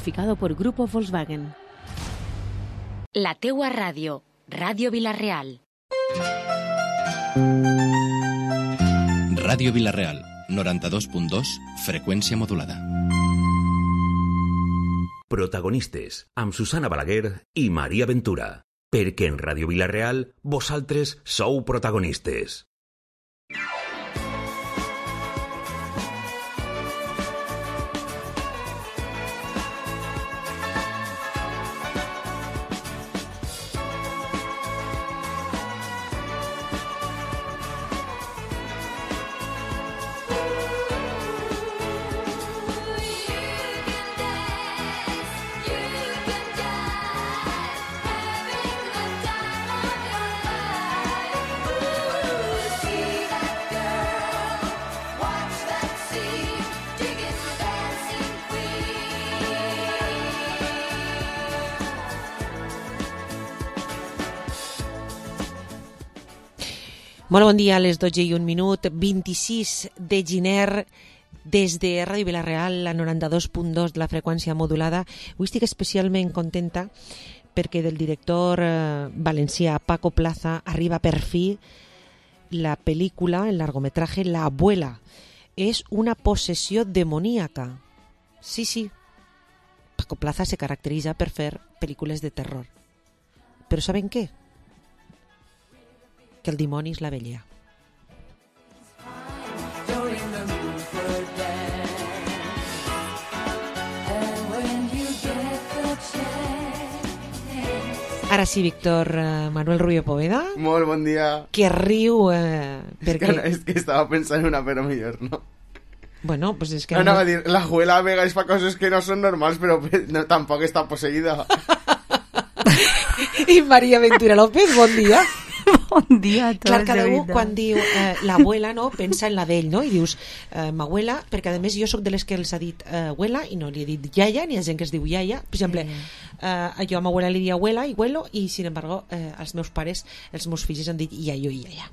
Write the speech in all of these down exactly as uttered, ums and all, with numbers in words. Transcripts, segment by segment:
Certificado por Grupo Volkswagen. La teua ràdio, Ràdio Vila-real. Ràdio Vila-real, noranta-dos punt dos, freqüència modulada. Protagonistes, amb Susana Balaguer i Maria Ventura. Perquè en Ràdio Vila-real, vosaltres sou protagonistes. Molt bon dia, a les dotze i un minut, vint-i-sis de gener, des de Ràdio Vila-real, la noranta-dos punt dos de la freqüència modulada. Avui estic especialment contenta perquè del director eh, valencià Paco Plaza arriba per fi la pel·lícula, el largometraje La abuela. És una possessió demoníaca. Sí, sí. Paco Plaza se caracteritza per fer pel·lícules de terror. Però saben què? Que el dimoni és la vella. Ara sí, Víctor uh, Manuel Rubio Poveda. Molt bon dia. Que riu uh, perquè... És que, no, és que estava pensant en una però millor, no? Bueno, pues és que... No, anava a dir, la abuela Vega és fa coses que no són normals, però no, tampoc està posseïda. I Maria Ventura López, bon dia. Bon dia a tots. Clar, cada un quan diu eh, l'abuela, no, pensa en la d'ell, no? I dius, eh, m'abuela, perquè a més jo sóc de les que els ha dit eh, abuela i no li he dit iaia, ni hi ha gent que es diu iaia. Per exemple, eh, jo a m'abuela li diria abuela i abuelo i, sin embargo, eh, els meus pares, els meus fills han dit iaio i iaia.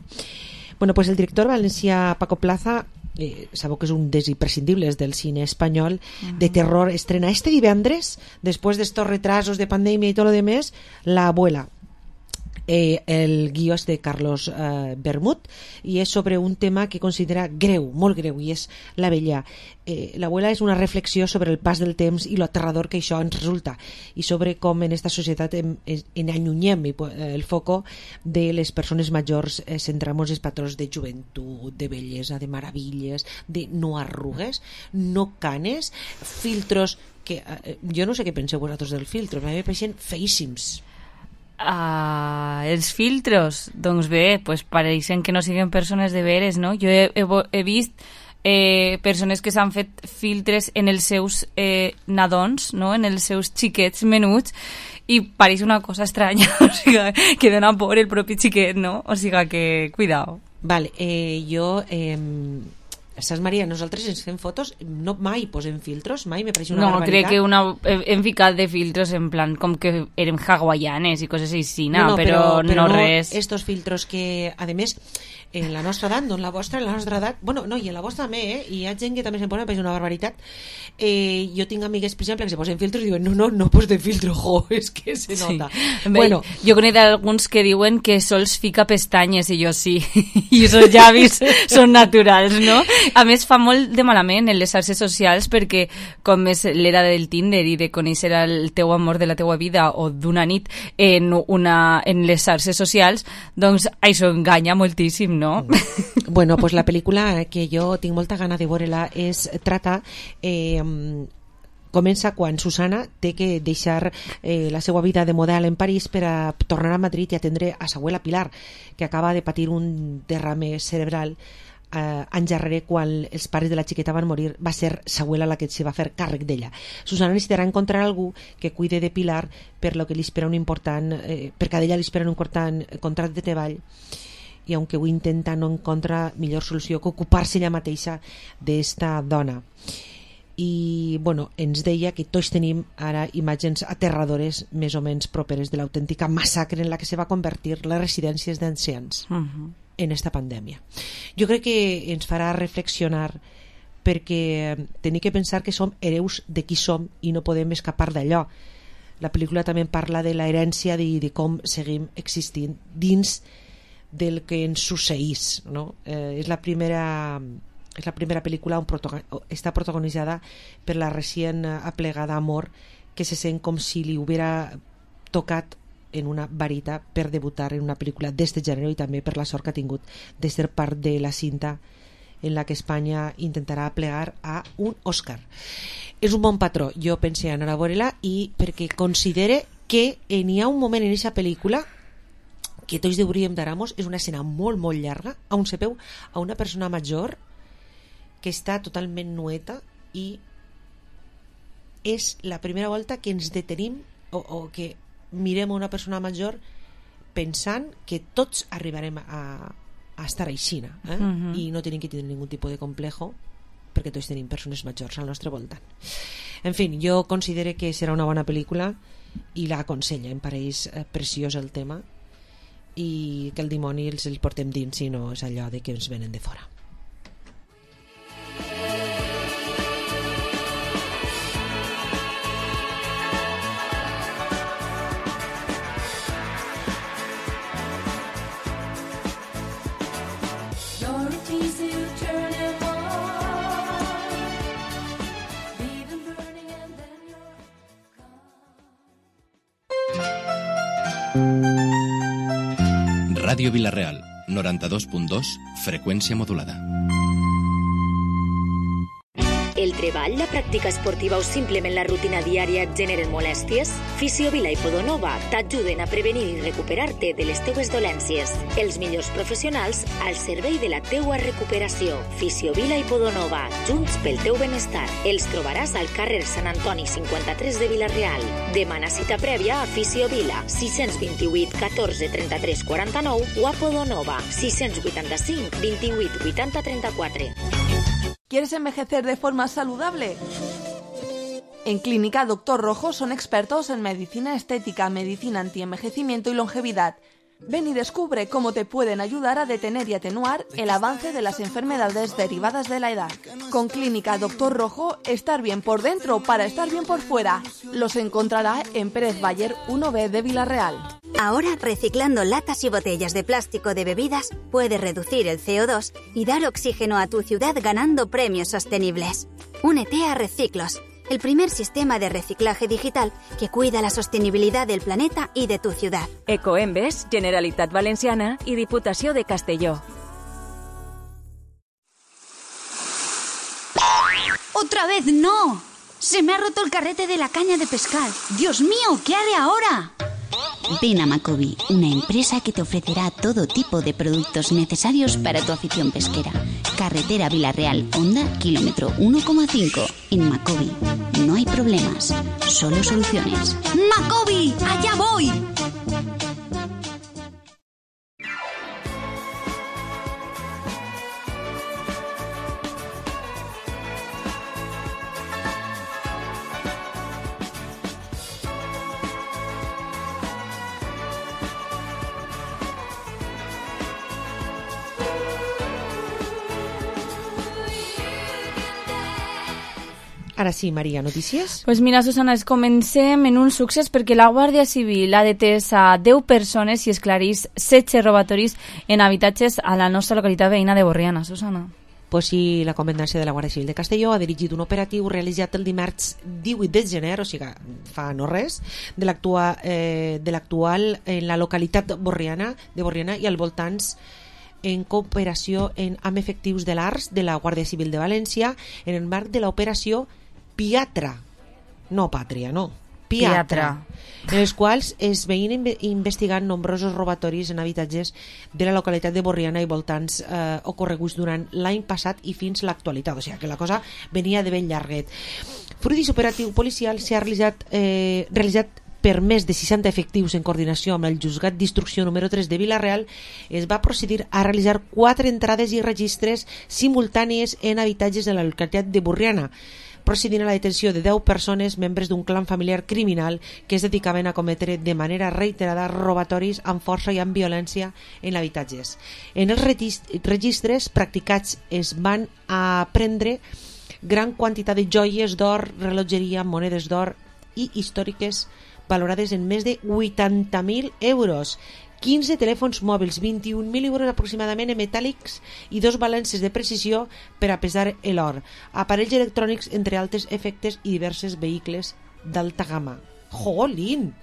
Bueno, pues el director valencià Paco Plaza, eh, sabeu que és un dels imprescindibles del cine espanyol, uh-huh. de terror, estrena este divendres, després d'estos retrasos de pandèmia i tot lo demés, La abuela. Eh, el guió és de Carlos eh, Bermud i és sobre un tema que considera greu, molt greu, i és la vella. Eh, l'abuela és una reflexió sobre el pas del temps i lo aterrador que això ens resulta i sobre com en esta societat en, en allunyem el foco de les persones majors, eh, centramos els patrons de joventut, de bellesa, de meravilles, de no arrugues, no canes, filtros que eh, jo no sé què penseu vosaltres dels filtros, a mi me pareixen feíssims. Uh, els filtros, doncs bé, pues pareixen que no siguin persones de veres, no? Jo he, he, he vist eh, persones que s'han fet filtres en els seus eh, nadons, no? En els seus xiquets menuts, i pareix una cosa estranya, o sigui, que dona por el propi xiquet, no? O sigui que, cuidao. Vale, eh, jo... Eh... Saps, Maria, nosaltres ens fem fotos, no mai posem filtros, mai me pareix una no, barbaritat. No, crec que una, hem ficat de filtros en plan com que érem hawaianes i coses així, no, no, però, però, però no, no res. Estos filtros que, a més, en la nostra edat, no en la vostra, en la nostra edat, bueno, no, i en la vostra també, eh? I hi ha gent que també se'n posa, me pareix una barbaritat. Eh, jo tinc amigues, per exemple, que se posen filtros i diuen, no, no, no pos de filtro, jo, és que se nota. Sí. Bueno, jo conec alguns que diuen que sols fica pestanyes, i jo sí, i esos llavis són naturals, no? A més, fa molt de malament en les xarxes socials perquè com és l'era del Tinder i de conèixer el teu amor de la teua vida o d'una nit en, una, en les xarxes socials, doncs això enganya moltíssim, no? Bueno, pues la pel·lícula que jo tinc molta gana de veure-la és trata... Eh, comença quan Susana té que deixar eh, la seva vida de model en París per a tornar a Madrid i atendre a sa abuela Pilar, que acaba de patir un derrame cerebral eh, anys darrere, quan els pares de la xiqueta van morir. Va ser sa abuela la que se va fer càrrec d'ella. Susana necessitarà encontrar algú que cuide de Pilar, per lo que li espera un important eh, perquè a ella li espera un important contracte de treball, i aunque ho intenta no encontra millor solució que ocupar-se ella mateixa d'esta dona. I bueno, ens deia que tots tenim ara imatges aterradores més o menys properes de l'autèntica massacre en la que se va convertir les residències d'ancians uh-huh. en esta pandèmia. Jo crec que ens farà reflexionar perquè tenim que pensar que som hereus de qui som i no podem escapar d'allò. La pel·lícula també parla de l'herència de, de com seguim existint dins del que ens succeís, no? Eh, és la primera és la primera pel·lícula on protagon, està protagonitzada per la recient aplegada Amor, que se sent com si li hubiera tocat en una varita per debutar en una pel·lícula d'este gènere, i també per la sort que ha tingut de ser part de la cinta en la que Espanya intentarà plegar a un Òscar. És un bon patró, jo pensé anar a veure-la, i perquè considere que n'hi ha un moment en aquesta pel·lícula que tots hauríem d'aramos, és una escena molt molt llarga, on se veu a una persona major que està totalment nueta, i és la primera volta que ens detenim o, o que mirem a una persona major pensant que tots arribarem a, a estar aixina, eh? Uh-huh. I no tenim que tenir ningun tipus de complejo, perquè tots tenim persones majors al nostre voltant. En fi, jo considero que serà una bona pel·lícula i la aconsella, em pareix preciós el tema, i que el dimoni els el portem dins i no és allò de que ens venen de fora. Ràdio Vila-real, noranta-dos punt dos, freqüència modulada. El treball, la pràctica esportiva o simplement la rutina diària et generen molèsties? Fisiovila i Podonova t'ajuden a prevenir i recuperar-te de les teues dolències. Els millors professionals al servei de la teua recuperació. Fisiovila i Podonova, junts pel teu benestar. Els trobaràs al carrer Sant Antoni cinquanta-tres de Vila-real. Demana cita prèvia a Fisiovila, sis dos vuit, catorze, trenta-tres, quaranta-nou, o a Podonova, sis vuitanta cinc, vint-i-vuit, vuitanta, trenta-quatre. ¿Quieres envejecer de forma saludable? En Clínica Doctor Rojo son expertos en medicina estética, medicina antienvejecimiento y longevidad. Ven y descubre cómo te pueden ayudar a detener y atenuar el avance de las enfermedades derivadas de la edad. Con Clínica Doctor Rojo, estar bien por dentro para estar bien por fuera. Los encontrará en Pérez Bayer uno B de Vila-real. Ahora, reciclando latas y botellas de plástico de bebidas, puedes reducir el C O dos y dar oxígeno a tu ciudad ganando premios sostenibles. Únete a Reciclos, el primer sistema de reciclaje digital que cuida la sostenibilidad del planeta y de tu ciudad. Ecoembes, Generalitat Valenciana y Diputació de Castelló. ¡Otra vez no! Se me ha roto el carrete de la caña de pescar. ¡Dios mío! ¿Qué haré ahora? Ven a Macobi, una empresa que te ofrecerá todo tipo de productos necesarios para tu afición pesquera. Carretera Vila-real, Honda, kilómetro uno coma cinco. En Macobi no hay problemas, solo soluciones. ¡Macobi! ¡Allá voy! Ara sí, Maria, notícies? Pues mira, Susana, es comencem en un succés perquè la Guàrdia Civil ha detès a deu persones i esclarís setze robatoris en habitatges a la nostra localitat veïna de Borriana, Susana. Pues sí, la Comandància de la Guàrdia Civil de Castelló ha dirigit un operatiu realitzat el dimarts divuit de gener, o sigui, fa no res, de l'actual eh, de l'actual en la localitat borriana, de Borriana i al voltants, en cooperació en, amb efectius de l'A R S de la Guàrdia Civil de València en el marc de l'operació Piatra, no Pàtria, no, Piatra, en els quals es veien investigant nombrosos robatoris en habitatges de la localitat de Borriana i voltants eh, ocorreguts durant l'any passat i fins l'actualitat, o sigui que la cosa venia de ben llarguet. Fruit d'aquest operatiu policial s'ha realitzat, eh, realitzat per més de seixanta efectius en coordinació amb el Juzgat d'Instrucció número tres de Vila-real, es va procedir a realitzar quatre entrades i registres simultànies en habitatges de la localitat de Borriana, procedint a la detenció de deu persones membres d'un clan familiar criminal que es dedicaven a cometre de manera reiterada robatoris amb força i amb violència en habitatges. En els registres practicats es van aprendre gran quantitat de joies d'or, rellotgeria, monedes d'or i històriques valorades en més de vuitanta mil euros. quinze telèfons mòbils, vint-i-un mil euros aproximadament en metàl·lics i dos balances de precisió per a pesar l'or, aparells electrònics, entre altres efectes, i diversos vehicles d'alta gamma. Jolín!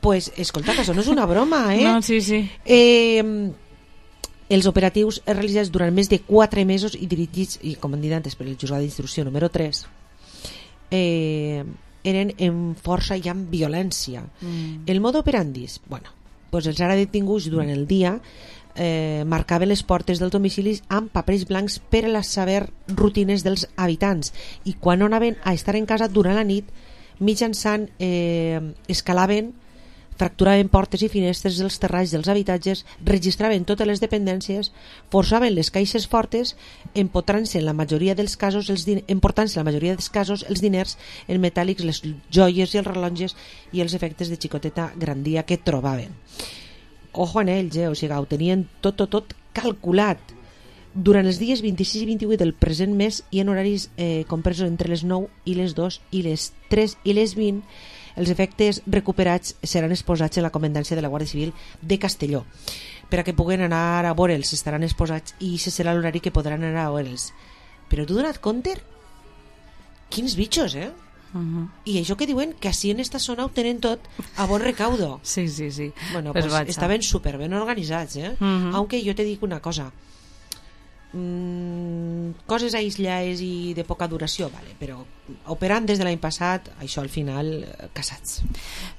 Pues, escolta, que això no és una broma, eh? No, sí, sí. Eh, els operatius realitzats durant més de quatre mesos i dirigits i comandats per el juzgat d'instrucció número tres eh, eren en força i amb violència. Mm. El modo operandis, bueno, pues els ara detinguts durant el dia eh, marcaven les portes dels domicilis amb papers blancs per a saber rutines dels habitants, i quan no anaven a estar en casa durant la nit, mitjançant eh, escalaven, fracturaven portes i finestres dels terrats dels habitatges, registraven totes les dependències, forçaven les caixes fortes, empotrant-se en la majoria dels casos els din- emportant-se en la majoria dels casos els diners en metàl·lics, les joies i els rellotges i els efectes de xicoteta grandia que trobaven. Ojo en ells, eh? O sigui, ho tenien tot, tot, tot calculat. Durant els dies vint-i-sis i vint-i-vuit del present mes i en horaris eh, compresos entre les nou i les dos i les tres i les vint, els efectes recuperats seran exposats a la comandància de la Guàrdia Civil de Castelló. Per a que puguen anar a veure'ls, estaran exposats i se serà l'horari que podran anar a veure'ls. Però tu donat compte? Quins bitxos, eh? Uh-huh. I això que diuen que així en esta zona ho tenen tot a bon recaudo. Sí, sí, sí. Bueno, pues, pues estaven super ben organitzats, eh? Uh-huh. Aunque jo te dic una cosa. Mm, coses aislades i de poca duració, vale, però operant des de l'any passat, això al final casats.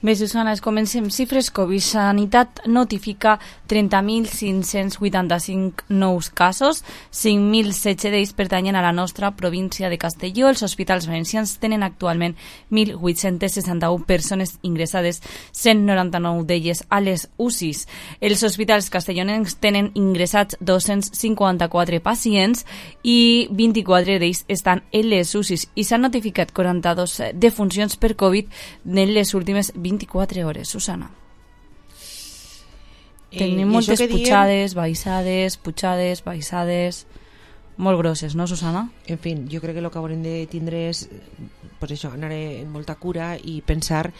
Bé, Susana, comencem. Xifres Covid. Sanitat notifica trenta mil cinc-cents vuitanta-cinc nous casos, cinc mil setze d'ells pertanyen a la nostra província de Castelló. Els hospitals valencians tenen actualment mil vuit-cents seixanta-u persones ingressades, cent noranta-nou d'elles a les U C Is. Els hospitals castellonencs tenen ingressats dos-cents cinquanta-quatre pacients i vint-i-quatre d'ells estan en les U C Is, i s'han notificat quaranta-dos defuncions per Covid en les últimes vint-i-quatre hores. Susana. Eh, Tenim moltes pujades, diem... baixades, pujades, baixades, molt grosses, no, Susana? En fi, jo crec que el que haurem de tindre és, pues això, anar en molta cura i pensar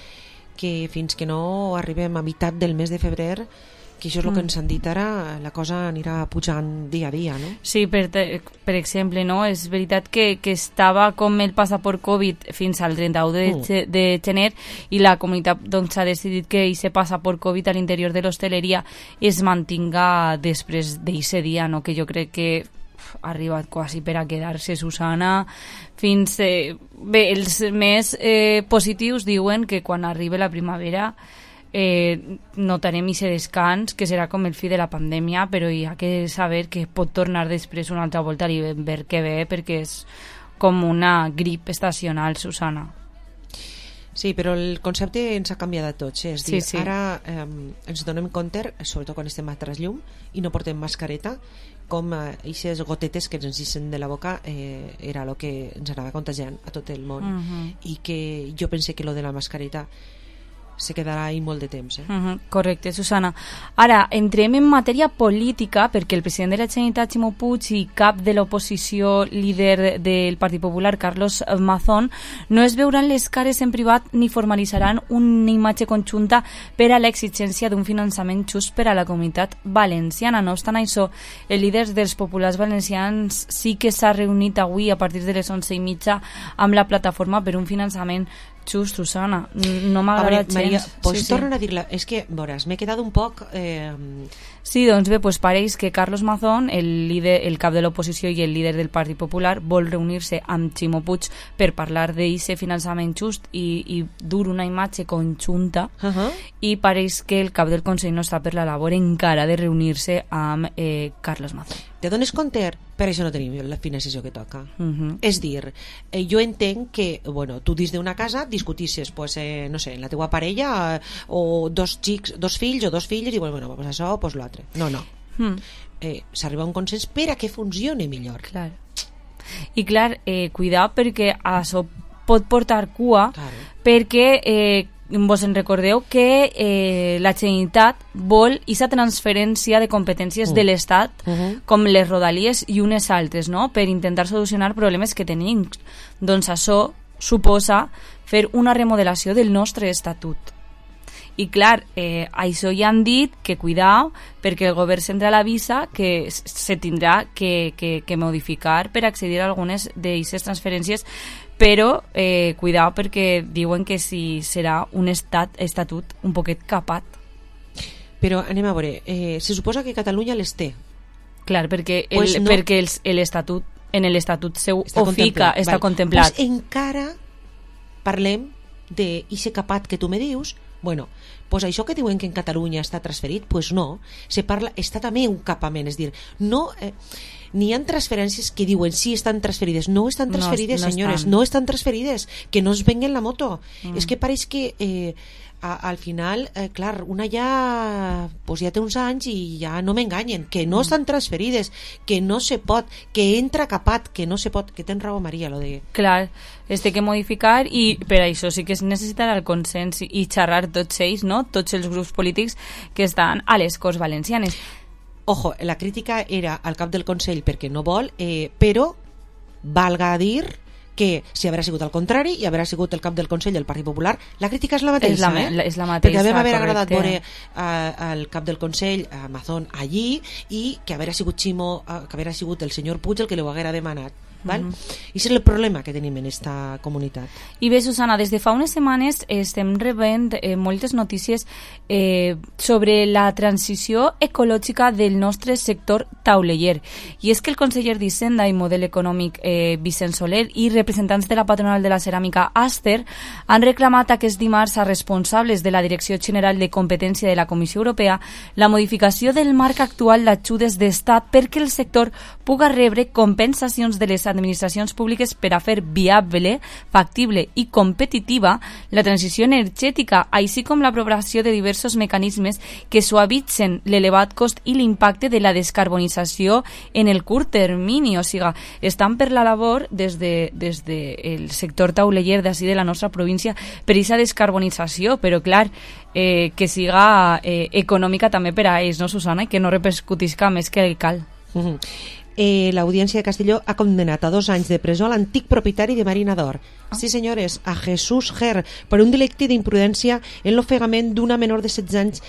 que fins que no arribem a meitat del mes de febrer, que això és el que ens han dit ara, la cosa anirà pujant dia a dia, no? Sí, per, per exemple, no? És veritat que, que estava com el passaport Covid fins al trenta-u de, mm. de gener, i la comunitat doncs, ha decidit que aquest passaport Covid a l'interior de l'hostaleria es mantinga després d'aquest dia, no? Que jo crec que ha arribat quasi per a quedar-se, Susana, fins... Eh, bé, els més eh, positius diuen que quan arribi la primavera eh, notarem aquest descans, que serà com el fi de la pandèmia, però hi ha que saber que pot tornar després una altra volta i ver què ve, perquè és com una grip estacional, Susana. Sí, però el concepte ens ha canviat a tots, eh? És dir, sí, sí. Ara eh, ens donem compte, sobretot quan estem a trasllum i no portem mascareta, com aquestes eh, gotetes que ens ixen de la boca eh, era el que ens anava contagiant a tot el món. Uh-huh. I que jo pensé que lo de la mascareta se quedarà ahí molt de temps. Eh? Uh-huh, correcte, Susana. Ara, entrem en matèria política, perquè el president de la Generalitat, Ximo Puig, i cap de l'oposició, líder del Partit Popular, Carlos Mazón, no es veuran les cares en privat ni formalitzaran una imatge conjunta per a l'exigència d'un finançament just per a la comunitat valenciana. No obstant això, el líder dels populars valencians sí que s'ha reunit avui a partir de les onze i mitja amb la plataforma per un finançament just, Susana. No m'ha agradat gens. Maria, pots sí, tornar sí. a dir-la? És que, veuràs, m'he quedat un poc... Eh... Sí, doncs bé, pues pareix que Carlos Mazón, el, líder, el cap de l'oposició i el líder del Partit Popular, vol reunir-se amb Ximo Puig per parlar d'aquest finançament just i, i dur una imatge conjunta, uh-huh. i pareix que el cap del Consell no està per la labor encara de reunir-se amb eh, Carlos Mazón. Te dones compte? Per això no tenim la financiació que toca. Uh-huh. És dir, eh, jo entenc que, bueno, tu dins d'una casa discutisses, pues, eh, no sé, en la teua parella eh, o dos xics, dos fills o dos filles, i bueno, bueno pues això, pues l'altre. No, no. Mm. Eh, s'arriba a un consens per a que funcioni millor. Clar. I clar, eh, cuidar perquè això pot portar cua, claro. perquè eh, vos en recordeu que eh, la Generalitat vol aquesta transferència de competències mm. de l'Estat uh -huh. com les rodalies i unes altres, no? Per intentar solucionar problemes que tenim. Doncs això suposa fer una remodelació del nostre estatut. I clar, eh, això ja han dit que cuidao, perquè el govern central avisa que se tindrà que, que, que modificar per accedir a algunes d'aquestes transferències, però eh, cuidao perquè diuen que si serà un estat, estatut un poquet capat. Però anem a veure, eh, se suposa que Catalunya les té. Clar, perquè, el, pues no. perquè l'estatut, en l'estatut seu està ho fica, està vale. contemplat. Pues encara parlem d'aquest capat que tu me dius. Bueno, pues això que diuen que en Catalunya està transferit, pues no, se parla, està també un capament, és dir, no, eh, n'hi ha transferències que diuen sí estan transferides, no estan transferides, no, no senyores, estan. no estan transferides, que no es venguen la moto. Mm. És que pareix que eh, a, al final, eh, clar, una ja pues ja té uns anys i ja no m'enganyen, que no mm. estan transferides, que no se pot, que entra capat, que no se pot, que tens raó, Maria, lo de... Clar, es té que modificar i per això sí que es necessitarà el consens i xerrar tots ells, no? Tots els grups polítics que estan a les Corts Valencianes. Ojo, la crítica era al cap del Consell perquè no vol, eh, però valga a dir que si haurà sigut al contrari i haurà sigut el cap del Consell del Partit Popular, la crítica és la mateixa, és la, eh? És la mateixa, perquè vam haver correcte. agradat veure uh, el cap del Consell, a Mazón, allí, i que haurà sigut Ximo, uh, que haurà sigut el senyor Puig el que li ho haguera demanat. Val? Uh-huh. I és el problema que tenim en esta comunitat. I bé, Susana, des de fa unes setmanes estem rebent eh, moltes notícies eh, sobre la transició ecològica del nostre sector tauleller. I és que el conseller d'Hisenda i Model Econòmic eh, Vicent Soler i representants de la patronal de la ceràmica Aster han reclamat aquest dimarts a responsables de la Direcció General de Competència de la Comissió Europea la modificació del marc actual d'ajudes d'estat perquè el sector puga rebre compensacions de les administracions públiques per a fer viable, factible i competitiva la transició energètica, així com l'aprovació de diversos mecanismes que suavitzen l'elevat cost i l'impacte de la descarbonització en el curt termini. O sigui, estan per la labor des de, des de el sector tauleller d'ací de la nostra província per aquesta descarbonització, però clar, eh, que siga eh, econòmica també per a ells, no, Susana? I que no repercutisca més que el cal. Uh-huh. Eh, l'Audiència de Castelló ha condenat a dos anys de presó a l'antic propietari de Marina d'Or. Ah. Sí, senyores, a Jesús Ger, per un delicte d'imprudència en l'ofegament d'una menor de setze anys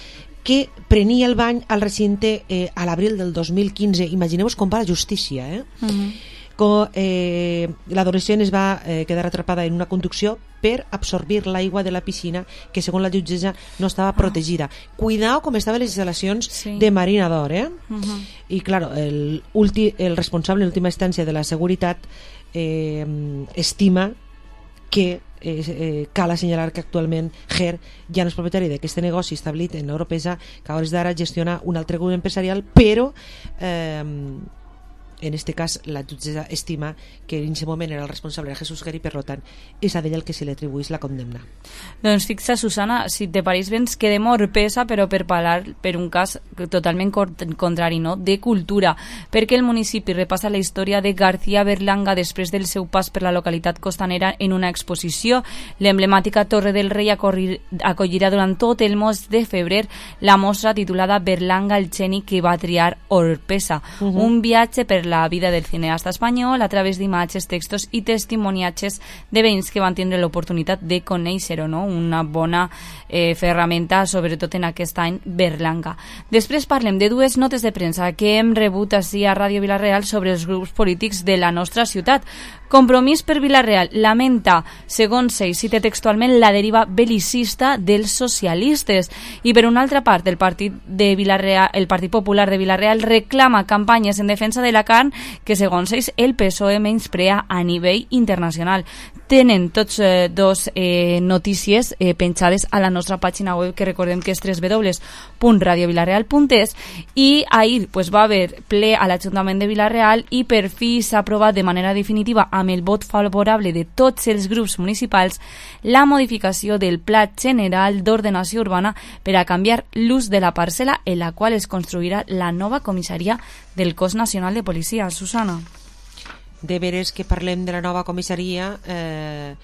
que prenia el bany al recinte eh, a l'abril del dos mil quinze. Imagineu-vos com va la justícia, eh? Uh-huh. Com, eh, l'adolescent es va eh, quedar atrapada en una conducció per absorbir l'aigua de la piscina que segons la jutgessa no estava protegida. Ah. Cuidao com estaven les instal·lacions sí. de Marina d'Or, eh? Uh-huh. I clar, el, ulti, el responsable en última instància de la seguretat eh, estima que eh, eh, cal assenyalar que actualment Ger ja no és propietari d'aquest negoci establit en Europesa, que a hores d'ara gestiona un altre grup empresarial, però eh, en este cas la jutgessa estima que en aquest moment era el responsable de Jesús Ger i per tant és a ell el que se li atribuís la condemna. Doncs fixa, Susana, si te pareix bé ens quedem a Orpesa, però per parlar per un cas totalment contrari, no? De cultura, perquè el municipi repassa la història de García Berlanga després del seu pas per la localitat costanera en una exposició. L'emblemàtica Torre del Rei acollirà durant tot el mes de febrer la mostra titulada Berlanga el geni que va triar Orpesa, uh-huh. un viatge per la vida del cineasta espanyol a través d'imatges, textos i testimoniatges de veïns que van tindre l'oportunitat de conèixer-ho, no? Una bona eh, ferramenta, sobretot en aquest any Berlanga. Després parlem de dues notes de premsa que hem rebut així a Ràdio Vila-real sobre els grups polítics de la nostra ciutat. Compromís per Vila-real lamenta, segons ell, cita textualment, la deriva belicista dels socialistes. I per una altra part, el Partit de Vila-real, el Partit Popular de Vila-real reclama campanyes en defensa de la carn que, segons ells, el P S O E menysprea a nivell internacional. Tenen tots eh, dos eh, notícies eh, penjades a la nostra pàgina web, que recordem que és w w w punt radio vilareal punt es, i ahir pues, va haver ple a l'Ajuntament de Vila-real i per fi s'ha aprovat de manera definitiva amb el vot favorable de tots els grups municipals la modificació del Pla General d'Ordenació Urbana per a canviar l'ús de la parcel·la en la qual es construirà la nova comissaria del Cos Nacional de Policia. Susana. De veres que parlem de la nova comissaria, eh,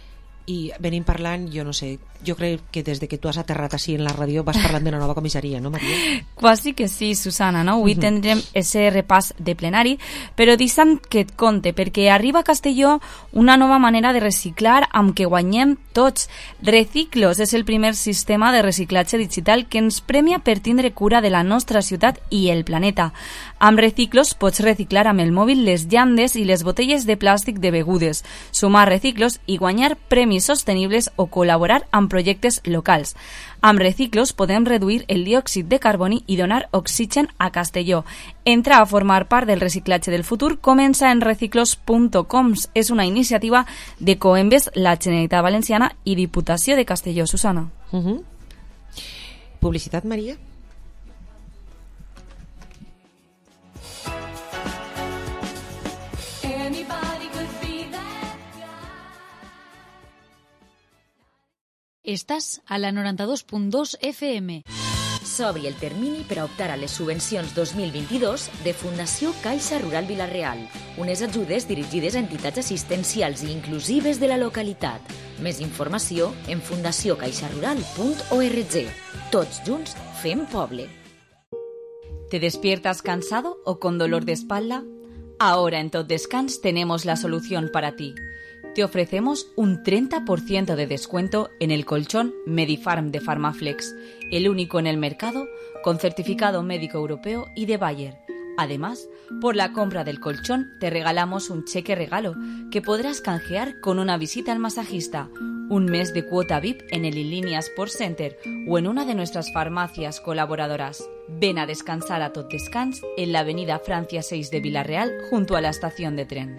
i venim parlant, jo no sé, jo crec que des de que tu has aterrat així en la ràdio vas parlant de la nova comissaria, no, Maria? Quasi que sí, Susana, no? Avui tindrem ese repàs de plenari, però deixa'm que et conte, perquè arriba a Castelló una nova manera de reciclar amb què guanyem tots. Reciclos és el primer sistema de reciclatge digital que ens premia per tindre cura de la nostra ciutat i el planeta. Amb Reciclos pots reciclar amb el mòbil les llandes i les botelles de plàstic de begudes, sumar reciclos i guanyar premis sostenibles o col·laborar amb projectes locals. Amb Reciclos podem reduir el diòxid de carboni i donar oxigen a Castelló. Entrar a formar part del reciclatge del futur comença en reciclos punt com. És una iniciativa de Coembes, la Generalitat Valenciana i Diputació de Castelló. Susana. Uh -huh. Publicitat, Maria? Estàs a la noranta-dos punt dos F M. S'obri el termini per a optar a les subvencions dos mil vint-i-dos de Fundació Caixa Rural Vila-real, unes ajudes dirigides a entitats assistencials i inclusives de la localitat. Més informació en fundació caixa rural punt org. Tots junts fem poble. ¿Te despiertas cansado o con dolor de espalda? Ahora en Tot Descans tenemos la solución para ti. Te ofrecemos un treinta por ciento de descuento en el colchón Medifarm de Farmaflex, el único en el mercado con certificado médico europeo y de Bayer. Además, por la compra del colchón te regalamos un cheque regalo que podrás canjear con una visita al masajista, un mes de cuota V I P en el Inlínea Sport Center o en una de nuestras farmacias colaboradoras. Ven a descansar a Tot Descans en la avenida Francia seis de Vila-real junto a la estación de tren.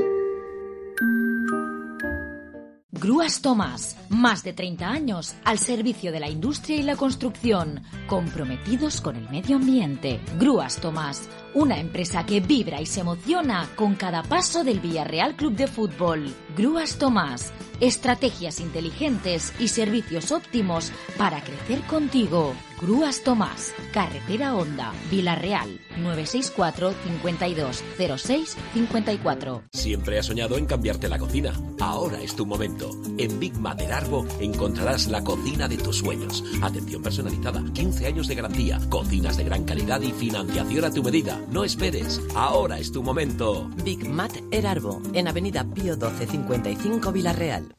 Grúas Tomás, más de treinta años al servicio de la industria y la construcción, comprometidos con el medio ambiente. Grúas Tomás, una empresa que vibra y se emociona con cada paso del Villarreal Club de Fútbol. Grúas Tomás, estrategias inteligentes y servicios óptimos para crecer contigo. Grúas Tomás, carretera Honda, Vila-real, nueve seis cuatro, cincuenta y dos, cero seis, cincuenta y cuatro. Siempre has soñado en cambiarte la cocina. Ahora es tu momento. En Big Mater Arbo encontrarás la cocina de tus sueños. Atención personalizada, quince años de garantía, cocinas de gran calidad y financiación a tu medida. No esperes, ahora es tu momento. Big Mater Arbo, en Avenida Pío doce cincuenta y cinco, Vila-real.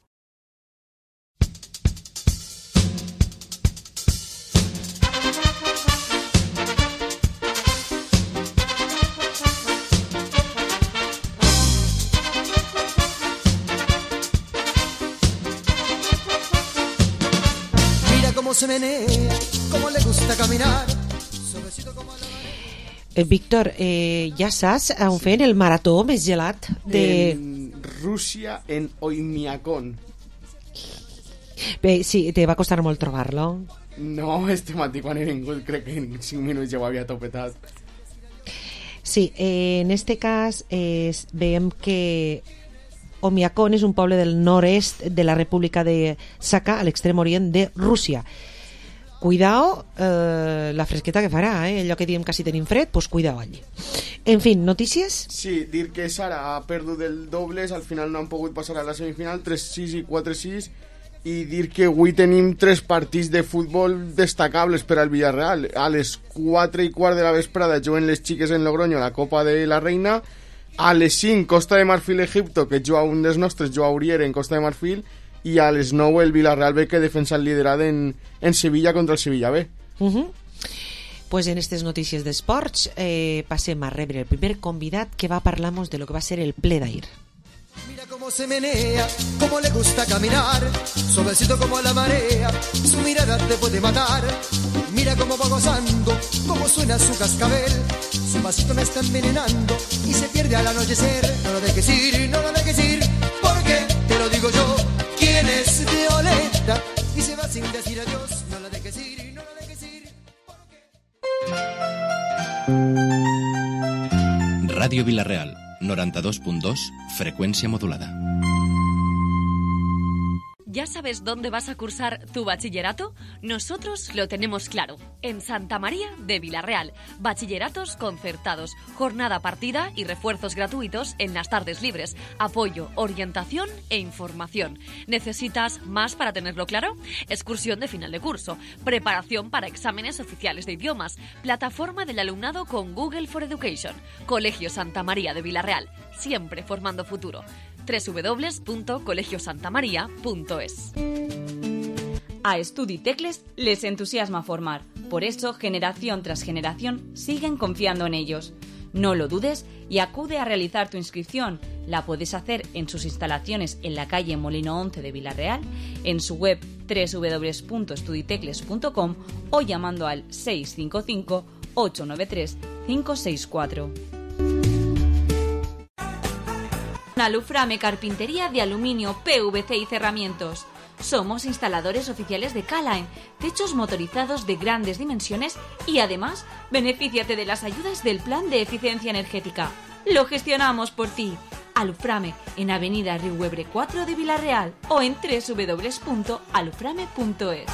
Se menea, cómo le gusta caminar. Como la... eh, Víctor, eh, ja saps on feien el marató més gelat de... En Rússia, en Oymyakon. Bé, sí, te va costar molt trobar-lo. No, este matí quan he vingut crec que en cinc minuts ja ho havia topetat. Sí, eh, en este cas eh, veiem que Oymyakon és un poble del nord-est de la República de Sakha, a l'extrem orient de Rússia. Cuidao eh, la fresqueta que farà, eh? Allò que diem que si tenim fred, pues cuidao allí. En fin, notícies? Sí, dir que Sara ha perdut el dobles, al final no han pogut passar a la semifinal, tres sis i quatre sis, i dir que avui tenim tres partits de futbol destacables per al Villarreal. A les quatre i quart de la vesprada juguen les xiques en Logroño la Copa de la Reina. A les cinc, Costa de Marfil, Egipto, que juga un dels nostres, juga Uriere en Costa de Marfil, i a les nou el Villarreal B, que defensa el liderat en, en Sevilla contra el Sevilla B. Uh -huh. Pues en aquestes notícies d'esports eh, passem a rebre el primer convidat que va a parlar-nos de lo que va ser el ple d'ahir. Mira cómo se menea, cómo le gusta caminar, suavecito como la marea, su mirada te puede matar. Mira cómo va gozando, cómo suena su cascabel, su vasito me está envenenando y se pierde al anochecer. No lo dejes ir, no lo dejes ir, porque te lo digo yo, quién es Violeta y se va sin decir adiós. No lo dejes ir, no lo dejes ir, porque... Radio Vila-real, noranta-dos punt dos, freqüència modulada. ¿Ya sabes dónde vas a cursar tu bachillerato? Nosotros lo tenemos claro. En Santa María de Vilarreal. Bachilleratos concertados, jornada partida y refuerzos gratuitos en las tardes libres. Apoyo, orientación e información. ¿Necesitas más para tenerlo claro? Excursión de final de curso. Preparación para exámenes oficiales de idiomas. Plataforma del alumnado con Google for Education. Colegio Santa María de Vilarreal. Siempre formando futuro. doble u doble u doble u punto colegio santa maría punto es. A Estudi Tecles les entusiasma formar. Por eso, generación tras generación, siguen confiando en ellos. No lo dudes y acude a realizar tu inscripción. La puedes hacer en sus instalaciones en la calle Molino once de Vilarreal, en su web doble u doble u doble u punto estuditecles punto com o llamando al seis cinco cinco, ocho nueve tres, cinco seis cuatro. Aluframe Carpintería de Aluminio, P V C y Cerramientos. Somos instaladores oficiales de K-Line, techos motorizados de grandes dimensiones y además benefíciate de las ayudas del Plan de Eficiencia Energética. Lo gestionamos por ti. Aluframe en Avenida Riuebre cuatro de Vilarreal o en doble u doble u doble u punto aluframe punto es.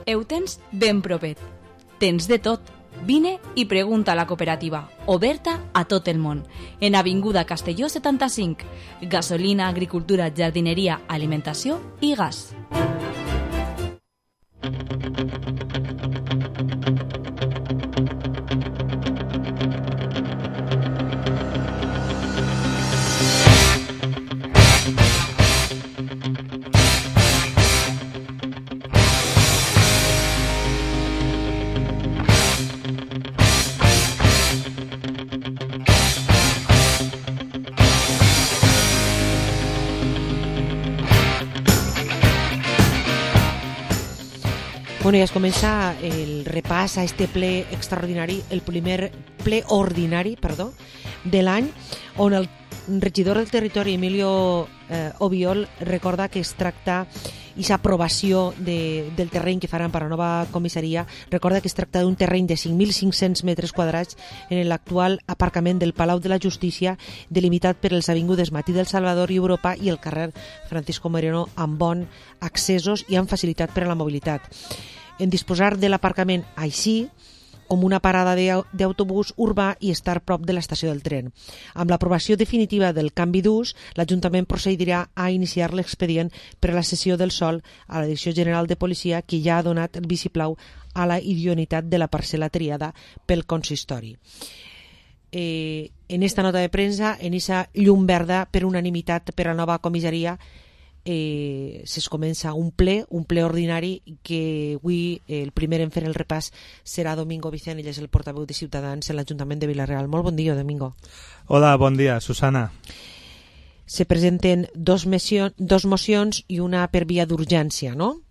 Eutens ben propet. Tens de tot. Vine i pregunta a la cooperativa, oberta a tot el món, en Avinguda Castelló setanta-cinc, gasolina, agricultura, jardineria, alimentació i gas. Bueno, ja es comença el repàs a este ple extraordinari, el primer ple ordinari, perdó, de l'any, on el regidor del territori, Emilio eh, Obiol, recorda que es tracta aquesta aprovació de, del terreny que faran per a la nova comissaria, recorda que es tracta d'un terreny de cinc mil cinc-cents metres quadrats en l'actual aparcament del Palau de la Justícia, delimitat per les avingudes Matí del Salvador i Europa i el carrer Francisco Moreno, amb bons accessos i amb facilitat per a la mobilitat. En disposar de l'aparcament així, com una parada d'autobús urbà i estar prop de l'estació del tren. Amb l'aprovació definitiva del canvi d'ús, l'Ajuntament procedirà a iniciar l'expedient per a la cessió del sòl a la Direcció General de Policia, que ja ha donat el vistiplau a la idoneïtat de la parcel·la triada pel consistori. Eh, en esta nota de premsa, en aquesta llum verda per unanimitat per a la nova comissaria, Eh, es comença un ple, un ple ordinari que avui eh, el primer en fer el repàs serà Domingo Vicent, ell és el portaveu de Ciutadans en l'Ajuntament de Vilarreal. Molt bon dia, Domingo. Hola, bon dia, Susana. Se presenten dos, moció, dos mocions i una per via d'urgència, no?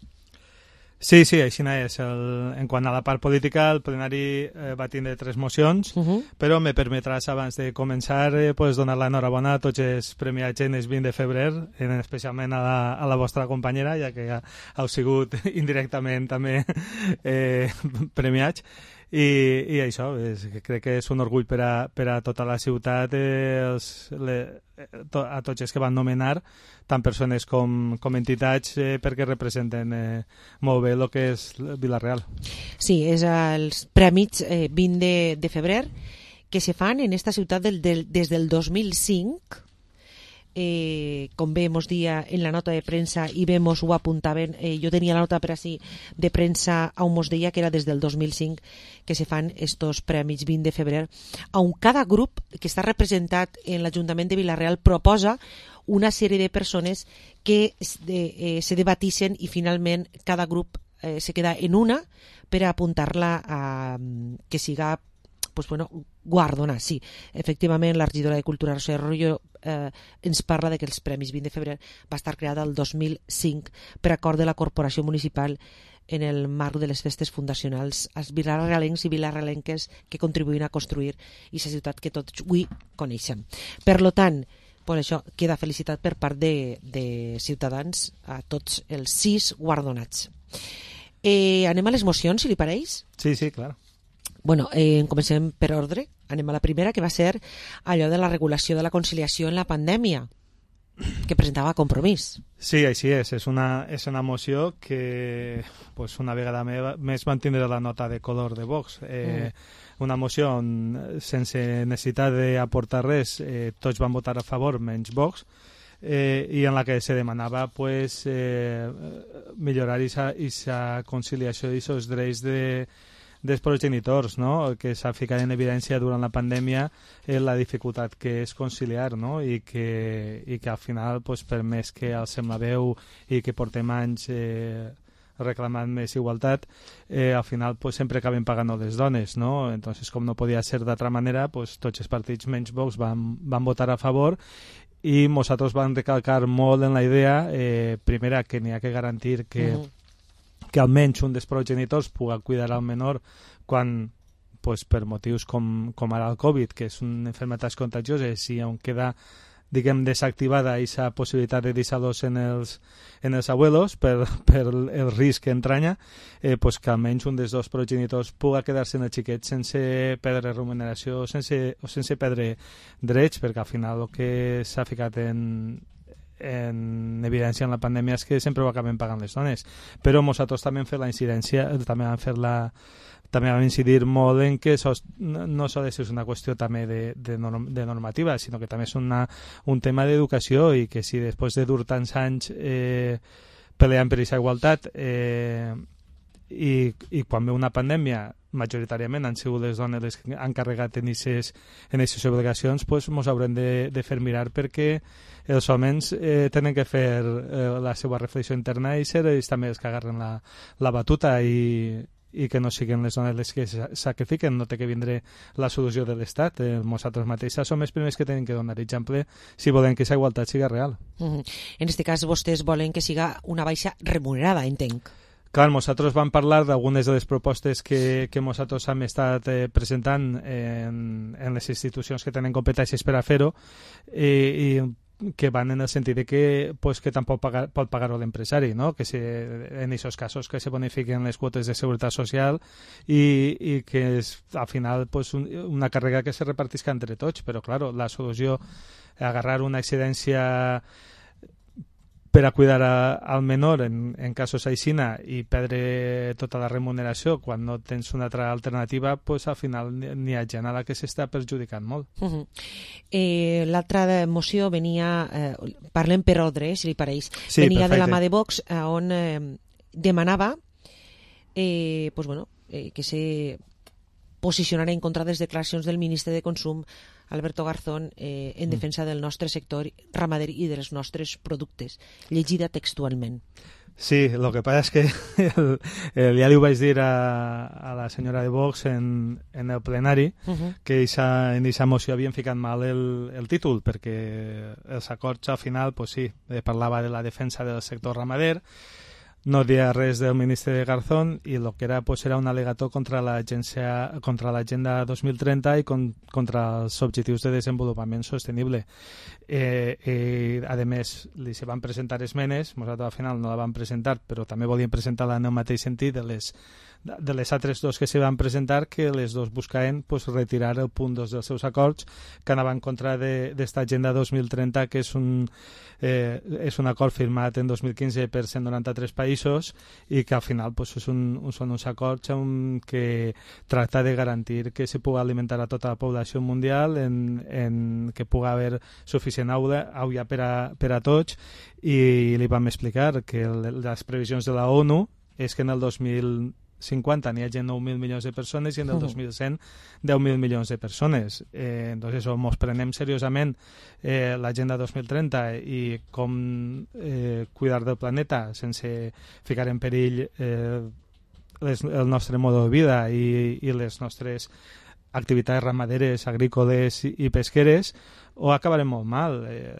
Sí, sí, així és. El, en quant a la part política, el plenari eh, va tindre tres mocions, uh -huh. però me permetràs, abans de començar, eh, pues, donar l'enhorabona a tots els premiats en el vint de febrer, en, especialment a la, a la vostra companyera, ja que ha, heu sigut indirectament també eh, premiats. I, i això, és, crec que és un orgull per a, per a tota la ciutat, eh, els, le, to, a tots els que van nomenar, tant persones com, com entitats, eh, perquè representen eh, molt bé el que és Vilarreal. Sí, és els prèmits eh, vint de, de febrer que se fan en esta ciutat del, del, des del dos mil cinc. Eh, com bé mos dia en la nota de premsa i bé mos ho apuntaven, eh, jo tenia la nota per així de premsa on mos deia que era des del dos mil cinc que se fan estos prèmits vint de febrer, on cada grup que està representat en l'Ajuntament de Vilarreal proposa una sèrie de persones que eh, se debatissin i finalment cada grup eh, se queda en una per a apuntar-la a que siga pues bueno, guardona, sí. Efectivament, la regidora de Cultura, Rosa Arroyo, eh, ens parla de que els Premis vint de febrer va estar creada el dos mil cinc per acord de la Corporació Municipal en el marc de les festes fundacionals als vilarrealencs i vilarrealenques que contribuïn a construir aquesta ciutat que tots avui coneixem. Per lo tant, pues això, queda felicitat per part de, de Ciutadans a tots els sis guardonats. Eh, anem a les mocions, si li pareix? Sí, sí, clar. Bueno, eh, comencem per ordre. Anem a la primera, que va ser allò de la regulació de la conciliació en la pandèmia. que presentava Compromís. Sí, així és. És una, és una moció que pues, una vegada més mantindrà la nota de color de Vox. Eh, mm. Una moció on, sense necessitat d'aportar res, eh, tots van votar a favor, menys Vox, eh, i en la que se demanava pues, eh, millorar aquesta conciliació i aquests drets de, dels progenitors, no? Que s'ha ficat en evidència durant la pandèmia eh, la dificultat que és conciliar, no? I que, i que al final, pues, per més que alcem la veu i que portem anys eh, reclamant més igualtat, eh, al final pues, sempre acaben pagant les dones, no? Entonces, com no podia ser d'altra manera, pues, tots els partits menys Vox van, van votar a favor i nosaltres vam recalcar molt en la idea, eh, primera, que n'hi ha que garantir que, mm. que almenys un dels progenitors pugui cuidar al menor quan, pues, per motius com, com ara el Covid, que és una malaltia contagiosa, si on queda, diguem, desactivada aquesta possibilitat de deixar-los en els, en els abuelos per, per el risc que entranya, eh, pues que almenys un dels dos progenitors pugui quedar-se en el xiquet sense perdre remuneració sense, o sense perdre drets, perquè al final el que s'ha ficat en, en evidència en la pandèmia és que sempre ho acabem pagant les dones. Però nosaltres també hem fet la incidència, també hem fet la també vam incidir molt en que això no s'ha de ser una qüestió també de, de, norm, de normativa, sinó que també és una, un tema d'educació i que si després de dur tants anys eh, peleant per aquesta igualtat eh, i, i quan ve una pandèmia majoritàriament han sigut les dones les que han carregat en aquestes obligacions, doncs ens haurem de, de fer mirar perquè els homes eh, tenen que fer eh, la seva reflexió interna i ser ells també els que agarren la, la batuta i i que no siguin les dones les que sacrifiquen, no té que vindre la solució de l'Estat. Eh, nosaltres mateixos som els primers que tenen que donar exemple si volen que aquesta igualtat siga real. Mm-hmm. En aquest cas, vostès volen que siga una baixa remunerada, entenc. Clar, nosaltres vam parlar d'algunes de les propostes que, que nosaltres hem estat eh, presentant en, en les institucions que tenen competències per a fer-ho i, i que van en el sentit de que, pues, que tampoc pagar, pot pagar-ho l'empresari, no? Que se, en aquests casos que se bonifiquen les quotes de seguretat social i, i que és, al final pues, un, una càrrega que se repartisca entre tots, però claro, la solució agarrar una excedència per a cuidar a, al menor en, en casos aixina i perdre tota la remuneració quan no tens una altra alternativa, pues, al final n'hi ha gent a la que s'està perjudicant molt. Uh-huh. eh, L'altra moció venia, eh, parlem per ordre, si li pareix, sí, venia perfecte. de la mà de Vox, eh, on eh, demanava eh, pues, bueno, eh, que se posicionara en contra de les declaracions del ministre de Consum, Alberto Garzón, eh, en defensa del nostre sector ramader i dels nostres productes. Llegida textualment. Sí, el que passa és que el, el, ja li ho vaig dir a, a la senyora de Vox en, en el plenari, uh-huh. que eixa, en aquesta moció havien ficat mal el, el títol, perquè els acords al final, pues sí, parlava de la defensa del sector ramader, no deia res del ministre de Garzón i el que era, pues, era un al·legato contra l'agència, contra l'agenda dos mil trenta i con, contra els objectius de desenvolupament sostenible. Eh, eh, a més, li se van presentar esmenes, nosaltres al final no la vam presentar, però també volíem presentar-la en el mateix sentit de les, de les altres dos que se van presentar, que les dos buscaven, pues, retirar el punt dos dels seus acords que anaven en contra d'esta agenda dos mil trenta, que és un, eh, és un acord firmat en dos mil quinze per cent noranta-tres països i que al final, pues, és un, són uns acords en que tracta de garantir que se pugui alimentar a tota la població mundial, en, en que pugui haver suficient aula, aula per, a, per a tots, i li vam explicar que les previsions de la ONU és que en el dos mil cincuenta n'hi hagi nou mil milions de persones i en el dos mil cent deu mil milions de persones. Eh, entonces, o ens prenem seriosament eh, l'agenda dos mil trenta i com eh, cuidar del planeta sense ficar en perill eh, les, el nostre mode de vida i, i les nostres activitats ramaderes, agrícoles i, i pesqueres, o acabarem molt mal. Eh,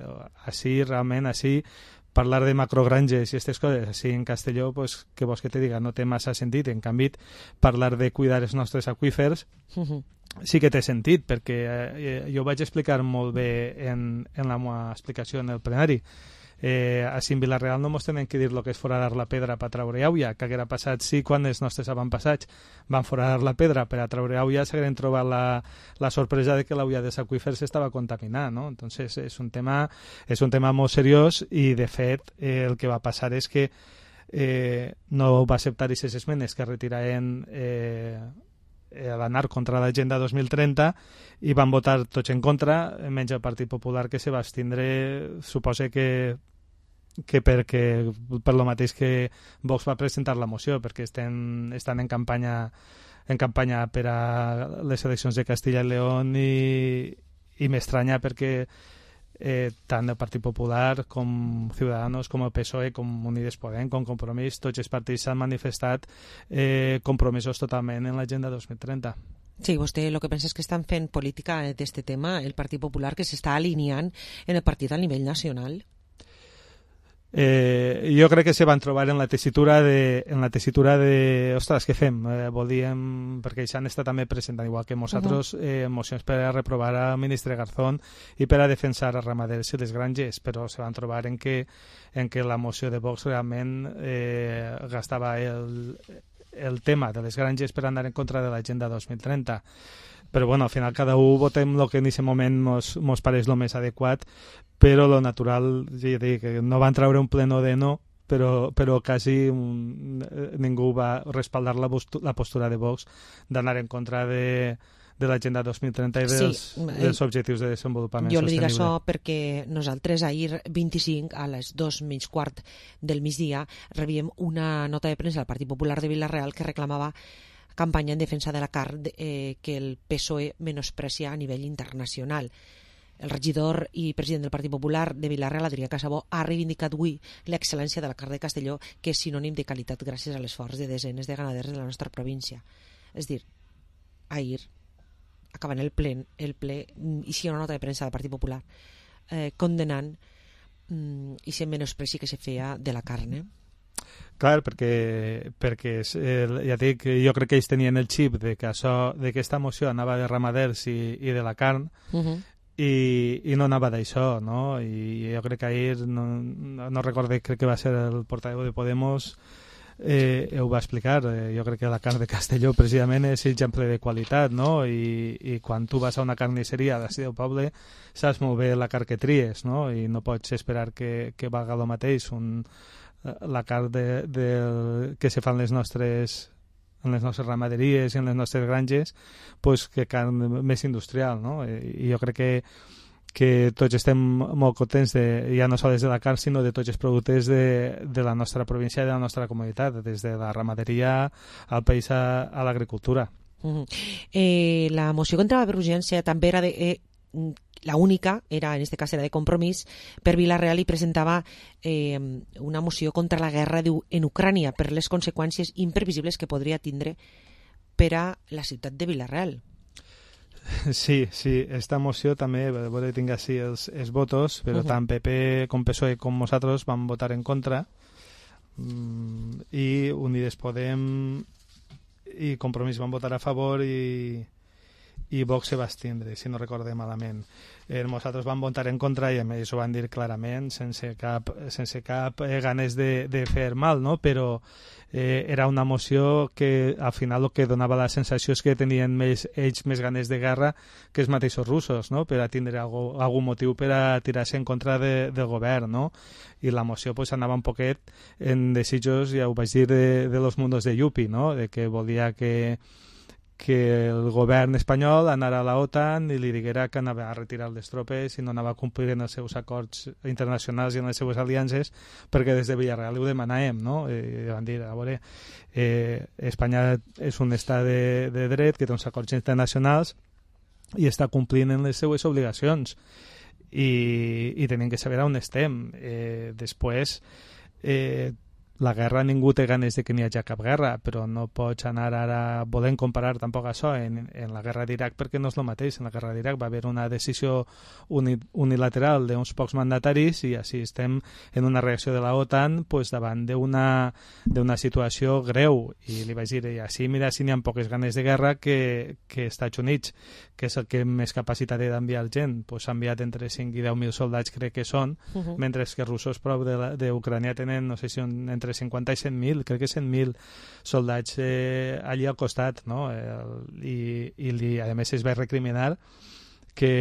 així, realment, així, parlar de macrogranges i aquestes coses així en Castelló, pues, que vols que te diga, no té massa sentit. En canvi, parlar de cuidar els nostres aqüífers uh-huh. sí que té sentit, perquè eh, jo ho vaig explicar molt bé en, en la meva explicació en el plenari. Eh, així en Vilareal no mos tenen que dir el que és foradar la pedra per treure auia, que haguera passat sí quan els nostres avantpassats van foradar la pedra per a treure auia, s'hagueren trobat la, la sorpresa de que l'auia dels aqüífers estava contaminada, no? Entonces és un tema, és un tema molt seriós i de fet eh, el que va passar és que eh, no va acceptar aquestes esmenes que retiraven eh, a l'anar contra l'agenda dos mil trenta i van votar tots en contra, menys el Partit Popular, que se va abstindre, suposa que que perquè per lo mateix que Vox va presentar la moció, perquè estan, estan en campanya en campanya per a les eleccions de Castilla y León i, i m'estranya perquè eh, tant el Partit Popular com Ciudadanos, com el P S O E, com Unides Podem, com Compromís, tots els partits s'han manifestat eh, compromisos totalment en l'agenda dos mil trenta. Sí, vostè el que pensa és que estan fent política d'aquest tema el Partit Popular, que s'està alineant en el partit a nivell nacional? Eh, jo crec que se van trobar en la tessitura de, en la tessitura de ostres, què fem? Eh, volíem, perquè això han estat també presentant, igual que nosaltres, uh -huh. eh, mocions per a reprovar al ministre Garzón i per a defensar a ramaders i les granges, però se van trobar en que, en que la moció de Vox realment eh, gastava el, el tema de les granges per anar en contra de l'agenda dos mil trenta. Però bueno, al final cada un votem el que en aquest moment mos, mos pareix el més adequat, però lo natural, ja dic, no van treure un pleno de no, però, però quasi un, ningú va respaldar la, la postura de Vox d'anar en contra de, de l'agenda dos mil trenta i dels, sí, dels objectius de desenvolupament jo sostenible. Jo li dic això perquè nosaltres ahir vint-i-cinc a les dos menys quart del migdia rebíem una nota de premsa del Partit Popular de Vilareal que reclamava campanya en defensa de la carn eh, que el P S O E menosprecia a nivell internacional. El regidor i president del Partit Popular de Vilareal, Adrià Casabó, ha reivindicat avui l'excel·lència de la carn de Castelló, que és sinònim de qualitat gràcies a l'esforç de desenes de ganaders de la nostra província. És dir, ahir, acabant el ple, el ple i si hi ha una nota de premsa del Partit Popular eh, condenant mm, i se menospreci que se feia de la carn, eh? Clar, perquè, perquè eh, ja dic, jo crec que ells tenien el xip de que això, de que aquesta moció anava de ramaders i, i de la carn, uh-huh. i, i no anava d'això, no? I jo crec que ahir, no, no, no recorde, crec que va ser el portaveu de Podemos, eh, ho va explicar. Eh, jo crec que la carn de Castelló precisament és exemple de qualitat, no? I, i quan tu vas a una carnisseria d'ací del poble saps molt bé la carn que tries, no? I no pots esperar que, que valga el mateix un la carn de, de, que se fan les nostres, en les nostres ramaderies i en les nostres granges, pues, que carn més industrial, no? I, i jo crec que, que tots estem molt contents, de, ja no sols de la carn, sinó de tots els productes de, de la nostra província i de la nostra comunitat, des de la ramaderia al país a, a l'agricultura. Uh-huh. eh, la moció contra la urgència també era de... Eh, la única, era, en este cas era de Compromís, per Vilareal i presentava eh, una moció contra la guerra en Ucrània per les conseqüències imprevisibles que podria tindre per a la ciutat de Vilareal. Sí, sí, esta moció també, a veure que tinc així els, els votos, però uh-huh. tant P P com P S O E com nosaltres vam votar en contra, mm, i Unides Podem i Compromís van votar a favor i i Vox se va abstindre, si no recorde malament. Eh, nosaltres vam votar en contra i a més ho van dir clarament, sense cap, sense cap eh, ganes de, de fer mal, no? Però eh, era una moció que al final el que donava la sensació és que tenien més, ells més ganes de guerra que els mateixos russos, no? Per a tindre algú, algun motiu per a tirar-se en contra de, del govern, no? I la moció pues, anava un poquet en desitjos, ja ho vaig dir, de, de los mundos de Yupi, no? De que volia que que el govern espanyol anara a la OTAN i li diguera que anava a retirar les tropes i no anava a complir en els seus acords internacionals i en les seues aliances, perquè des de Vilareal ho demanàvem, no? I van dir, a veure, eh, Espanya és un estat de, de dret que té uns acords internacionals i està complint en les seues obligacions i, i tenim que saber on estem. Eh, després, eh, la guerra ningú té ganes de que n'hi hagi cap guerra, però no pots anar ara volent comparar tampoc això en, en la guerra d'Iraq, perquè no és el mateix. En la guerra d'Iraq va haver una decisió uni, unilateral d'uns pocs mandataris i així estem en una reacció de la OTAN pues, davant d'una d'una situació greu, i li vaig dir, i així mira si n'hi ha poques ganes de guerra que, que Estats Units, que és el que més capacitat té d'enviar gent, pues, ha enviat entre cinc i deu mil soldats, crec que són, uh-huh. mentre que els russos prou d'Ucrània tenen, no sé si un, entre cinquanta i cent mil, crec que cent mil soldats eh, allí al costat, no? El, i, i li, a més es va recriminar que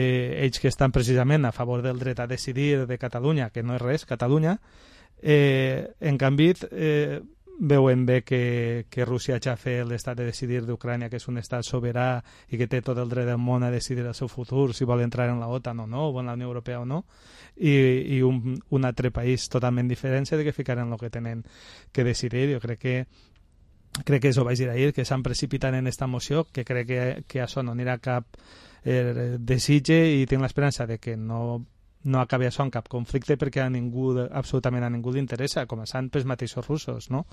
ells que estan precisament a favor del dret a decidir de Catalunya, que no és res, Catalunya, eh, en canvi eh, veuen bé que, que Rússia ja fa l'estat de decidir d'Ucrània, que és un estat soberà i que té tot el dret del món a decidir el seu futur, si vol entrar en la OTAN o no, o en la Unió Europea o no, i, i un, un altre país totalment diferent de que ficaran el que tenen que decidir. Jo crec que crec que això vaig dir ahir, que s'han precipitat en esta moció, que crec que, que això no anirà cap eh, desitge, i tinc l'esperança de que no no acabi això en cap conflicte, perquè a ningú, absolutament a ningú li interessa, començant pels mateixos russos, no?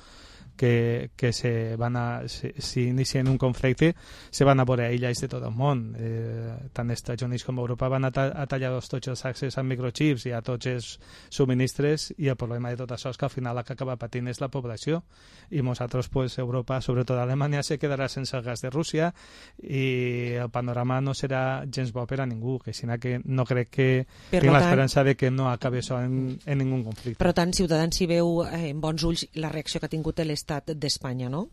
que, que se van a, si, si inicien un conflicte se van a veure aïllats de tot el món, eh, tant els Estats Units com Europa van a, ta a tallar tots els accessos amb microchips i a tots els subministres, i el problema de tot això és que al final el que acaba patint és la població, i nosaltres, pues, Europa, sobretot Alemanya, se quedarà sense el gas de Rússia, i el panorama no serà gens bo per a ningú, que sinó que no crec que per tinc l'esperança de que no acabi això en, en ningú conflicte. Per tant, Ciutadans s'hi veu eh, en bons ulls la reacció que ha tingut l'Estat d'Espanya, no?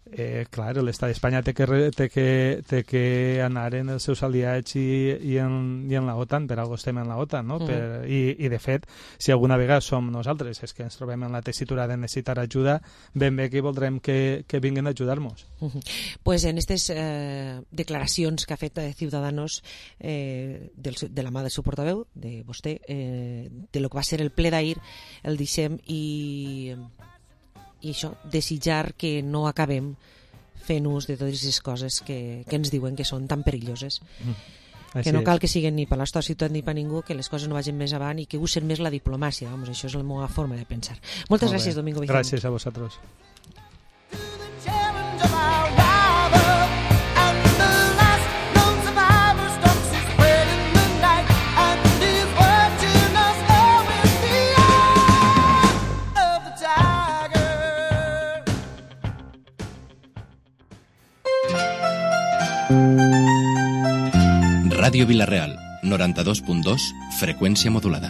Eh, clar, l'estat d'Espanya té, que, té, que, té que anar en els seus aliats i, i, en, i en la OTAN, per algo estem en la OTAN, no? Mm. Per, i, i de fet, si alguna vegada som nosaltres és que ens trobem en la tessitura de necessitar ajuda, ben bé que voldrem que, que vinguin a ajudar-nos. Mm-hmm. Pues en aquestes eh, declaracions que ha fet eh, Ciudadanos eh, del, de la mà del seu portaveu, de vostè, eh, de lo que va ser el ple d'ahir, el deixem i... i això, desitjar que no acabem fent ús de totes les coses que, que ens diuen que són tan perilloses. Mm. Que no cal que siguin ni per l'estat ciutat ni per ningú, que les coses no vagin més avant i que usen més la diplomàcia. Vamos, això és la meva forma de pensar. Moltes Molt gràcies, bé. Domingo Vicente. Gràcies a vosaltres. Ràdio Vila-real, noranta-dos punt dos, frecuencia modulada.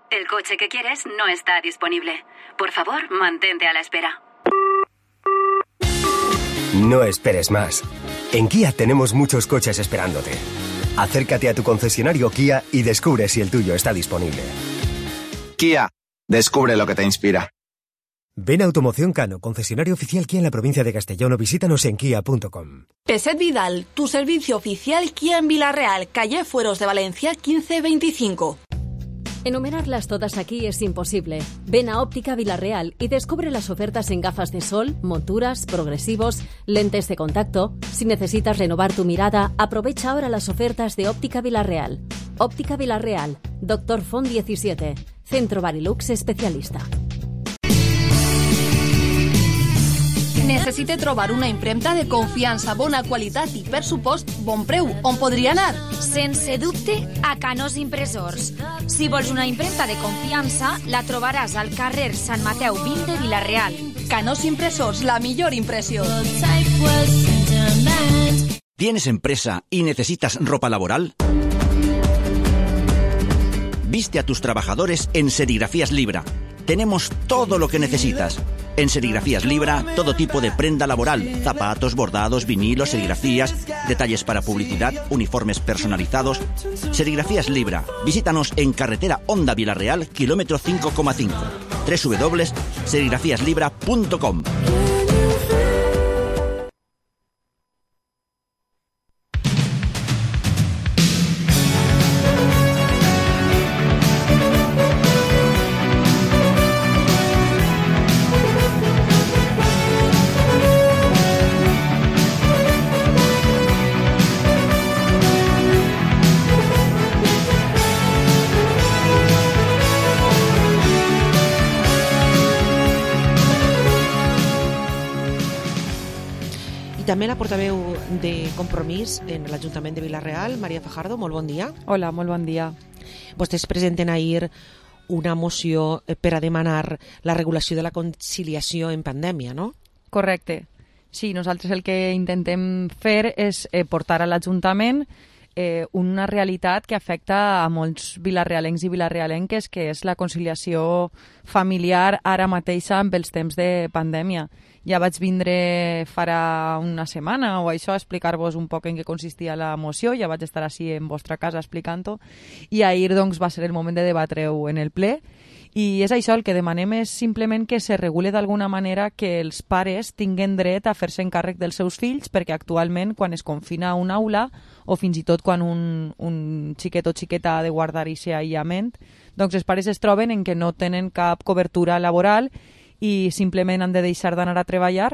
El coche que quieres no está disponible. Por favor, mantente a la espera. No esperes más. En Kia tenemos muchos coches esperándote. Acércate a tu concesionario Kia y descubre si el tuyo está disponible. Kia, descubre lo que te inspira. Ven a Automoción Cano, concesionario oficial Kia en la provincia de Castellón, o visítanos en kia punto com. Peset Vidal, tu servicio oficial Kia en Vila-real, calle Fueros de Valencia quince veinticinco. Enumerarlas todas aquí es imposible. Ven a Óptica Vila-real y descubre las ofertas en gafas de sol, monturas, progresivos, lentes de contacto. Si necesitas renovar tu mirada, aprovecha ahora las ofertas de Óptica Vila-real. Óptica Vila-real, Doctor Font diecisiete, Centro Barilux especialista. Necessite trobar una impremta de confiança, bona qualitat i, per supost, bon preu. On podria anar? Sense dubte, a Canós Impressors. Si vols una impremta de confiança, la trobaràs al carrer Sant Mateu vint de Vila-real. Canós Impressors, la millor impressió. ¿Tienes empresa y necesitas ropa laboral? Viste a tus trabajadores en Serigrafías Libra. Tenemos todo lo que necesitas. En Serigrafías Libra, todo tipo de prenda laboral, zapatos, bordados, vinilos, serigrafías, detalles para publicidad, uniformes personalizados. Serigrafías Libra. Visítanos en carretera Honda Vila-real, kilómetro cinco coma cinco. doble u doble u doble u punto serigrafías libra punto com. també la portaveu de Compromís en l'Ajuntament de Vila-real, Maria Fajardo, molt bon dia. Hola, molt bon dia. Vostès presenten ahir una moció per a demanar la regulació de la conciliació en pandèmia, no? Correcte. Sí, nosaltres el que intentem fer és eh, portar a l'Ajuntament eh, una realitat que afecta a molts vilarrealencs i vilarrealenques, que és la conciliació familiar ara mateixa amb els temps de pandèmia. Ja vaig vindre farà una setmana o això a explicar-vos un poc en què consistia la moció, ja vaig estar així en vostra casa explicant-ho, i ahir doncs, va ser el moment de debatre-ho en el ple, i és això, el que demanem és simplement que se regule d'alguna manera que els pares tinguen dret a fer-se encàrrec dels seus fills, perquè actualment quan es confina a una aula o fins i tot quan un, un xiquet o xiqueta ha de guardar aquest aïllament, doncs els pares es troben en que no tenen cap cobertura laboral i simplement han de deixar d'anar a treballar,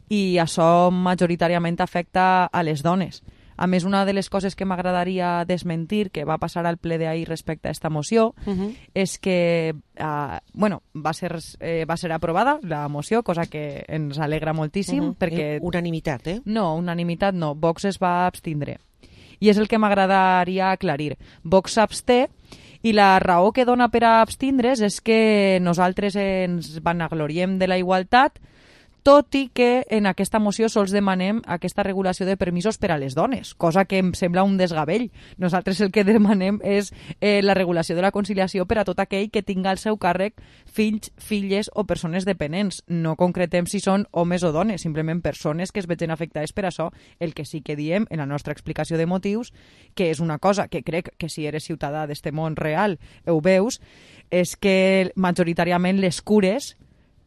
i això majoritàriament afecta a les dones. A més, una de les coses que m'agradaria desmentir que va passar al ple d'ahir respecte a aquesta moció uh-huh. és que uh, bueno, va ser, eh, va ser aprovada la moció, cosa que ens alegra moltíssim. Uh-huh. perquè... Unanimitat, eh? No, unanimitat no. Vox es va abstindre. I és el que m'agradaria aclarir. Vox s'absté, i la raó que dona per a abstindre's és que nosaltres ens vanagloriem de la igualtat, tot i que en aquesta moció sols demanem aquesta regulació de permisos per a les dones, cosa que em sembla un desgavell. Nosaltres el que demanem és eh, la regulació de la conciliació per a tot aquell que tinga al seu càrrec fills, filles o persones dependents. No concretem si són homes o dones, simplement persones que es vegin afectades per això. El que sí que diem en la nostra explicació de motius, que és una cosa que crec que si eres ciutadà d'este món real ho veus, és que majoritàriament les cures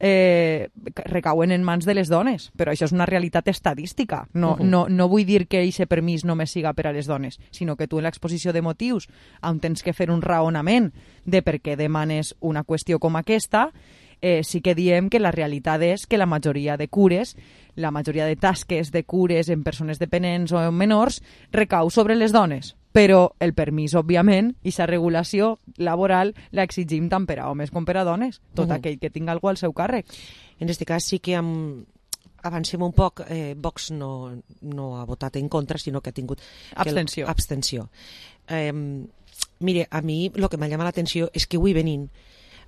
Eh, recauen en mans de les dones, però això és una realitat estadística. No, uh-huh. no, no vull dir que aquest permís només siga per a les dones, sinó que tu en l'exposició de motius, on tens que fer un raonament de per què demanes una qüestió com aquesta, eh, sí que diem que la realitat és que la majoria de cures, la majoria de tasques de cures en persones dependents o en menors recau sobre les dones. Però el permís, òbviament, i la regulació laboral l'exigim tant per a homes com per a dones, tot uh-huh. aquell que tinga algú al seu càrrec. En aquest cas sí que amb... avancem un poc, eh, Vox no, no ha votat en contra, sinó que ha tingut... Abstenció. El... Abstenció. Eh, mire, a mi el que m'ha llamat l'atenció és que avui venint,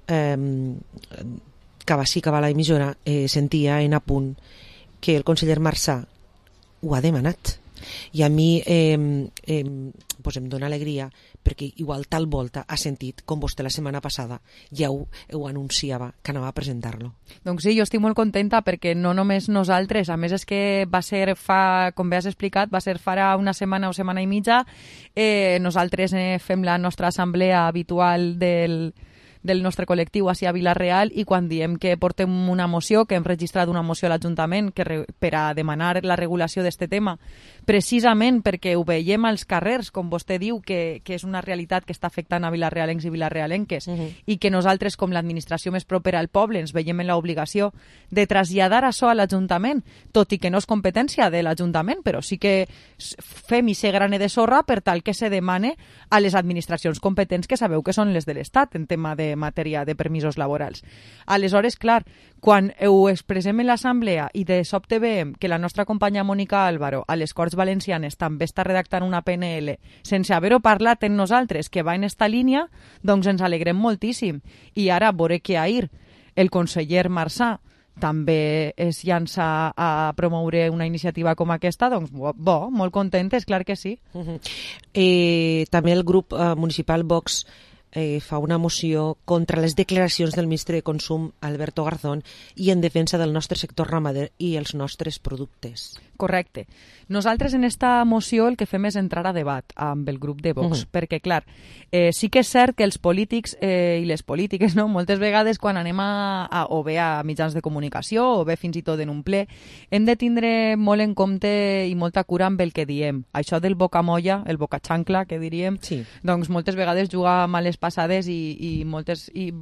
eh, que sí que va a l'emissora, eh, sentia en apunt que el conseller Marsà ho ha demanat. I a mi eh, eh, pues em dona alegria perquè igual tal volta ha sentit com vostè la setmana passada ja ho, ho anunciava que anava a presentar-lo. Doncs sí, jo estic molt contenta perquè no només nosaltres, a més és que va ser fa, com bé has explicat, va ser farà una setmana o setmana i mitja, eh, nosaltres eh, fem la nostra assemblea habitual del del nostre col·lectiu així a Vila-real, i quan diem que portem una moció, que hem registrat una moció a l'Ajuntament que re, per a demanar la regulació d'este tema, precisament perquè ho veiem als carrers, com vostè diu, que, que és una realitat que està afectant a vilarrealencs i vilarrealenques, uh-huh. i que nosaltres, com l'administració més propera al poble, ens veiem en l'obligació de traslladar això a l'Ajuntament, tot i que no és competència de l'Ajuntament, però sí que fem i ser grane de sorra per tal que se demane a les administracions competents, que sabeu que són les de l'Estat en tema de matèria de permisos laborals. Aleshores, clar, quan ho expressem en l'assemblea i de sobte veiem que la nostra companya Mònica Álvaro a les Corts Valencianes també està redactant una P N L sense haver-ho parlat en nosaltres que va en esta línia, doncs ens alegrem moltíssim. I ara veure que ahir el conseller Marsà també es llança a promoure una iniciativa com aquesta, doncs bo, molt contentes, clar que sí. Uh-huh. eh, també el grup eh, municipal Vox Eh, fa una moció contra les declaracions del ministre de Consum, Alberto Garzón, i en defensa del nostre sector ramader i els nostres productes. Correcte. Nosaltres en esta moció el que fem és entrar a debat amb el grup de Vox, uh-huh. perquè, clar, eh, sí que és cert que els polítics eh, i les polítiques, no, moltes vegades quan anem a, a, o bé a mitjans de comunicació o bé fins i tot en un ple, hem de tindre molt en compte i molta cura amb el que diem. Això del bocamolla, el bocaxancla, que diríem, sí. doncs moltes vegades juga males passades i, i moltes... I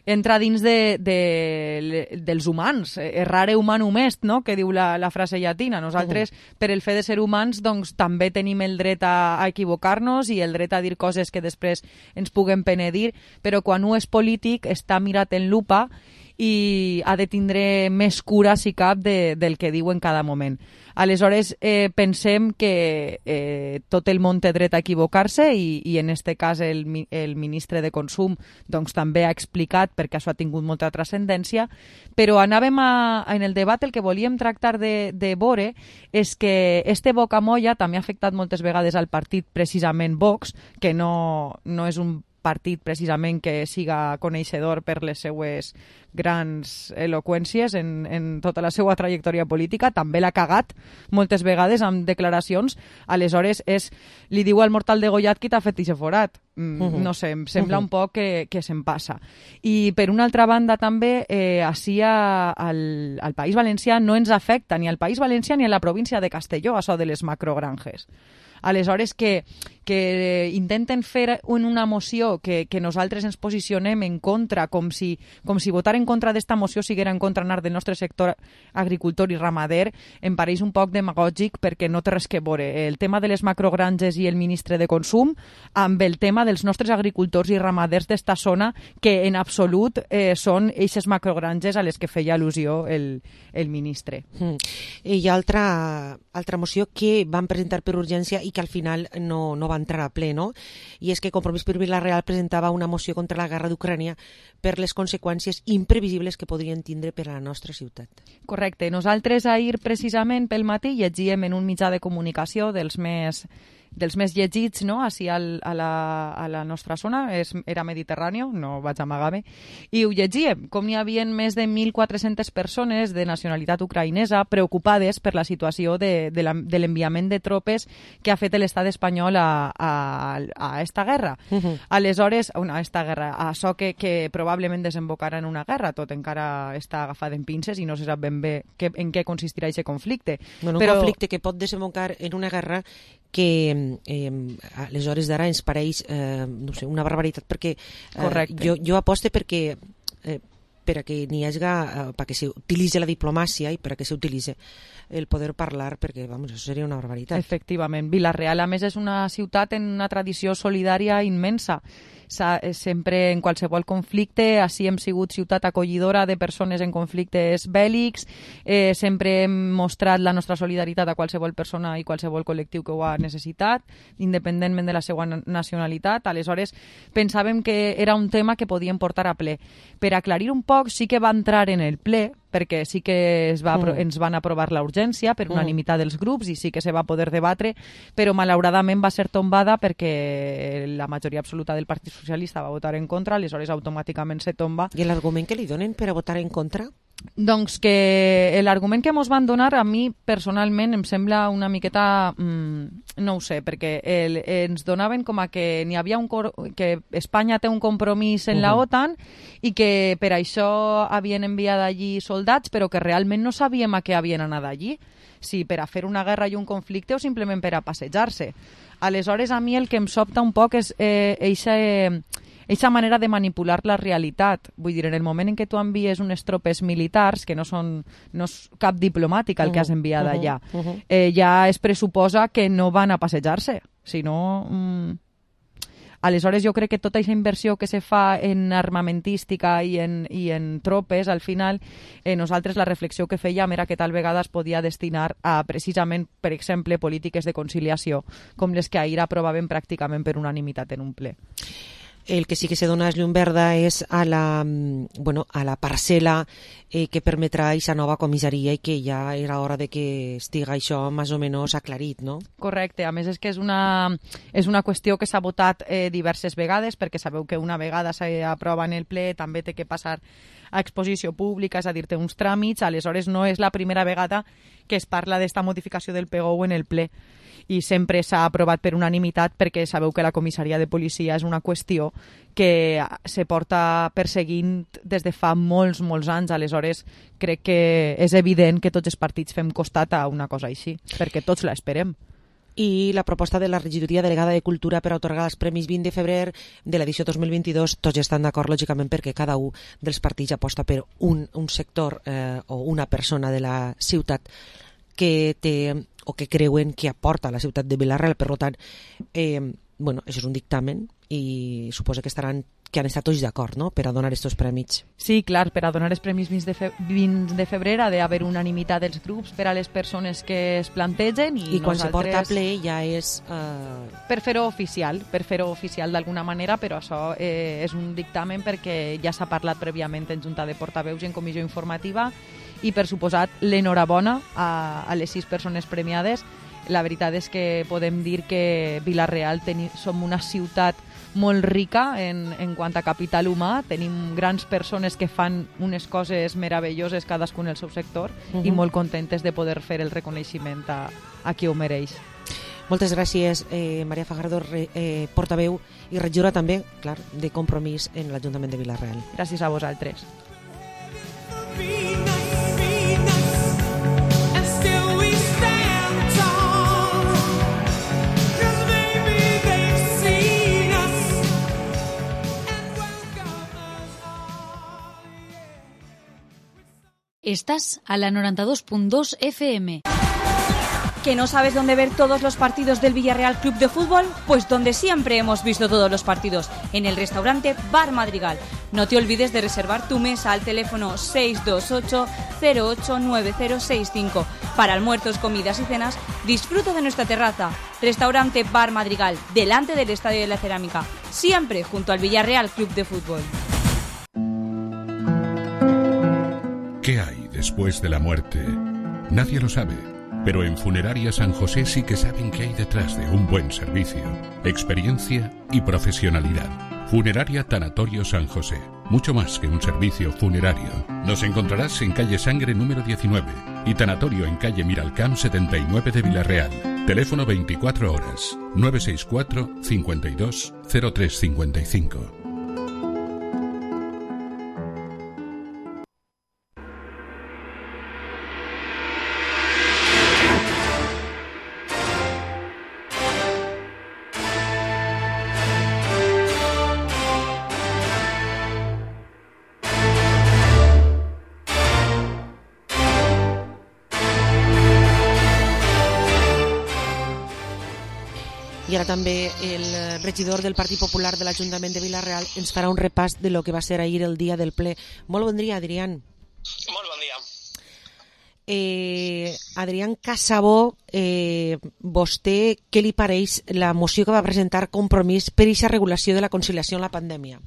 entra dins de, de, dels humans, errare humanum est, no? Que diu la, la frase llatina. Nosaltres, uh-huh. per el fet de ser humans, doncs també tenim el dret a, a equivocar-nos i el dret a dir coses que després ens puguen penedir, però quan un és polític està mirat en lupa i ha de tindre més cura, si cap, de, del que diu en cada moment. Aleshores, eh, pensem que eh, tot el món té dret a equivocar-se i, i en este cas el, el ministre de Consum doncs, també ha explicat perquè això ha tingut molta transcendència, però anàvem a, en el debat el que volíem tractar de, de veure és que este bocamolla també ha afectat moltes vegades al partit precisament Vox, que no, no és un partit precisament que siga coneixedor per les seues grans eloqüències en, en tota la seva trajectòria política, també l'ha cagat moltes vegades amb declaracions, aleshores és, li diu al mortal degollat qui t'ha fet ixe forat. Mm, uh-huh. No sé, em sembla uh-huh. un poc que, que se'n passa. I per una altra banda també, eh, així a, al, al País Valencià no ens afecta ni al País Valencià ni a la província de Castelló, això de les macrogranges. Aleshores, que, que intenten fer en una moció que, que nosaltres ens posicionem en contra, com si, com si votar en contra d'esta moció siguera en contra anar del nostre sector agricultor i ramader, em pareix un poc demagògic perquè no té res que veure el tema de les macrogranges i el ministre de Consum amb el tema dels nostres agricultors i ramaders d'esta zona, que en absolut eh, són eixes macrogranges a les que feia al·lusió el, el ministre. Mm. Hi ha altra, altra moció que van presentar per urgència i que al final no, no va entrar a ple, no? I és que Compromís per Vila-real presentava una moció contra la guerra d'Ucrània per les conseqüències imprevisibles que podrien tindre per a la nostra ciutat. Correcte. Nosaltres ahir precisament pel matí llegíem en un mitjà de comunicació dels més dels més llegits, no?, així al, a, la, a la nostra zona, és, era Mediterrani, no vaig amagar-me, i ho llegíem, com n'hi havia més de mil quatre-centes persones de nacionalitat ucraïnesa preocupades per la situació de, de, la, de l'enviament de tropes que ha fet l'estat espanyol a, a, a esta guerra. Uh-huh. Aleshores, una, a esta guerra, a això que, que probablement desembocarà en una guerra, tot encara està agafat en pinces i no se sap ben bé que, en què consistirà aquest conflicte. Bueno, un Però... conflicte que pot desembocar en una guerra que eh, a les hores d'ara ens pareix eh, no sé, una barbaritat, perquè eh, jo, jo aposte perquè eh, per a que n'hi hagi eh, perquè s'utilitzi la diplomàcia i per a que s'utilitzi el poder parlar, perquè vamos, això seria una barbaritat. Efectivament. Vila-real, a més, és una ciutat en una tradició solidària immensa. Sempre en qualsevol conflicte, així hem sigut ciutat acollidora de persones en conflictes bèl·lics, eh, sempre hem mostrat la nostra solidaritat a qualsevol persona i qualsevol col·lectiu que ho ha necessitat, independentment de la seva nacionalitat. Aleshores, pensàvem que era un tema que podíem portar a ple. Per aclarir un poc, sí que va entrar en el ple, perquè sí que es va, mm. ens van aprovar la urgència per unanimitat dels grups i sí que se va poder debatre, però malauradament va ser tombada perquè la majoria absoluta del Partit Socialista va votar en contra, aleshores automàticament se tomba. I l'argument que li donen per a votar en contra? Doncs que l'argument que ens van donar a mi personalment em sembla una miqueta, mmm, no ho sé, perquè el, ens donaven com a que n'hi havia un que Espanya té un compromís en uh-huh. la OTAN i que per això havien enviat allí soldats, però que realment no sabíem a què havien anat allí, si per a fer una guerra i un conflicte o simplement per a passejar-se. Aleshores, a mi el que em sobta un poc és eh, eixa... Eh, Eixa manera de manipular la realitat. Vull dir, en el moment en què tu envies unes tropes militars, que no són no és cap diplomàtic el que has enviat uh-huh, allà, uh-huh. eh, ja es pressuposa que no van a passejar-se. Si no... Mm... Aleshores, jo crec que tota aquesta inversió que se fa en armamentística i en, i en tropes, al final, eh, nosaltres la reflexió que fèiem era que tal vegada es podia destinar a, precisament, per exemple, polítiques de conciliació, com les que ahir aprovàvem pràcticament per unanimitat en un ple. El que sí que se dona llum verda és a la, bueno, a la parcel·la eh, que permetrà aquesta nova comissaria i que ja era hora de que estiga això més o menys aclarit, no? Correcte. A més, és que és una, és una qüestió que s'ha votat eh, diverses vegades, perquè sabeu que una vegada s'aprova en el ple també té que passar a exposició pública, és a dir, té uns tràmits, aleshores no és la primera vegada que es parla d'esta modificació del P G U en el ple. I sempre s'ha aprovat per unanimitat perquè sabeu que la comissaria de policia és una qüestió que se porta perseguint des de fa molts, molts anys. Aleshores, crec que és evident que tots els partits fem costat a una cosa així, perquè tots l'esperem. I la proposta de la regidoria delegada de Cultura per a atorgar els Premis vint de febrer de l'edició dos mil vint-i-dos, tots estan d'acord, lògicament, perquè cada un dels partits aposta per un, un sector eh, o una persona de la ciutat que té o que creuen que aporta a la ciutat de Vila-real. Per tant, eh, bueno, això és un dictamen i suposo que estaran que han estat tots d'acord, no?, per a donar aquests premis. Sí, clar, per a donar els premis vint de, fe vint de febrer ha d'haver unanimitat dels grups per a les persones que es plantegen i, I quan nosaltres... se porta a ple ja és... Eh... Per fer-ho oficial, per fer-ho oficial d'alguna manera, però això eh, és un dictamen perquè ja s'ha parlat prèviament en Junta de Portaveus i en comissió informativa i, per suposat, l'enhorabona a, a les sis persones premiades. La veritat és que podem dir que Vila-real teni, som una ciutat molt rica en, en quant a capital humà, tenim grans persones que fan unes coses meravelloses cadascun en el seu sector uh-huh. i molt contentes de poder fer el reconeixement a, a qui ho mereix. Moltes gràcies, eh, Maria Fajardo, eh, portaveu i regidora també, clar, de Compromís en l'Ajuntament de Vila-real. Gràcies a vosaltres. Estás a la noventa y dos punto dos F M. ¿Que no sabes dónde ver todos los partidos del Villarreal Club de Fútbol? Pues donde siempre hemos visto todos los partidos, en el restaurante Bar Madrigal. No te olvides de reservar tu mesa al teléfono seis dos ocho cero ocho nueve cero seis cinco. Para almuerzos, comidas y cenas, disfruta de nuestra terraza. Restaurante Bar Madrigal, delante del Estadio de la Cerámica, siempre junto al Villarreal Club de Fútbol. ¿Qué hay después de la muerte? Nadie lo sabe, pero en Funeraria San José sí que saben qué hay detrás de un buen servicio, experiencia y profesionalidad. Funeraria Tanatorio San José, mucho más que un servicio funerario. Nos encontrarás en calle Sangre número diecinueve y Tanatorio en calle Miralcamp setenta y nueve de Vila-real. Teléfono veinticuatro horas, nueve seis cuatro cincuenta y dos cero tres cincuenta y cinco. I ara també el regidor del Partit Popular de l'Ajuntament de Vila-real ens farà un repàs de lo que va ser ahir el dia del ple. Molt bon dia, Adrián. Molt bon dia. Eh, Adrián Casabó, eh, vostè què li pareix la moció que va presentar Compromís per aquesta regulació de la conciliació en la pandèmia?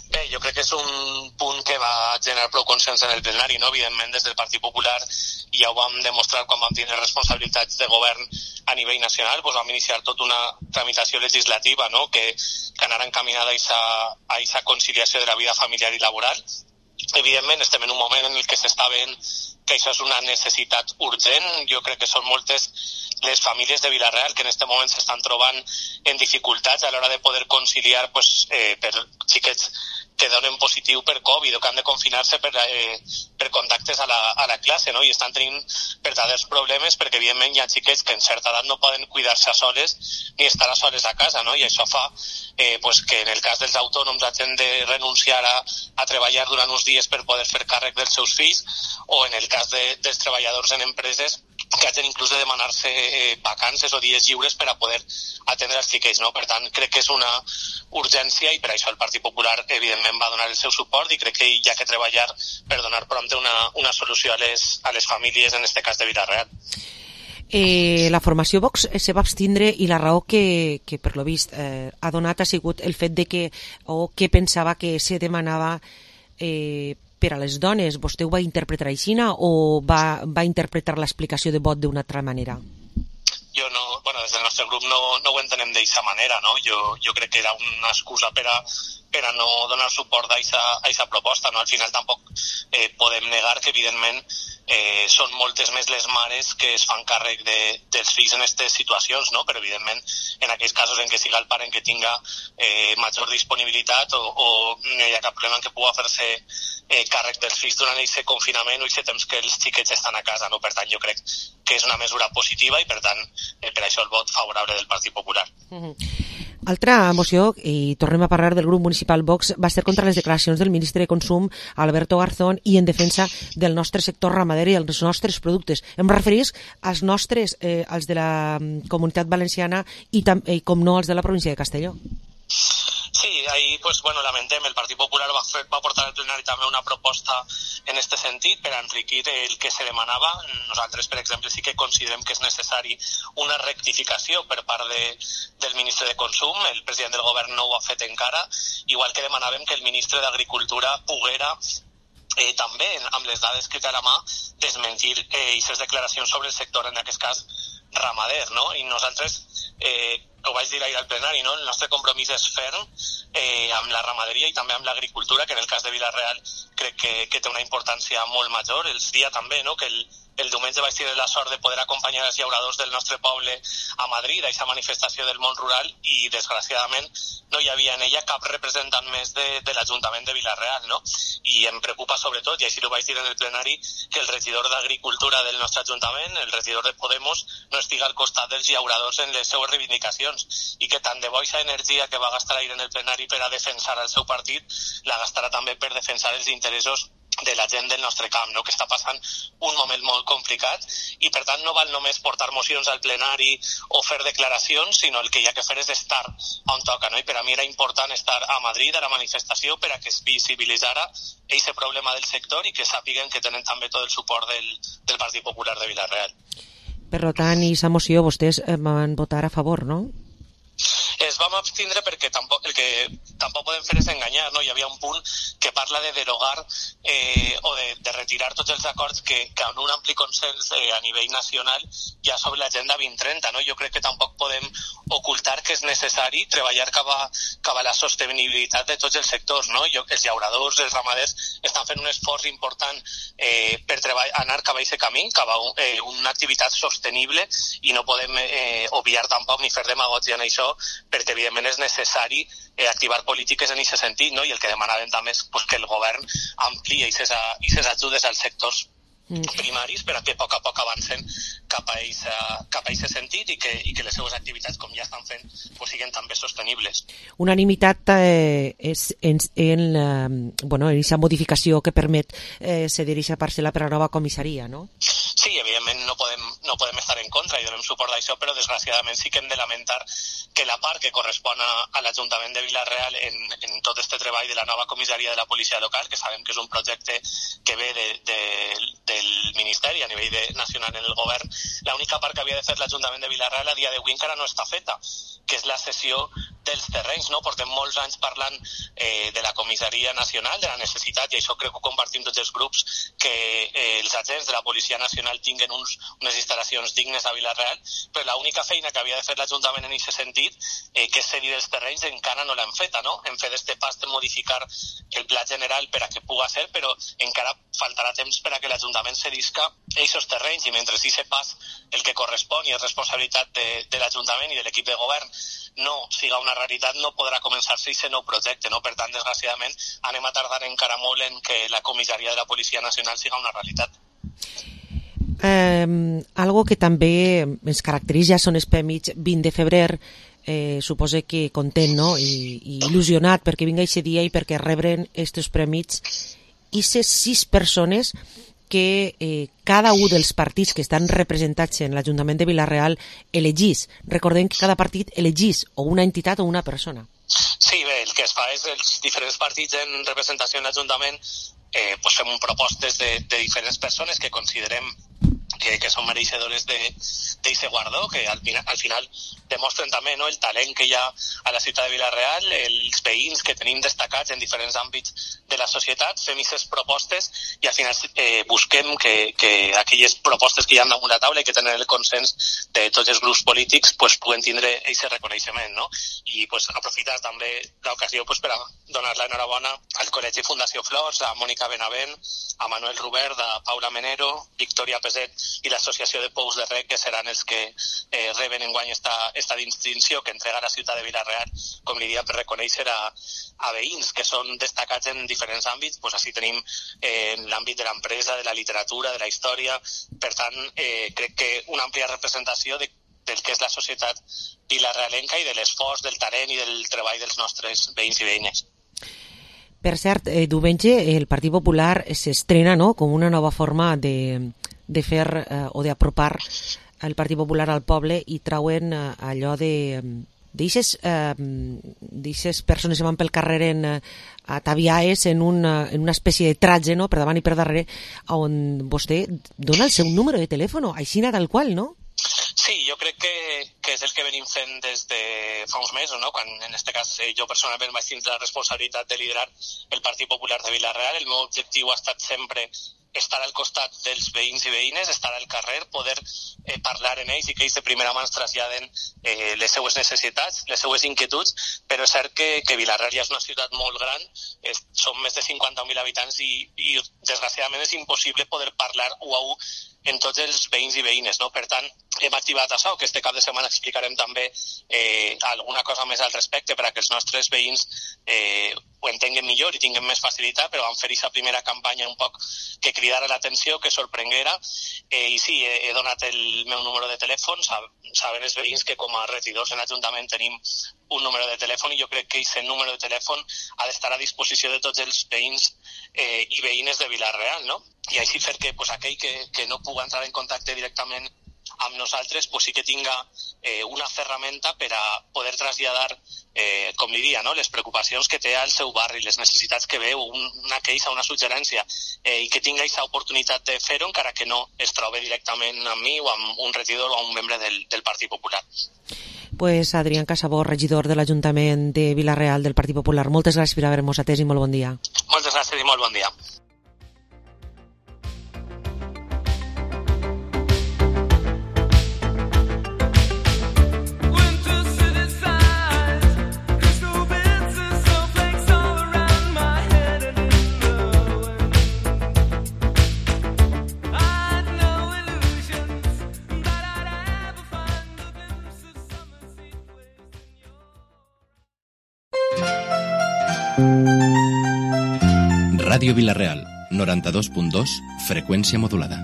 Bé, jo crec que és un punt que va generar prou consens en el plenari, no? Evidentment, des del Partit Popular ja ho vam demostrar quan vam tenir responsabilitats de govern a nivell nacional, doncs vam iniciar tota una tramitació legislativa, no?, que, que anara encaminada a aquesta conciliació de la vida familiar i laboral. Evidentment, estem en un moment en el que s'està veient que això és una necessitat urgent. Jo crec que són moltes les famílies de Vila-real que en aquest moment s'estan trobant en dificultats a l'hora de poder conciliar pues, eh, per xiquets que donen positiu per Covid o que han de confinar-se per, eh, per contactes a la, a la classe, no? I estan tenint verdaders problemes perquè, evidentment, hi ha xiquets que en certa edat no poden cuidar-se a soles ni estar a soles a casa, no? I això fa eh, pues, que en el cas dels autònoms hagin de renunciar a, a treballar durant uns dies per poder fer càrrec dels seus fills, o en el cas de, dels treballadors en empreses que hagin inclús de demanar-se eh, vacances o dies lliures per a poder atendre els xiquets, no? Per tant, crec que és una urgència i per això el Partit Popular, evidentment, va donar el seu suport i crec que hi ha que treballar per donar prompte una, una solució a les, a les famílies, en aquest cas de Vila-real. Eh, la formació Vox se va abstindre i la raó que, que per lo vist, eh, ha donat ha sigut el fet de que, o que pensava que se demanava eh, per a les dones. Vostè ho va interpretar així o va, va interpretar l'explicació de vot d'una altra manera? Jo no, bueno, des del nostre grup no, no ho entenem d'aquesta manera, no? Jo, jo crec que era una excusa per a, per a no donar suport a aquesta proposta, no? Al final tampoc eh, podem negar que, evidentment, eh, són moltes més les mares que es fan càrrec de, dels fills en aquestes situacions, no? Però, evidentment, en aquells casos en què siga el pare en què tinga eh, major disponibilitat o, o no hi ha cap problema en què pugui fer-se eh, càrrec dels fills durant aquest confinament o aquest temps que els xiquets estan a casa, no? Per tant, jo crec que és una mesura positiva i, per tant, eh, per això el vot favorable del Partit Popular. Uh-huh. Altra moció, i tornem a parlar del grup municipal Vox, va ser contra les declaracions del ministre de Consum, Alberto Garzón, i en defensa del nostre sector ramader i els nostres productes. Em referís als nostres, eh, als de la Comunitat Valenciana i, tam, i com no, als de la província de Castelló. Sí, ahí pues bueno, lamentem, el Partit Popular va, fer, va portar al plenari també una proposta en este sentit per enriquir el que se demanava. Nosaltres, per exemple, sí que considerem que és necessari una rectificació per part de, del ministre de Consum. El president del govern no ho ha fet encara, igual que demanàvem que el ministre d'Agricultura poguera eh, també, amb les dades que té a la mà, desmentir eh, aquestes declaracions sobre el sector, en aquest cas ramader, no? I nosaltres, eh, ho vaig dir ahir al plenari, no? El nostre compromís és ferm eh, amb la ramaderia i també amb l'agricultura, que en el cas de Vila-real crec que, que té una importància molt major. Els dia també, no?, que el, el diumenge vaig tenir la sort de poder acompanyar els llauradors del nostre poble a Madrid, a aquesta manifestació del món rural, i desgraciadament no hi havia en ella cap representant més de, de l'Ajuntament de Vila-real, no? I em preocupa sobretot, i així ho vaig dir en el plenari, que el regidor d'Agricultura del nostre Ajuntament, el regidor de Podemos, no estiga al costat dels llauradors en les seues reivindicacions, i que tant de bo aquesta energia que va gastar ahir en el plenari per a defensar el seu partit la gastarà també per defensar els interessos de la gent del nostre camp, no?, que està passant un moment molt complicat, i per tant no val només portar mocions al plenari o fer declaracions, sinó el que hi ha que fer és estar on toca, no? I per a mi era important estar a Madrid a la manifestació per a que es visibilitzara aquest problema del sector i que sàpiguen que tenen també tot el suport del, del Partit Popular de Vila-real. Per tant, i aquesta moció vostès van votar a favor, no? Es vam abstindre perquè tampoc, el que tampoc podem fer és enganyar, no? Hi havia un punt que parla de derogar eh, o de, de retirar tots els acords que, que amb un ampli consens eh, a nivell nacional hi ha sobre l'agenda vint trenta, no? Jo crec que tampoc podem ocultar que és necessari treballar cap a, cap a la sostenibilitat de tots els sectors, no? Jo, els llauradors, els ramaders estan fent un esforç important eh, per treball, anar cap a aquest camí, cap a un, eh, una activitat sostenible, i no podem eh, obviar tampoc ni fer demagògia en això, perquè evidentment és necessari eh, activar polítiques en aquest sentit, no? I el que demanàvem també és pues, que el govern ampliï aquestes ajudes als sectors primaris per a que a poc a poc avancen cap a aquest sentit i que, i que les seves activitats, com ja estan fent, pues, siguin també sostenibles. Unanimitat eh, és en, en, eh, bueno, en aquesta modificació que permet eh, cedir aquesta parcel·la per a la nova comissaria, no? Sí, evidentment no podem, no podem estar en contra i donem suport a això, però desgraciadament sí que hem de lamentar que la part que correspon a, a l'Ajuntament de Vila-real en, en tot este treball de la nova comissaria de la policia local, que sabem que és un projecte que ve de, de, del Ministeri a nivell de, nacional en el govern, l'única part que havia de fer l'Ajuntament de Vila-real a dia d'avui encara no està feta, que és la cessió dels terrenys, no? Portem molts anys parlant eh, de la comissaria nacional, de la necessitat, i això crec que ho compartim tots els grups, que eh, els agents de la policia nacional tinguen uns, unes instal·lacions dignes a Vila-real, però l'única feina que havia de fer l'Ajuntament en aquest sentit, eh, que és cedir els terrenys, encara no l'hem feta, no? Hem fet este pas de modificar el pla general per a que puga ser, però encara faltarà temps per a que l'Ajuntament cedisca aquests terrenys, i mentre sí se pas el que correspon i és responsabilitat de, de l'Ajuntament i de l'equip de govern no siga una realitat, no podrà començar-se aquest nou projecte, no? Per tant, desgraciadament, anem a tardar encara molt en que la comissaria de la Policia Nacional siga una realitat. Eh, algo que també ens caracteritza són els premis vint de febrer, eh, suposo que content, no? I, i il·lusionat perquè vinga aquest dia i perquè rebren aquests premis i ces sis persones que eh, cada un dels partits que estan representats en l'Ajuntament de Vila-real elegís. Recordem que cada partit elegís o una entitat o una persona. Sí, bé, el que es fa és els diferents partits en representació en l'Ajuntament eh, pues fem propostes de, de diferents persones que considerem que, que són mereixedores d'aquest guardó, que al final, al final demostren també, no, el talent que hi ha a la ciutat de Vila-real, els veïns que tenim destacats en diferents àmbits de la societat, fem aquestes propostes i al final eh, busquem que, que aquelles propostes que hi ha damunt la taula i que tenen el consens de tots els grups polítics pues, puguen tindre aquest reconeixement, no? I pues, aprofitar també l'ocasió pues, per a donar l'enhorabona al Col·legi Fundació Flors, a Mònica Benavent, a Manuel Rubert, a Paula Menero, Victòria Peset i l'Associació de Pous de Rec, que seran els que eh, reben enguany esta, esta distinció que entrega la ciutat de Vila-real, com li dia, per reconèixer a, a veïns que són destacats en diferents àmbits. Pues així tenim eh, l'àmbit de l'empresa, de la literatura, de la història. Per tant, eh, crec que una àmplia representació de, del que és la societat vilarealenca i de l'esforç, del talent i del treball dels nostres veïns i veïnes. Per cert, eh, diumenge el Partit Popular s'estrena, no?, com una nova forma de, de fer eh, o d'apropar el Partit Popular al poble i trauen eh, allò de, d'eixes eh, persones que van pel carrer en, ataviades en una, en una espècie de tratge, no?, per davant i per darrere, on vostè dona el seu número de telèfon, així tal qual, no? Sí, jo crec que, que és el que venim fent des de fa uns mesos, no? Quan en este cas jo personalment vaig tindre la responsabilitat de liderar el Partit Popular de Vila-real. El meu objectiu ha estat sempre estar al costat dels veïns i veïnes, estar al carrer, poder eh, parlar en ells i que ells de primera mà ens traslladen eh, les seues necessitats, les seues inquietuds, però és cert que, que Vila-real ja és una ciutat molt gran, és, són més de cinquanta mil habitants i, i desgraciadament és impossible poder parlar u a u en tots els veïns i veïnes, no? Per tant, hem activat això, que este cap de setmana explicarem també eh, alguna cosa més al respecte per a que els nostres veïns eh, ho entenguen millor i tinguin més facilitat, però vam fer aquesta primera campanya un poc que cridara l'atenció, que sorprenguera, eh, i sí, he, he donat el meu número de telèfon, saben els veïns que com a regidors en l'Ajuntament tenim un número de telèfon i jo crec que aquest número de telèfon ha d'estar a disposició de tots els veïns eh, i veïnes de Vila-real, no? I així fer que pues, aquell que, que no pugui entrar en contacte directament amb nosaltres pues, sí que tinga eh, una ferramenta per a poder traslladar, eh, com li diria, no? les preocupacions que té al seu barri, les necessitats que veu, un, una queixa, una suggerència, eh, i que tinga aquesta oportunitat de fer-ho encara que no es trobi directament amb mi o amb un regidor o amb un membre del, del Partit Popular. Pues Adrián Casabó, regidor de l'Ajuntament de Vila-real del Partit Popular, moltes gràcies per haver-nos atès i molt bon dia. Moltes gràcies i molt bon dia. Ràdio Vila-real, noranta-dos punt dos, frecuencia modulada.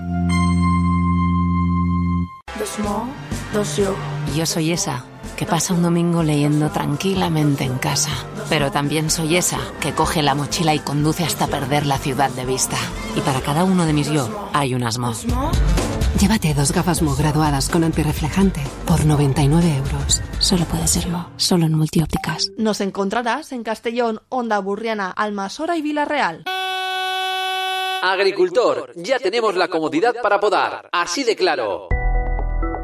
Dos mo, dos yo. Yo soy esa que pasa un domingo leyendo tranquilamente en casa. Pero también soy esa que coge la mochila y conduce hasta perder la ciudad de vista. Y para cada uno de mis yo hay un asmo. Llévate dos gafas Mo graduadas con antirreflejante por noventa y nueve euros. Solo puede ser Mo, solo en Multiópticas. Nos encontrarás en Castellón, Onda Burriana, Almasora y Vila-real. Agricultor, ya tenemos la comodidad para podar, así de claro.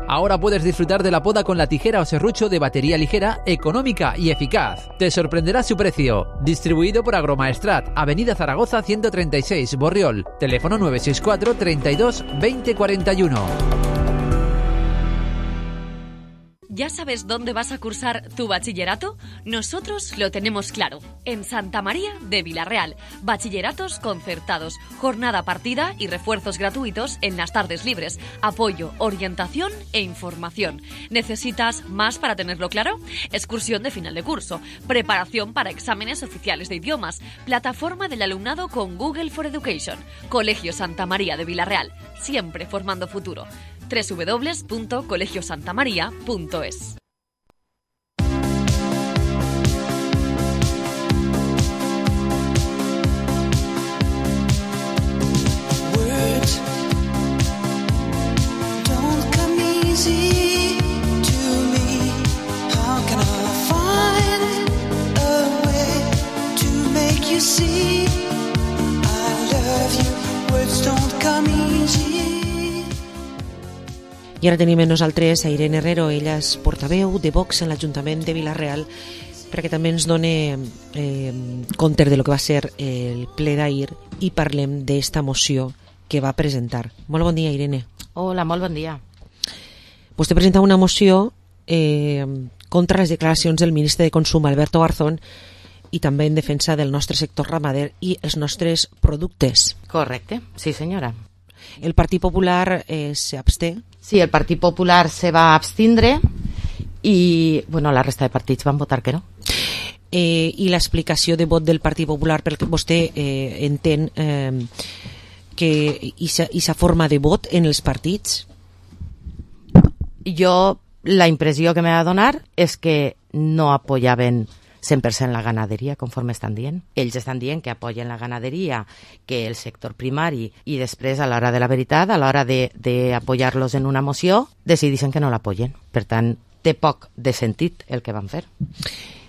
Ahora puedes disfrutar de la poda con la tijera o serrucho de batería ligera, económica y eficaz. Te sorprenderá su precio. Distribuido por Agromaestrat, Avenida Zaragoza ciento treinta y seis, Borriol. Teléfono nueve seis cuatro, treinta y dos, veinte cuarenta y uno. ¿Ya sabes dónde vas a cursar tu bachillerato? Nosotros lo tenemos claro. En Santa María de Vila-real. Bachilleratos concertados, jornada partida y refuerzos gratuitos en las tardes libres. Apoyo, orientación e información. ¿Necesitas más para tenerlo claro? Excursión de final de curso. Preparación para exámenes oficiales de idiomas. Plataforma del alumnado con Google for Education. Colegio Santa María de Vila-real. Siempre formando futuro. doble u doble u doble u punto colegio santa maría punto es. I ara tenim amb nosaltres a Irene Herrero, ella és portaveu de Vox en l'Ajuntament de Vila-real, perquè també ens doni eh, compte de lo que va ser el ple d'ahir i parlem d'esta moció que va presentar. Molt bon dia, Irene. Hola, molt bon dia. Vostè presenta una moció eh, contra les declaracions del ministre de Consum, Alberto Garzón, i també en defensa del nostre sector ramader i els nostres productes. Correcte, sí senyora. El Partit Popular eh, se absté. Sí, el Partit Popular se va abstindre i bueno, la resta de partits van votar que no. Eh, I l'explicació de vot del Partit Popular, perquè vostè eh, entén eh, que aquesta forma de vot en els partits? Jo, la impressió que me va donar és que no apoyaven cent per cent la ganaderia, conforme estan dient. Ells estan dient que apoyen la ganaderia, que el sector primari, i després, a l'hora de la veritat, a l'hora d'apoyar-los en una moció, decideixen que no l'apoyen. Per tant, té poc de sentit el que van fer.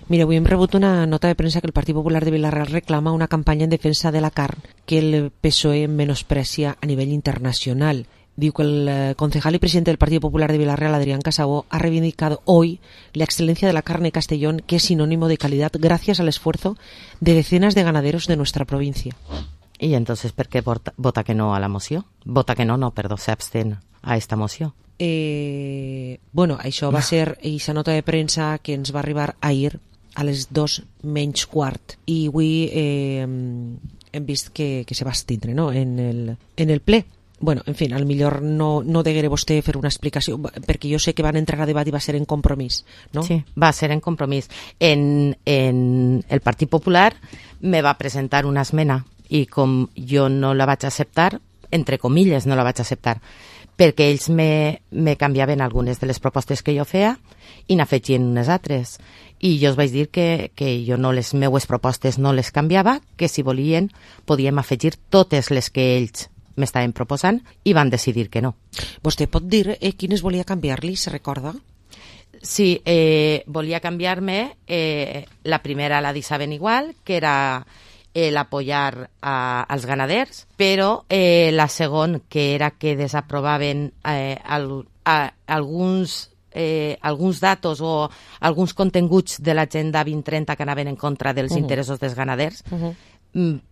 Mira, avui hem rebut una nota de premsa que el Partit Popular de Vila-real reclama una campanya en defensa de la carn que el P S O E menosprecia a nivell internacional. Diu que el concejal y presidente del Partido Popular de Vila-real, Adrián Casabó, ha reivindicado hoy la excelencia de la carne de Castellón, que es sinónimo de calidad gracias al esfuerzo de decenas de ganaderos de nuestra provincia. I entonces per què vota, vota que no a la moció? Vota que no, no, perdó, s'abstén a esta moció. Eh, bueno, això va ser aquesta nota de premsa que ens va arribar ahir a les dos menys quart i avui eh, hem vist que, que se va estindre, no? en, el, en el ple. Bueno, en fi, al millor no, no degueré vostè fer una explicació, perquè jo sé que van entrar a debat i va ser en compromís, no? Sí, va ser en compromís. En, en el Partit Popular me va presentar una esmena i com jo no la vaig acceptar, entre comilles no la vaig acceptar, perquè ells me, me canviaven algunes de les propostes que jo feia i n'afegien unes altres. I jo us vaig dir que, que jo no les meues propostes no les canviava, que si volien podíem afegir totes les que ells m'estaven proposant i van decidir que no. Vostè pot dir eh, quines volia canviar-li, se recorda? Sí, eh, volia canviar-me eh, la primera la deixaven igual, que era el apoyar a, als ganaders, però eh, la segona, que era que desaprovaven eh, al, a, alguns eh, alguns datos o alguns continguts de l'agenda vint trenta que anaven en contra dels uh-huh. interessos dels ganaders, uh-huh.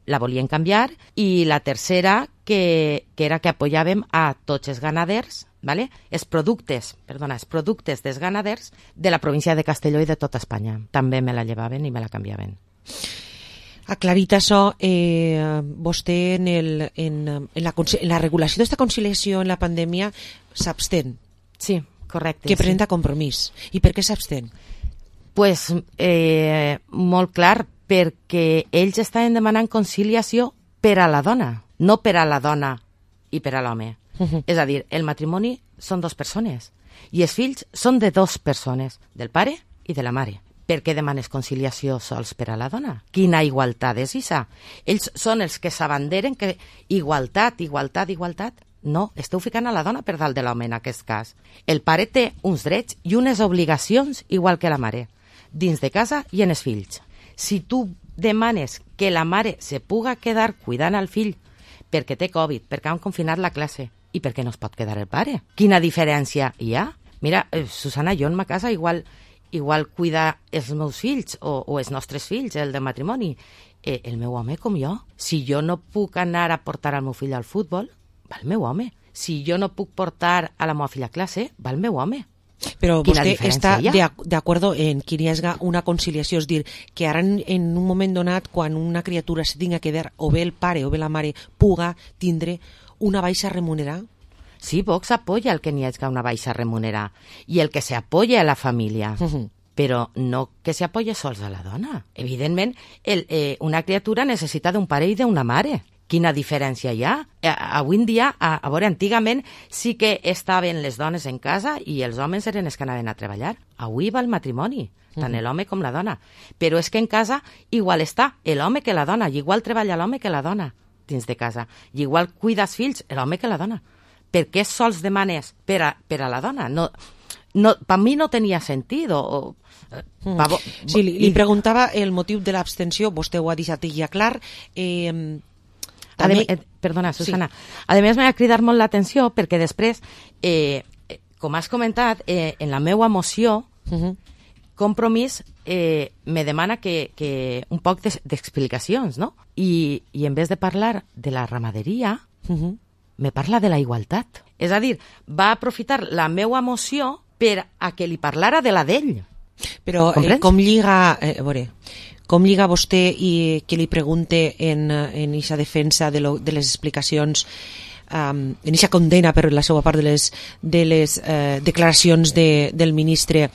la volien canviar, i la tercera que, que era que apoyàvem a tots els ganaders, ¿vale? els productes, perdona, els productes dels ganaders de la província de Castelló i de tota Espanya. També me la llevaven i me la canviaven. Aclarit això, eh, vostè en, el, en, en, la, en la regulació d'esta conciliació en la pandèmia s'abstén. Sí, correcte. Que presenta sí. compromís. I per què s'abstén? Pues, eh, molt clar, perquè ells estaven demanant conciliació per a la dona, no per a la dona i per a l'home. Uh-huh. És a dir, el matrimoni són dues persones i els fills són de dues persones, del pare i de la mare. Per què demanes conciliació sols per a la dona? Quina igualtat és això? Ells són els que s'abanderen que igualtat, igualtat, igualtat. No, esteu ficant a la dona per dalt de l'home en aquest cas. El pare té uns drets i unes obligacions igual que la mare, dins de casa i en els fills. Si tu demanes que la mare se puga quedar cuidant al fill perquè té Covid, perquè han confinat la classe i perquè no es pot quedar el pare, quina diferència hi ha? Mira, eh, Susana, jo en ma casa igual igual cuidar els meus fills o, o els nostres fills, el de matrimoni, eh, el meu home com jo. Si jo no puc anar a portar el meu fill al futbol, va el meu home. Si jo no puc portar a la meva filla a classe, va el meu home. Però vostè està d'acord en que hi hagi una conciliació, és dir, que ara en, en un moment donat, quan una criatura se tinga que quedar, o bé el pare o bé la mare, puga tindre una baixa remunerada? Sí, Vox apoya el que n'hi hagi una baixa remunerada i el que se apoya a la família, uh-huh. però no que se apoye sols a la dona. Evidentment, el, eh, una criatura necessita d'un pare i d'una mare. Quina diferència hi ha? A, avui en dia, a, a veure, antigament sí que estaven les dones en casa i els homes eren els que anaven a treballar. Avui va el matrimoni, tant uh-huh. l'home com la dona. Però és que en casa igual està l'home que la dona, i igual treballa l'home que la dona dins de casa, i igual cuida els fills l'home que la dona. Per què sols demanes per a, per a la dona? No, no, per mi no tenia sentit. O, mm. pa, sí, li, li preguntava el motiu de l'abstenció, vostè ho ha deixat ja clar. Eh, també... eh, perdona, Susana. Sí. A més, m'ha cridat molt l'atenció perquè després, eh, com has comentat, eh, en la meva moció, uh-huh. Compromís eh, me demana que, que un poc d'explicacions, no? I, I en vez de parlar de la ramaderia, uh-huh. me parla de la igualtat. És a dir, va aprofitar la meva moció per a que li parlara de la d'ell. Però eh, com lliga, eh, a veure, com lliga vostè i que li pregunte en en eixa defensa de, lo, de les explicacions, um, en eixa condena per la seva part de les, de les eh, declaracions de, del ministre,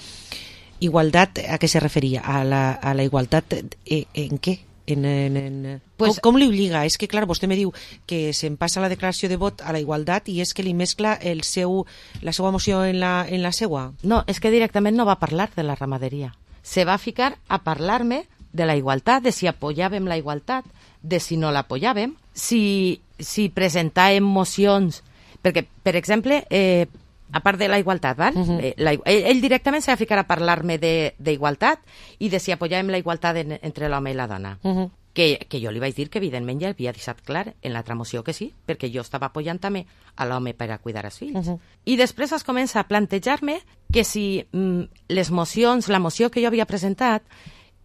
igualtat, a què se referia? A la, a la igualtat eh, en què? En, en, en... Pues, com, com li obliga? És que, clar, vostè me diu que se'n passa la declaració de vot a la igualtat i és que li mescla el seu, la seva moció en la, en la seva? No, és que directament no va parlar de la ramaderia. Se va ficar a parlar-me de la igualtat, de si apoyàvem la igualtat, de si no l'apoyàvem, si, si presentàvem mocions... Perquè, per exemple, eh, a part de la igualtat, val? Uh-huh. Eh, la, ell, ell directament s'ha de ficar a parlar-me d'igualtat i de si apoyàvem la igualtat en, entre l'home i la dona. Uh-huh. Que, que jo li vaig dir que evidentment ja havia deixat clar en l'altra moció que sí, perquè jo estava apoyant també a l'home per a cuidar els fills. Uh-huh. I després es comença a plantejar-me que si mm, les mocions, la moció que jo havia presentat,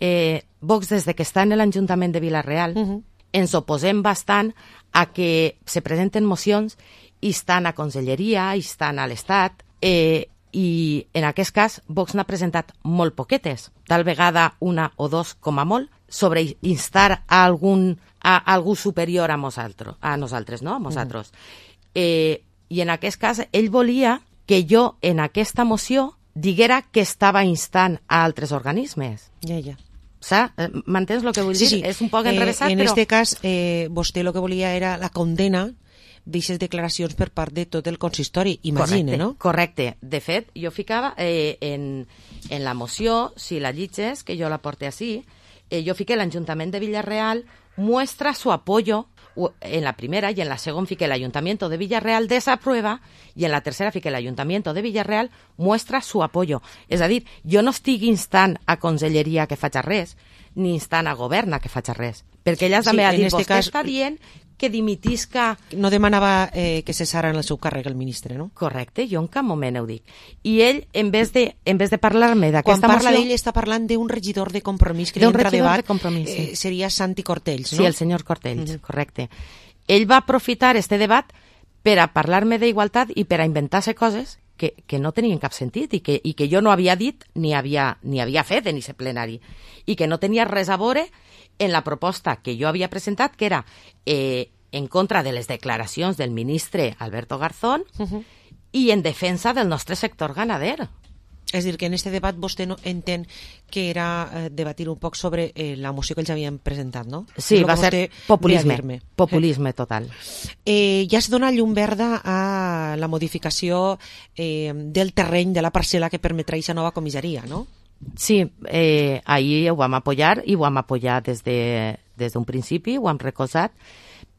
eh, Vox des de que està en l'Ajuntament de Vila-real, uh-huh. ens oposem bastant a que se presenten mocions i estan a Conselleria, i estan a l'Estat, eh, i en aquest cas Vox n'ha presentat molt poquetes, tal vegada una o dos com a molt, sobre instar a algun a, a algú superior a nosaltres, a nosaltres, no? A nosaltres. Mm. Eh, I en aquest cas ell volia que jo en aquesta moció diguera que estava instant a altres organismes. Ja, ja. Saps? M'entens el que vull sí, dir? Sí. És un poc enrevessat, eh, en però... En aquest cas, eh, vostè el que volia era la condena d'aquestes declaracions per part de tot el consistori, imagine, correcte, no? Correcte. De fet, jo ficava eh, en, en la moció, si la llitges, que jo la porte així, eh, jo fiqué l'Ajuntament de Vila-real muestra su apoyo, en la primera, y en la segunda fiqué el Ayuntamiento de Villarreal desaprueba, y en la tercera fiqué el Ayuntamiento de Villarreal muestra su apoyo. És a dir, jo no estic instant a Conselleria que faci res, ni instant a Govern que faci res, perquè ella també sí, ha dit, este vostè cas... està dient que dimitisca... No demanava eh, que cessara en el seu càrrec el ministre, no? Correcte, jo en cap moment ho dic. I ell, en vez de, en vez de parlar-me d'aquesta moció... Quan parla d'ell està parlant d'un regidor de Compromís que li entra a debat, de sí. eh, seria Santi Cortells, no? Sí, el senyor Cortells, uh-huh. correcte. Ell va aprofitar este debat per a parlar-me d'igualtat i per a inventar-se coses que, que no tenien cap sentit i que, i que jo no havia dit ni havia, ni havia fet en aquest plenari i que no tenia res a veure en la proposta que jo havia presentat, que era eh, en contra de les declaracions del ministre Alberto Garzón uh-huh. i en defensa del nostre sector ganader. És dir, que en este debat vostè no entén que era eh, debatir un poc sobre eh, la moció que ells havien presentat, no? Sí, va ser populisme, populisme total. Eh, ja es dona llum verda a la modificació eh, del terreny de la parcel·la que permetrà aquesta nova comissaria, no? Sí, eh, ahir ho vam apoyar i ho vam apoyar des de, des d'un principi, ho hem recolzat,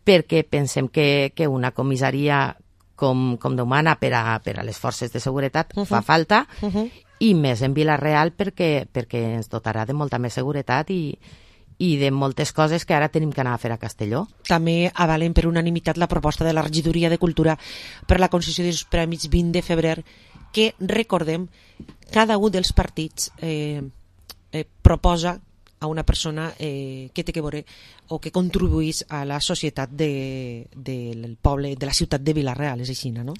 perquè pensem que, que una comissaria com, com d'humana per a, per a les forces de seguretat uh-huh. fa falta, uh-huh. i més en Vila-real perquè, perquè ens dotarà de molta més seguretat i, i de moltes coses que ara tenim que anar a fer a Castelló. També avalen per unanimitat la proposta de la Regidoria de Cultura per la concessió dels Premis vint de febrer, que, recordem, cada un dels partits eh, eh, proposa a una persona eh, que té que veure o que contribuís a la societat de, de, del poble, de la ciutat de Vila-real, és aixina, no?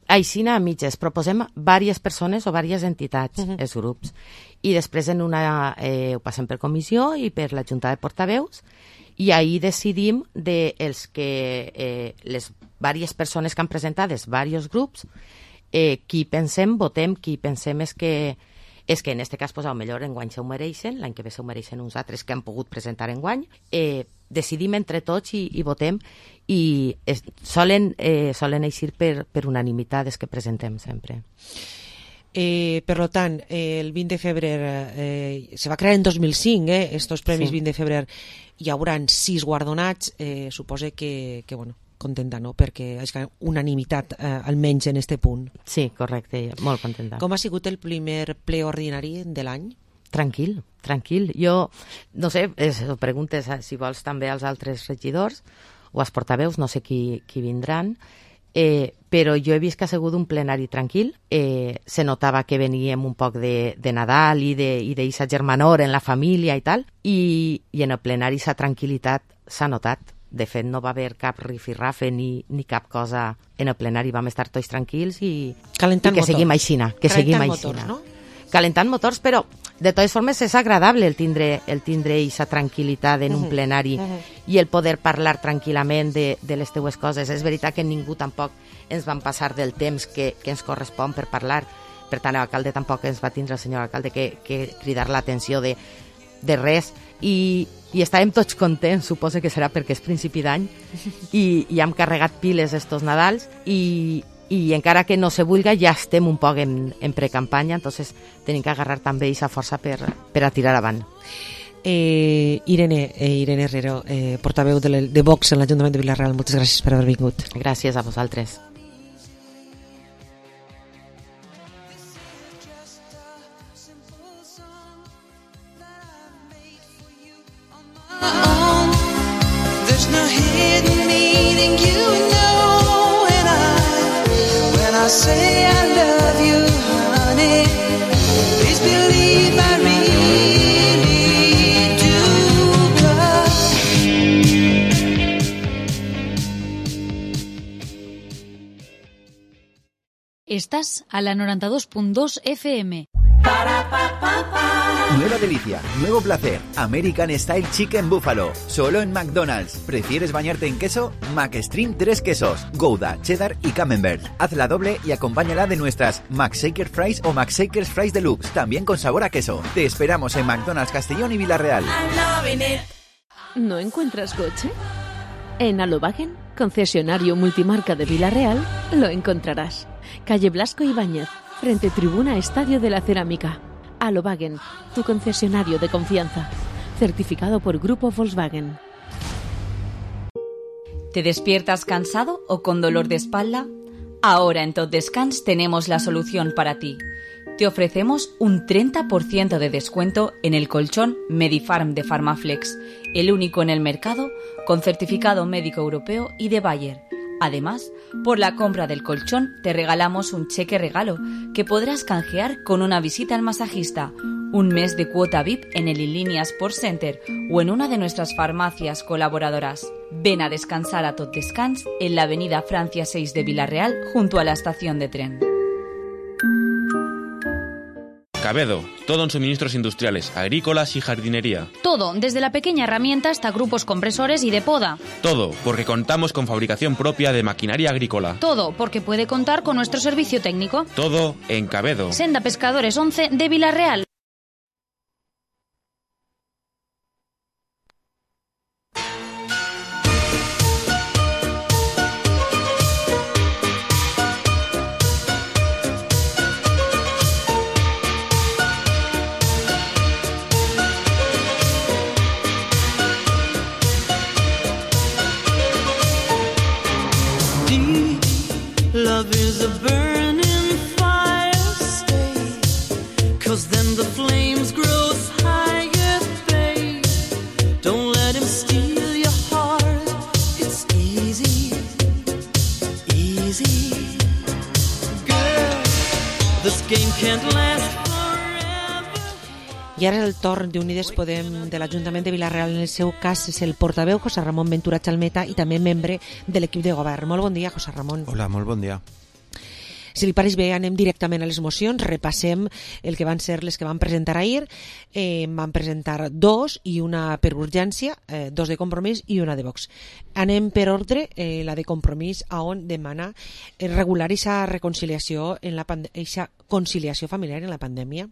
Aixina a mitges, proposem diverses persones o diverses entitats, uh-huh. els grups, i després en una eh, ho passem per comissió i per la Junta de Portaveus, i ahir decidim de els que eh, les diverses persones que han presentat, els diversos grups, eh, qui pensem, votem, qui pensem és que és que en aquest cas, pues, a lo millor enguany se ho mereixen, l'any que ve se ho mereixen uns altres que han pogut presentar enguany, eh, decidim entre tots i, i votem, i es, solen, eh, solen eixir per, per unanimitat els que presentem sempre. Eh, per tant, eh, el vint de febrer eh, se va crear en dos mil cinc, eh, estos premis sí. vint de febrer, hi haurà sis guardonats, eh, suposa que, que bueno, contenta, no? Perquè és unanimitat, eh, almenys en este punt. Sí, correcte, molt contenta. Com ha sigut el primer ple ordinari de l'any? Tranquil, tranquil. Jo, no sé, es, preguntes si vols també als altres regidors o als portaveus, no sé qui, qui vindran, eh, però jo he vist que ha sigut un plenari tranquil. Eh, se notava que veníem un poc de, de Nadal i d'eixa germanor en la família i tal, i, i en el plenari sa tranquil·litat s'ha notat. De fet, no va haver cap rifirrafe ni, ni cap cosa en el plenari. Vam estar tots tranquils i, i que motor. seguim aixina. Que Calentant seguim motors, aixina. no? Calentant motors, però de totes formes és agradable el tindre el tindre aquesta tranquil·litat en un Uh-huh. plenari Uh-huh. i el poder parlar tranquil·lament de, de les teues coses. És veritat que ningú tampoc ens van passar del temps que, que ens correspon per parlar. Per tant, l'alcalde tampoc ens va tindre, el senyor alcalde, que, que cridar l'atenció de, de res. I, i estàvem tots contents, suposo que serà perquè és principi d'any, i, i hem carregat piles estos Nadals, i, i encara que no se vulga ja estem un poc en, en precampanya, entonces tenim que agarrar també aquesta força per, per a tirar avant. Eh, Irene, eh, Irene Herrero, eh, portaveu de, de Vox en l'Ajuntament de Vila-real, moltes gràcies per haver vingut. Gràcies a vosaltres. say I love you, honey. Please believe I really do. Estás a la noventa y dos punto dos F M. Nueva delicia, nuevo placer, American Style Chicken Buffalo, solo en McDonald's. ¿Prefieres bañarte en queso? McStream tres quesos, Gouda, Cheddar y Camembert. Hazla doble y acompáñala de nuestras McShaker Fries o McShakers Fries Deluxe, también con sabor a queso. Te esperamos en McDonald's Castellón y Villarreal. ¿No encuentras coche? En Alobagen, concesionario multimarca de Villarreal, lo encontrarás. Calle Blasco Ibáñez, frente Tribuna Estadio de la Cerámica. Alobagen, tu concesionario de confianza. Certificado por Grupo Volkswagen. ¿Te despiertas cansado o con dolor de espalda? Ahora en Tot Descans tenemos la solución para ti. Te ofrecemos un treinta por ciento de descuento en el colchón Medifarm de Farmaflex, el único en el mercado con certificado médico europeo y de Bayer. Además, por la compra del colchón te regalamos un cheque regalo que podrás canjear con una visita al masajista, un mes de cuota V I P en el Inlínea Sports Center o en una de nuestras farmacias colaboradoras. Ven a descansar a Tot Descans en la avenida Francia seis de Villarreal junto a la estación de tren. Cabedo, todo en suministros industriales, agrícolas y jardinería. Todo, desde la pequeña herramienta hasta grupos compresores y de poda. Todo, porque contamos con fabricación propia de maquinaria agrícola. Todo, porque puede contar con nuestro servicio técnico. Todo en Cabedo. Senda Pescadores once de Villarreal. Love is a burning fire, stay, 'cause then the flames grow higher, babe. Don't let him steal your heart, it's easy, easy. Girl, this game can't last forever. I ara és el torn d'Unides Podem de l'Ajuntament de Villarreal. En el seu cas és el portaveu José Ramón Ventura Chalmeta i també membre de l'equip de govern. Molt bon dia, José Ramón. Hola, molt bon dia. Si li pareix bé, anem directament a les mocions, repassem el que van ser les que van presentar ahir. Eh, van presentar dos i una per urgència, eh, dos de Compromís i una de Vox. Anem per ordre, eh, la de Compromís, a on demana eh, regular aquesta reconciliació, en la pande- eixa conciliació familiar en la pandèmia.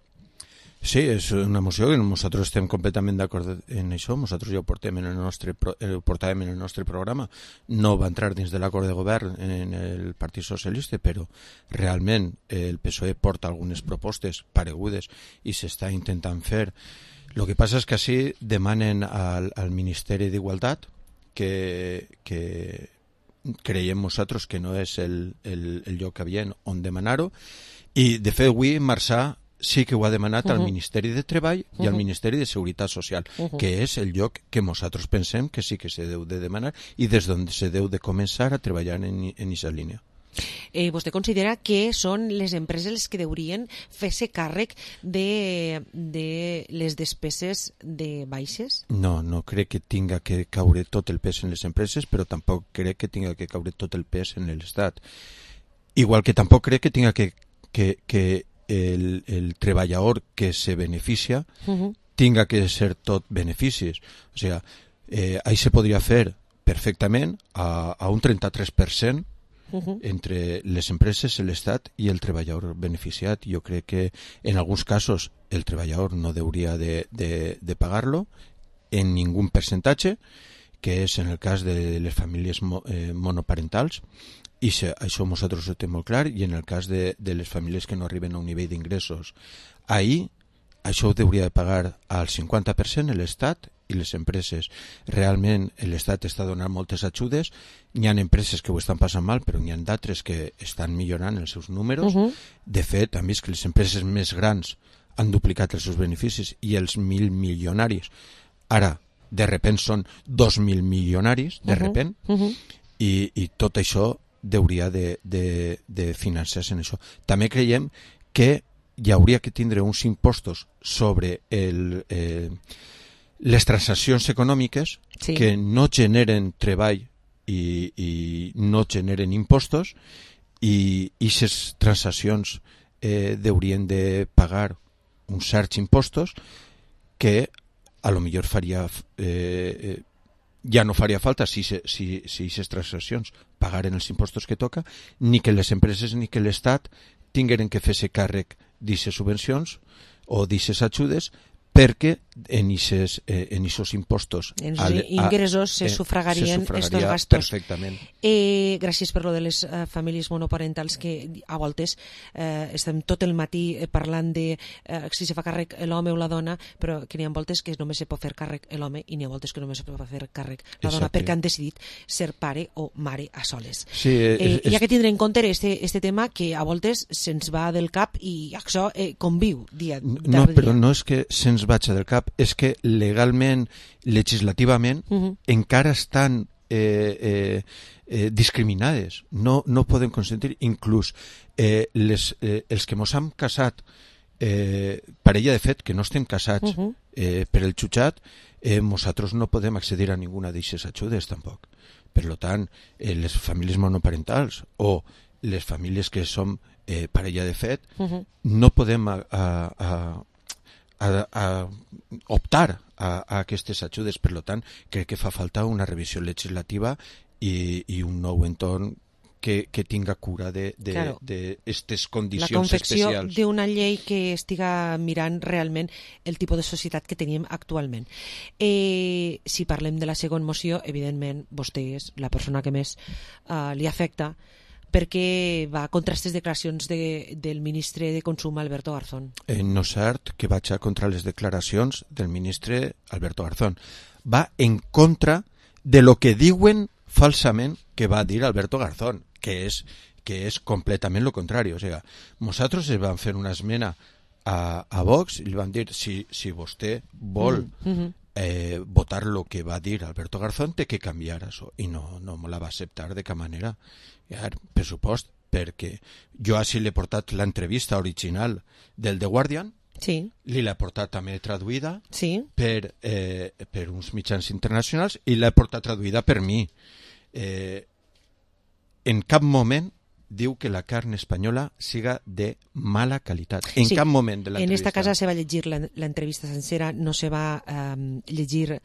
Sí, és una moció que nosaltres estem completament d'acord en això. Nosaltres ja ho portem en el nostre, ho portàvem en el nostre programa. No va entrar dins de l'acord de govern en el Partit Socialista, però realment el P S O E porta algunes propostes paregudes i s'està intentant fer. El que passa és que així demanen al, al Ministeri d'Igualtat que, que creiem nosaltres que no és el, el, el lloc adient on demanar-ho, i de fet avui Marçà sí que ho ha demanat uh-huh. al Ministeri de Treball uh-huh. i al Ministeri de Seguretat Social, uh-huh. que és el lloc que nosaltres pensem que sí que se deu de demanar i des d'on se deu de començar a treballar en aquesta línia. Eh, vostè considera que són les empreses les que deurien fer-se càrrec de, de les despeses de baixes? No, no crec que tinga que caure tot el pes en les empreses, però tampoc crec que tinga que caure tot el pes en l'Estat. Igual que tampoc crec que tinga que, que, que el, el treballador que se beneficia uh-huh. tinga que ser tot beneficis. O sigui, eh, ahí se podria fer perfectament a, a un trenta-tres per cent uh-huh. entre les empreses, l'Estat i el treballador beneficiat. Jo crec que en alguns casos el treballador no hauria de, de, de pagar-lo en ningun percentatge, que és en el cas de les famílies mo, eh, monoparentals, i se, això nosaltres ho tenim molt clar, i en el cas de, de les famílies que no arriben a un nivell d'ingressos. Ahir això ho hauria de pagar al cinquanta per cent l'Estat i les empreses. Realment l'Estat està donant moltes ajudes, n'hi ha empreses que ho estan passant mal, però n'hi ha d'altres que estan millorant els seus números. Uh-huh. De fet, han vist que les empreses més grans han duplicat els seus beneficis i els mil milionaris ara de repent són dos mil milionaris, de repent, uh-huh. i, i tot això hauria de, de, de financiar-se en això. També creiem que hi hauria que tindre uns impostos sobre el, eh, les transaccions econòmiques sí. que no generen treball i, i no generen impostos i aquestes transaccions eh, haurien de pagar uns certs impostos que a lo millor faria eh, ja no faria falta si aquestes si, si transaccions pagaren els impostos que toca, ni que les empreses ni que l'Estat tingueren que fer-se càrrec d'aquestes subvencions o d'aquestes ajudes perquè en aquests eh, impostos en els ingressos se sufragarien estos gastos. Perfectament. Eh, gràcies per lo de les uh, famílies monoparentals que a voltes eh, estem tot el matí eh, parlant de eh, si se fa càrrec l'home o la dona, però que n'hi ha voltes que només se pot fer càrrec l'home i n'hi ha voltes que només se pot fer càrrec la dona Exacte. Perquè han decidit ser pare o mare a soles. Sí, eh, eh, és... Hi ha que tindre en compte este, este tema que a voltes se'ns va del cap i això eh, conviu dia No, però dia. No és que se'ns vaig del cap, és que legalment, legislativament, uh-huh. encara estan eh, eh, eh, discriminades. No, no poden consentir, inclús eh, les, eh, els que mos hem casat, eh, parella de fet, que no estem casats uh-huh. eh, per el jutjat, eh, nosaltres no podem accedir a ninguna d'aquestes ajudes tampoc. Per tant, eh, les famílies monoparentals o les famílies que som eh, parella de fet, uh-huh. no podem a, a, a A, a optar a, a aquestes ajudes. Per tant, crec que fa falta una revisió legislativa i, i un nou entorn que, que tinga cura d'aquestes claro. condicions especials. La confecció d'una llei que estiga mirant realment el tipus de societat que tenim actualment. Eh, si parlem de la segona moció, evidentment, vostè és la persona que més uh, li afecta, perquè va contra aquestes declaracions de, del ministre de Consum, Alberto Garzón. Eh, no és cert que vaig contra les declaracions del ministre Alberto Garzón. Va en contra de lo que diuen falsament que va dir Alberto Garzón, que és, que és completament lo contrari. O sigui, nosaltres els vam fer una esmena a, a Vox i li vam dir si, si vostè vol mm -hmm. eh, votar lo que va dir Alberto Garzón, té que canviar això. I no, no me la va acceptar de cap manera. Per supost, perquè jo així l'he portat l'entrevista original del The Guardian, sí. li l'he portat també traduïda sí. per, eh, per uns mitjans internacionals i l'he portat traduïda per mi. Eh, en cap moment diu que la carn espanyola siga de mala qualitat. En sí. cap moment de En l'entrevista. esta casa se va llegir l'entrevista sencera, no se va um, llegir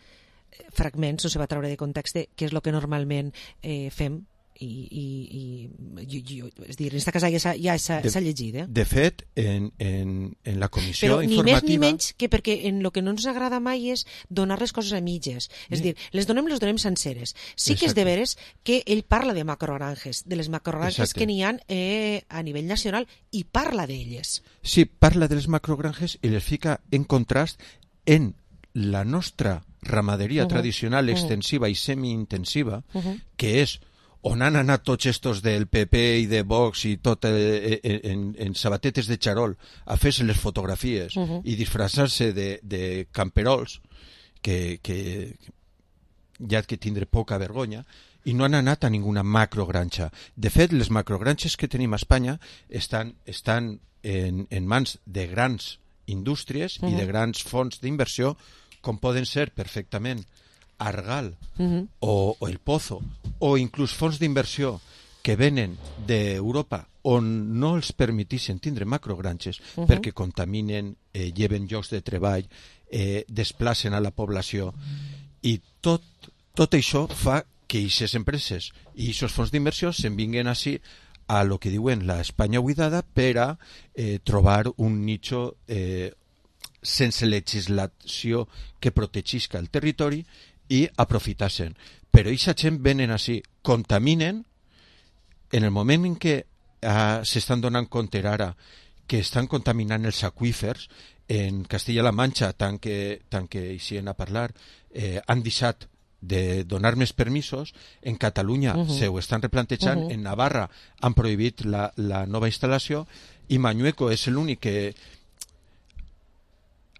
fragments, no se va treure de context, que és el que normalment eh, fem. I, i, i jo, jo, és dir, en aquesta casa ja s'ha ja de, llegit eh? de fet en, en, en la comissió però informativa ni més ni menys que perquè en el que no ens agrada mai és donar les coses a mitges, és dir, les donem les donem senceres, sí que Exacte. És de veres que ell parla de macrogranges, de les macrogranges Exacte. Que n'hi ha eh, a nivell nacional i parla d'elles sí, parla de les macrogranges i les fica en contrast en la nostra ramaderia uh-huh. tradicional extensiva uh-huh. i semi-intensiva uh-huh. que és on han anat tots estos del P P i de Vox i tot eh, en, en sabatetes de xarol a fer-se les fotografies uh-huh. i disfressar-se de, de camperols que, que ja ha que tindre poca vergonya i no han anat a ninguna macrogranja. De fet, les macrogranges que tenim a Espanya estan, estan en, en mans de grans indústries uh-huh. i de grans fons d'inversió com poden ser perfectament Argal uh-huh. o, o el Pozo o inclús fons d'inversió que venen d'Europa on no els permetixen tindre macrogranges uh-huh. perquè contaminen, eh, lleven llocs de treball, eh, desplacen a la població i tot, tot això fa que aquestes empreses i aquests fons d'inversió se'n vinguen així a lo que diuen la Espanya buidada per a eh, trobar un nicho eh, sense legislació que protegisca el territori i aprofitar-se'n. Però aquesta gent venen així, contaminen, en el moment en què ah, s'estan donant compte ara que estan contaminant els aqüífers, en Castilla-La Manxa, tant que, tant que hi a parlar, eh, han deixat de donar més permisos, en Catalunya uh-huh. se ho estan replantejant, uh-huh. en Navarra han prohibit la, la nova instal·lació i Mañueco és l'únic que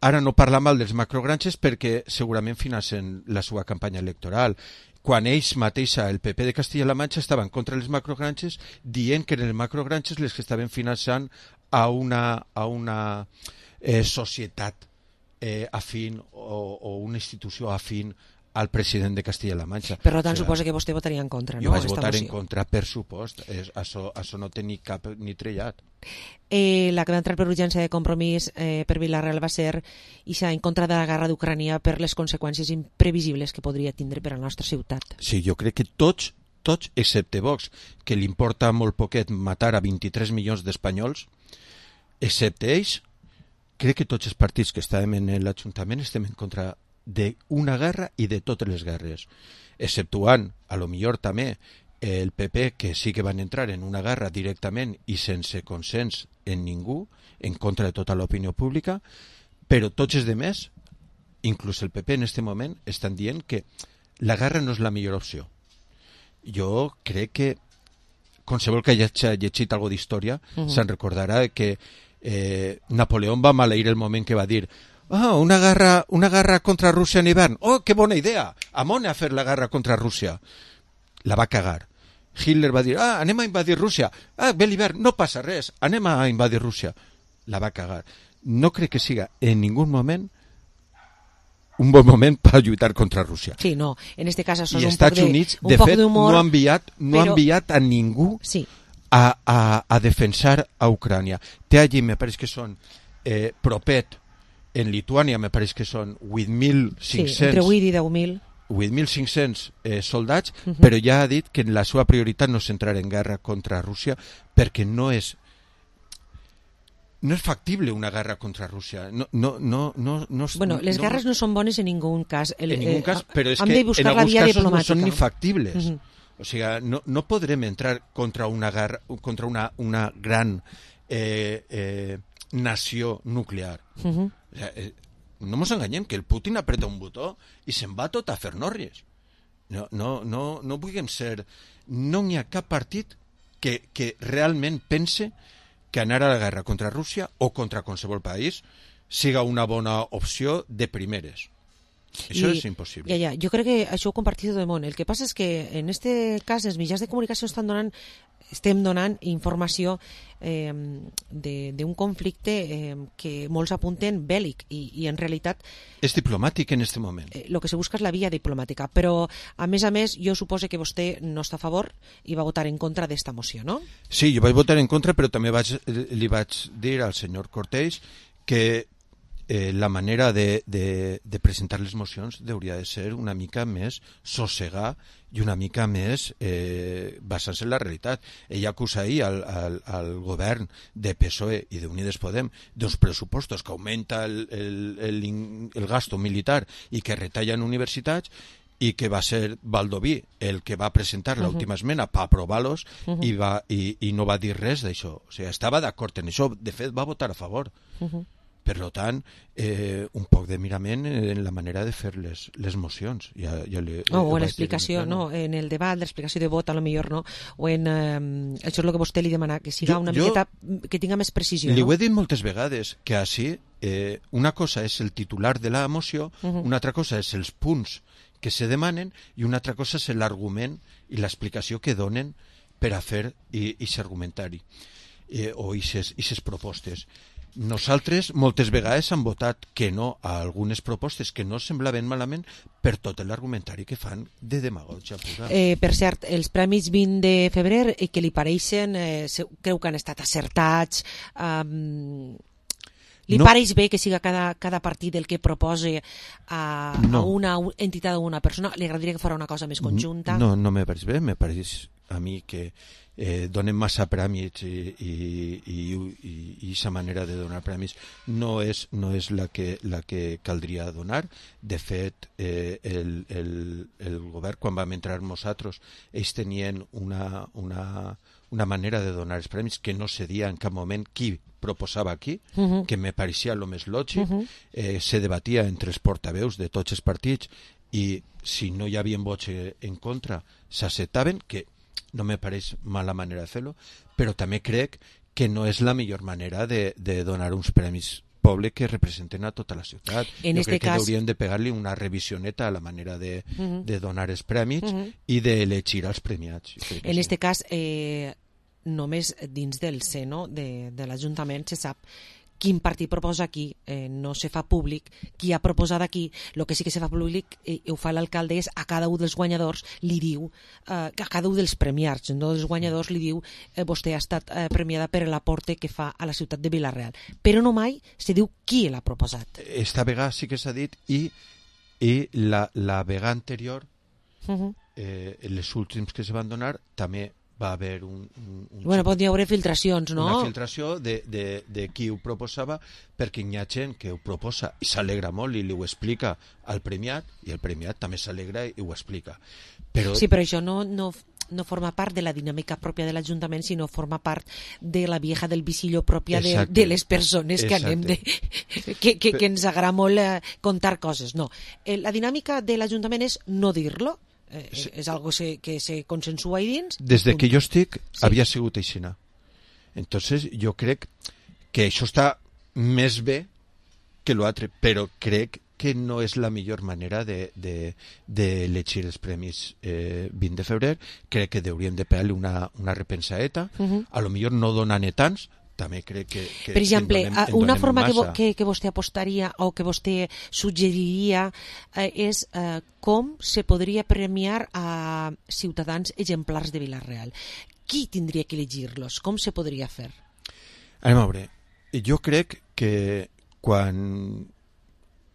ara no parla mal dels macrogranges perquè segurament financen la seva campanya electoral. quan ells mateixa, el P P de Castilla-La Manxa, estaven contra les macrogranges, dient que en les macrogranges les que estaven finançant a una, a una eh, societat eh, afín o, o una institució afín al president de Castilla-La Manxa. Per tant, o sigui, suposa que vostè votaria en contra, no? Jo vaig votar en contra, per supost. És, això, això no té ni cap ni trellat. Eh, la que va entrar per urgència de Compromís eh, per Vila-real va ser ixa en contra de la guerra d'Ucrània per les conseqüències imprevisibles que podria tindre per a la nostra ciutat. Sí, jo crec que tots, tots excepte Vox, que li importa molt poquet matar a vint-i-tres milions d'espanyols, excepte ells, crec que tots els partits que estàvem en l'Ajuntament estem en contra d'una guerra i de totes les guerres, exceptuant, a lo millor també, el P P, que sí que van entrar en una guerra directament i sense consens en ningú, en contra de tota l'opinió pública, però tots els demés, inclús el P P en aquest moment, estan dient que la guerra no és la millor opció. Jo crec que qualsevol que hagi llegit alguna d'història uh-huh. se'n recordarà que eh, Napoleón va maleir el moment que va dir ah, una guerra, una guerra contra Rússia en hivern. Oh, que bona idea! Amone a fer la guerra contra Rússia. La va cagar. Hitler va dir, ah, anem a invadir Rússia. Ah, ve l'hivern, no passa res, anem a invadir Rússia. La va cagar. No crec que siga en ningú moment un bon moment per lluitar contra Rússia. Sí, no, en este cas això és I un Estats poc de, Units, un de poc fet, d'humor, no ha enviat, no però... ha enviat a ningú sí. a, a, a defensar a Ucrània. Té allí, me pareix que són eh, propet, en Lituània me pareix que són vuit mil cinc-cents sí, entre vuit i deu mil vuit mil cinc-cents eh, soldats, uh -huh. però ja ha dit que la seva prioritat no és entrar en guerra contra Rússia perquè no és no és factible una guerra contra Rússia. No, no, no, no, no, bueno, les no, guerres no són bones en ningú cas. El, en ningú cas, però és hem que de buscar en alguns la via casos diplomàtica. no són ni factibles. Uh -huh. O sigui, no, no podrem entrar contra una guerra, contra una, una gran eh, eh, nació nuclear. Uh -huh. O sea, eh, no ens enganyem, que el Putin apreta un botó i se'n va tot a fer norries. No, no, no, no vulguem ser... No n'hi ha cap partit que, que realment pense que anar a la guerra contra Rússia o contra qualsevol país siga una bona opció de primeres. Això I, és impossible. Ja, ja, jo crec que això ho compartit tot el món. El que passa és que en este cas els mitjans de comunicació estan donant, estem donant informació eh, d'un conflicte eh, que molts apunten bèl·lic i, i en realitat és diplomàtic en aquest moment. El eh, que se busca és la via diplomàtica, però a més a més jo suposo que vostè no està a favor i va votar en contra d'esta moció, no? Sí, jo vaig votar en contra, però també vaig, li vaig dir al senyor Cortés que Eh, la manera de, de, de presentar les mocions hauria de ser una mica més sossegar i una mica més eh, basant-se en la realitat. Ell acusa ahir al, al, al govern de P S O E i d'Unides Podem d'uns pressupostos que augmenta el, el, el, el gasto militar i que retallen universitats i que va ser Baldoví el que va presentar uh-huh. l'última esmena per aprovar-los uh-huh. i, va, i, i no va dir res d'això. O sigui, estava d'acord en això, de fet va votar a favor. Uh-huh. Per tant, eh, un poc de mirament en la manera de fer les, les mocions. Ja, ja li, no, o en l'explicació, no, en el debat, l'explicació de vot, a lo millor, no, o en... Eh, això és el que vostè li demana, que siga jo, una jo miqueta, que tinga més precisió. Li no? ho he dit moltes vegades, que així, eh, una cosa és el titular de la moció, uh-huh. una altra cosa és els punts que se demanen i una altra cosa és l'argument i l'explicació que donen per a fer aquest argumentari eh, o aquestes propostes. Nosaltres moltes vegades hem votat que no a algunes propostes que no semblaven malament per tot l'argumentari que fan de demagògia pura. Eh, per cert, els premis vint de febrer eh, que li pareixen, eh, creu que han estat acertats, um, li no. pareix bé que siga cada, cada partit el que propose a, no. a una entitat o una persona? Li agradaria que fos una cosa més conjunta? No, no me pareix bé, me pareix a mi que eh, donen massa prèmits i i aquesta manera de donar prèmits no és, no és la, que, la que caldria donar. De fet, eh, el, el, el govern, quan vam entrar nosaltres, ells tenien una, una, una manera de donar els prèmits que no cedia en cap moment qui proposava aquí, uh-huh. que me pareixia el més lògic. Uh-huh. eh, se debatia entre els portaveus de tots els partits i si no hi havia vots en contra s'acceptaven, que no me pareix mala manera de fer-lo, però també crec que no és la millor manera de, de donar uns premis poble que representen a tota la ciutat. En jo este crec que cas... haurien de pegar-li una revisioneta a la manera de, uh -huh. de donar els prèmits uh -huh. i d'elegir els premiats. En sí. este cas, eh, només dins del seno de, de l'Ajuntament se sap quin partit proposa aquí, eh, no se fa públic qui ha proposat aquí. El que sí que se fa públic eh, ho fa l'alcalde és a cada un dels guanyadors li diu, eh, a cada un dels premiats, no dels guanyadors li diu eh, vostè ha estat eh, premiada per l'aporte que fa a la ciutat de Vila-real, però no mai se diu qui l'ha proposat. Esta vegada sí que s'ha dit i, i la, la vegada anterior uh -huh. eh, les últims que se van donar també va haver un... un, un bueno, pot haver filtracions, no? Una filtració de, de, de qui ho proposava, perquè hi ha gent que ho proposa i s'alegra molt i li ho explica al premiat, i el premiat també s'alegra i ho explica. Però... Sí, però això no, no, no forma part de la dinàmica pròpia de l'Ajuntament, sinó forma part de la vieja del visillo pròpia de, de les persones que anem de... que, que, que ens agrada molt eh, contar coses. No, eh, la dinàmica de l'Ajuntament és no dir-lo, Eh, sí. és algo se, que se consensua ahí dins. Des de que jo estic sí. havia sigut aixina. Entonces jo crec que això està més bé que l'altre, però crec que no és la millor manera de, de, de elegir els premis eh, vint de febrer. Crec que hauríem de pegar-li una, una repensadeta, uh -huh. a lo millor no donant tants, també crec que... que per exemple, en donem, en una forma que, massa. que, que vostè apostaria o que vostè suggeriria eh, és eh, com se podria premiar a ciutadans exemplars de Vila-real. Qui tindria que elegir-los? Com se podria fer? Anem a veure. Jo crec que quan,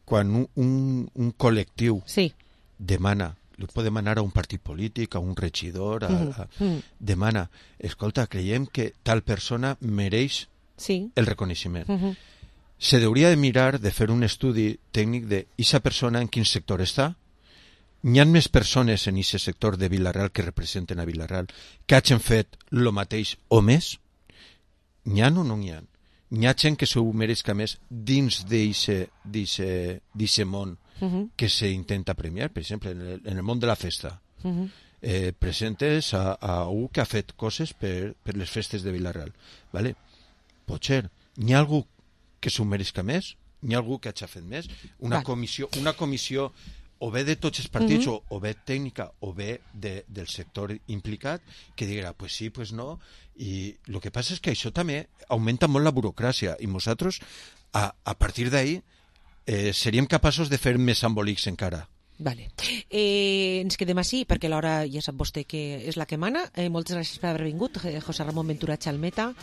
quan un, un, un col·lectiu sí. demana, li pot demanar a un partit polític, a un regidor, a, a, mm. demana, escolta, creiem que tal persona mereix sí. el reconeixement. Mm -hmm. Se hauria de mirar, de fer un estudi tècnic de aquesta persona en quin sector està. Hi ha més persones en aquest sector de Vila-real que representen a Vila-real que hagin fet el mateix o més. N'hi ha o no n'hi ha? N'hi ha gent que s'ho mereixca més dins d'aquest món Uh -huh. que se intenta premiar, per exemple, en el, en el món de la festa. Uh -huh. eh, presentes a, a un que ha fet coses per, per les festes de Vila-real. Vale? Potser, n'hi ha algú que s'ho mereixca més? N'hi ha algú que hagi fet més? Una, vale. comissió, una comissió o bé de tots els partits, uh -huh. o, o bé tècnica, o bé de, del sector implicat, que dirà, pues sí, pues no, i el que passa és que això també augmenta molt la burocràcia, i nosaltres, a, a partir d'ahí, Eh, seríem capaços de fer més embolics encara. Vale. Eh, ens quedem així perquè l'hora ja sap vostè que és la que mana. Eh, moltes gràcies per haver vingut, José Ramon Ventura Chalmeta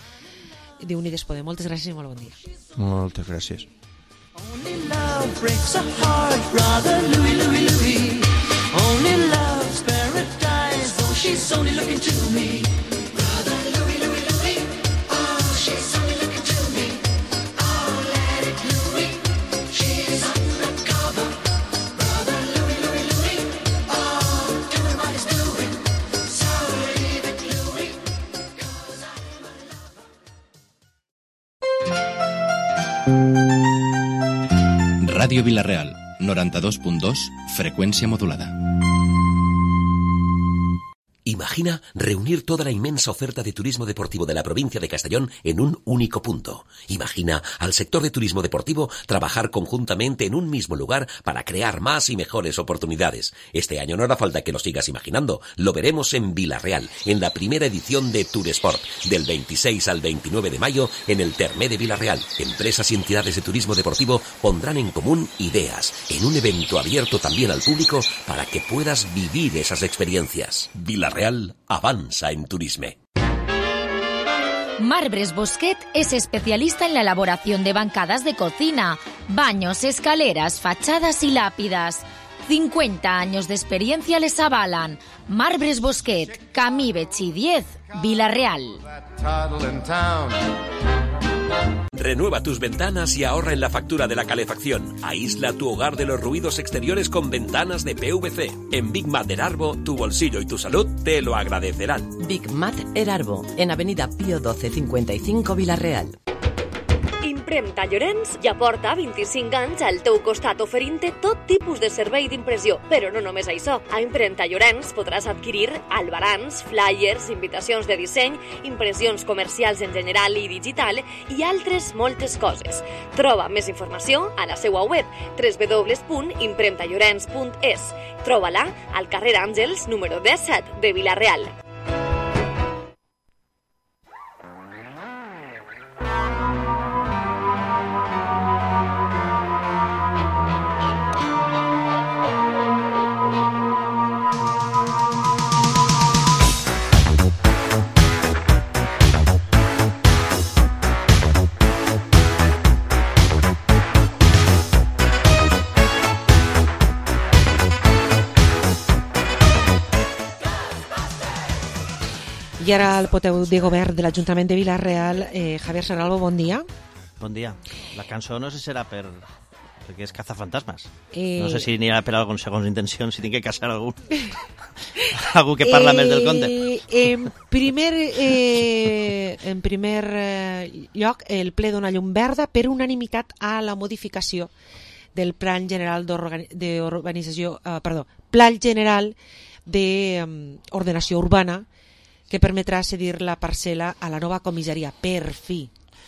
de Unides Podem. Moltes gràcies i molt bon dia. Moltes gràcies. Only love breaks a heart, brother Louis, Louis, Louis. Only love's paradise, though she's only looking to me. Brother Louis, Louis, Louis. Oh, she's only looking to me. Oh, let it Louis. She's undercover. Brother Louis, Louis, Louis. Oh, doing what he's doing. So leave it, Louis. 'Cause I'm a lover. Ràdio Vila-real, noranta-dos punt dos, freqüència modulada. Imagina reunir toda la inmensa oferta de turismo deportivo de la provincia de Castellón en un único punto. Imagina al sector de turismo deportivo trabajar conjuntamente en un mismo lugar para crear más y mejores oportunidades. Este año no hará falta que lo sigas imaginando. Lo veremos en Vila-real, en la primera edición de Touresport, del veintiséis al veintinueve de mayo en el Termé de Vila-real. Empresas y entidades de turismo deportivo pondrán en común ideas en un evento abierto también al público para que puedas vivir esas experiencias. Vila-real avanza en turisme. Marbres Bosquet es especialista en la elaboración de bancadas de cocina, baños, escaleras, fachadas y lápidas. cincuenta años de experiencia les avalan. Marbres Bosquet, Camí Betxí diez, Vila-real. Renueva tus ventanas y ahorra en la factura de la calefacción. Aísla tu hogar de los ruidos exteriores con ventanas de P V C. En Big Mat Erarbo, tu bolsillo y tu salud te lo agradecerán. Big Mat Erarbo, en Avenida Pío doce cincuenta y cinco, Vila-real. Impremta Llorenç ja porta vint-i-cinc anys al teu costat oferint-te tot tipus de servei d'impressió. Però no només això. A Impremta Llorenç podràs adquirir albarans, flyers, invitacions de disseny, impressions comercials en general i digital i altres moltes coses. Troba més informació a la seva web w w w punt impremta llorenç punt es. Troba-la al carrer Àngels número disset de Vila-real. I ara el poteu de govern de l'Ajuntament de Vila-real, eh, Javier Serralvo, bon dia. Bon dia. La cançó no sé si serà per... perquè és cazafantasmes. Eh... No sé si n'hi ha per algun segons intencions, si tinc que casar algú. algú que parla eh... més del conte. En primer, eh, en primer eh, lloc, el ple dona llum verda per unanimitat a la modificació del Plan General d'Urbanització, eh, perdó, Plan General d'Ordenació Urbana, que permetrà cedir la parcel·la a la nova comissaria, per fi.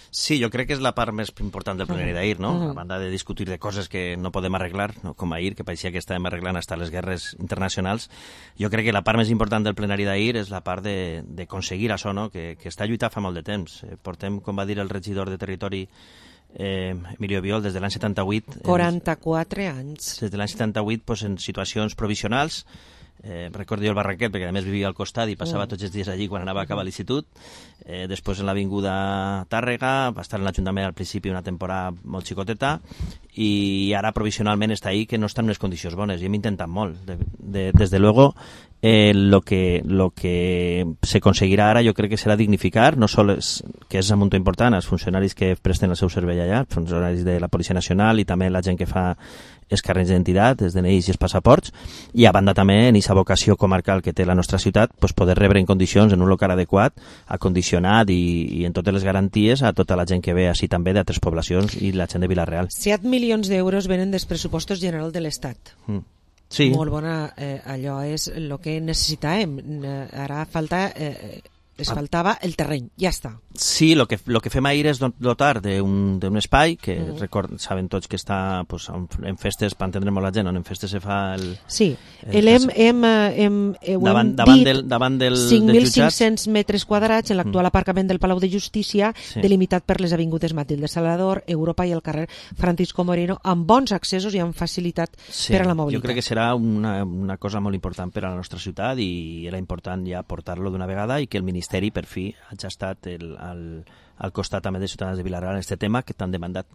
Sí, jo crec que és la part més important del plenari d'ahir, no? Uh-huh. A banda de discutir de coses que no podem arreglar, no? Com ahir, que pareixia que estàvem arreglant hasta les guerres internacionals, jo crec que la part més important del plenari d'ahir és la part d'aconseguir això, no? Que, que està lluitant fa molt de temps. Portem, com va dir el regidor de Territori, eh, Emilio Biol, des de l'any setanta-vuit... quaranta-quatre anys. Des de l'any setanta-vuit, pues, en situacions provisionals. Eh, recordo jo el Barranquet, perquè a més vivia al costat i passava tots els dies allí quan anava a acabar l'institut. Eh, després en l'avinguda Tàrrega, va estar en l'Ajuntament al principi una temporada molt xicoteta i ara provisionalment està ahí, que no està en unes condicions bones i hem intentat molt. De, de, des de luego, eh, lo que, lo que se conseguirà ara jo crec que serà dignificar, no sols, que és un munt important, els funcionaris que presten el seu servei allà, els funcionaris de la Policia Nacional i també la gent que fa els carnets d'identitat, els D N Is i els passaports, i a banda també en aquesta vocació comarcal que té la nostra ciutat, pues poder rebre en condicions, en un local adequat, acondicionat i, i en totes les garanties a tota la gent que ve així també d'altres poblacions i la gent de Vila-real. set milions d'euros venen dels pressupostos generals de l'Estat. Mm. Sí. Molt bona, eh, allò és el que necessitàvem. Ara falta... Eh, es faltava el terreny, ja està. Sí, el que, lo que fem ahir és dotar d'un espai que Uh-huh. record, saben tots que està pues, en, en festes, per entendre molt la gent, on en festes se fa el... Sí, el, hem, hem, hem, hem davant, dit davant del, davant del, cinc mil dels jutjats. cinc-cents metres quadrats en l'actual aparcament del Palau de Justícia, Sí. delimitat per les avingudes Matilde Salvador, Europa i el carrer Francisco Moreno, amb bons accessos i amb facilitat Sí, per a la mobilitat. jo crec que serà una, una cosa molt important per a la nostra ciutat i era important ja portar-lo d'una vegada i que el Ministeri per fi hagi estat el, el, al costat també de Ciutadans de Vila-real en aquest tema que t'han demandat.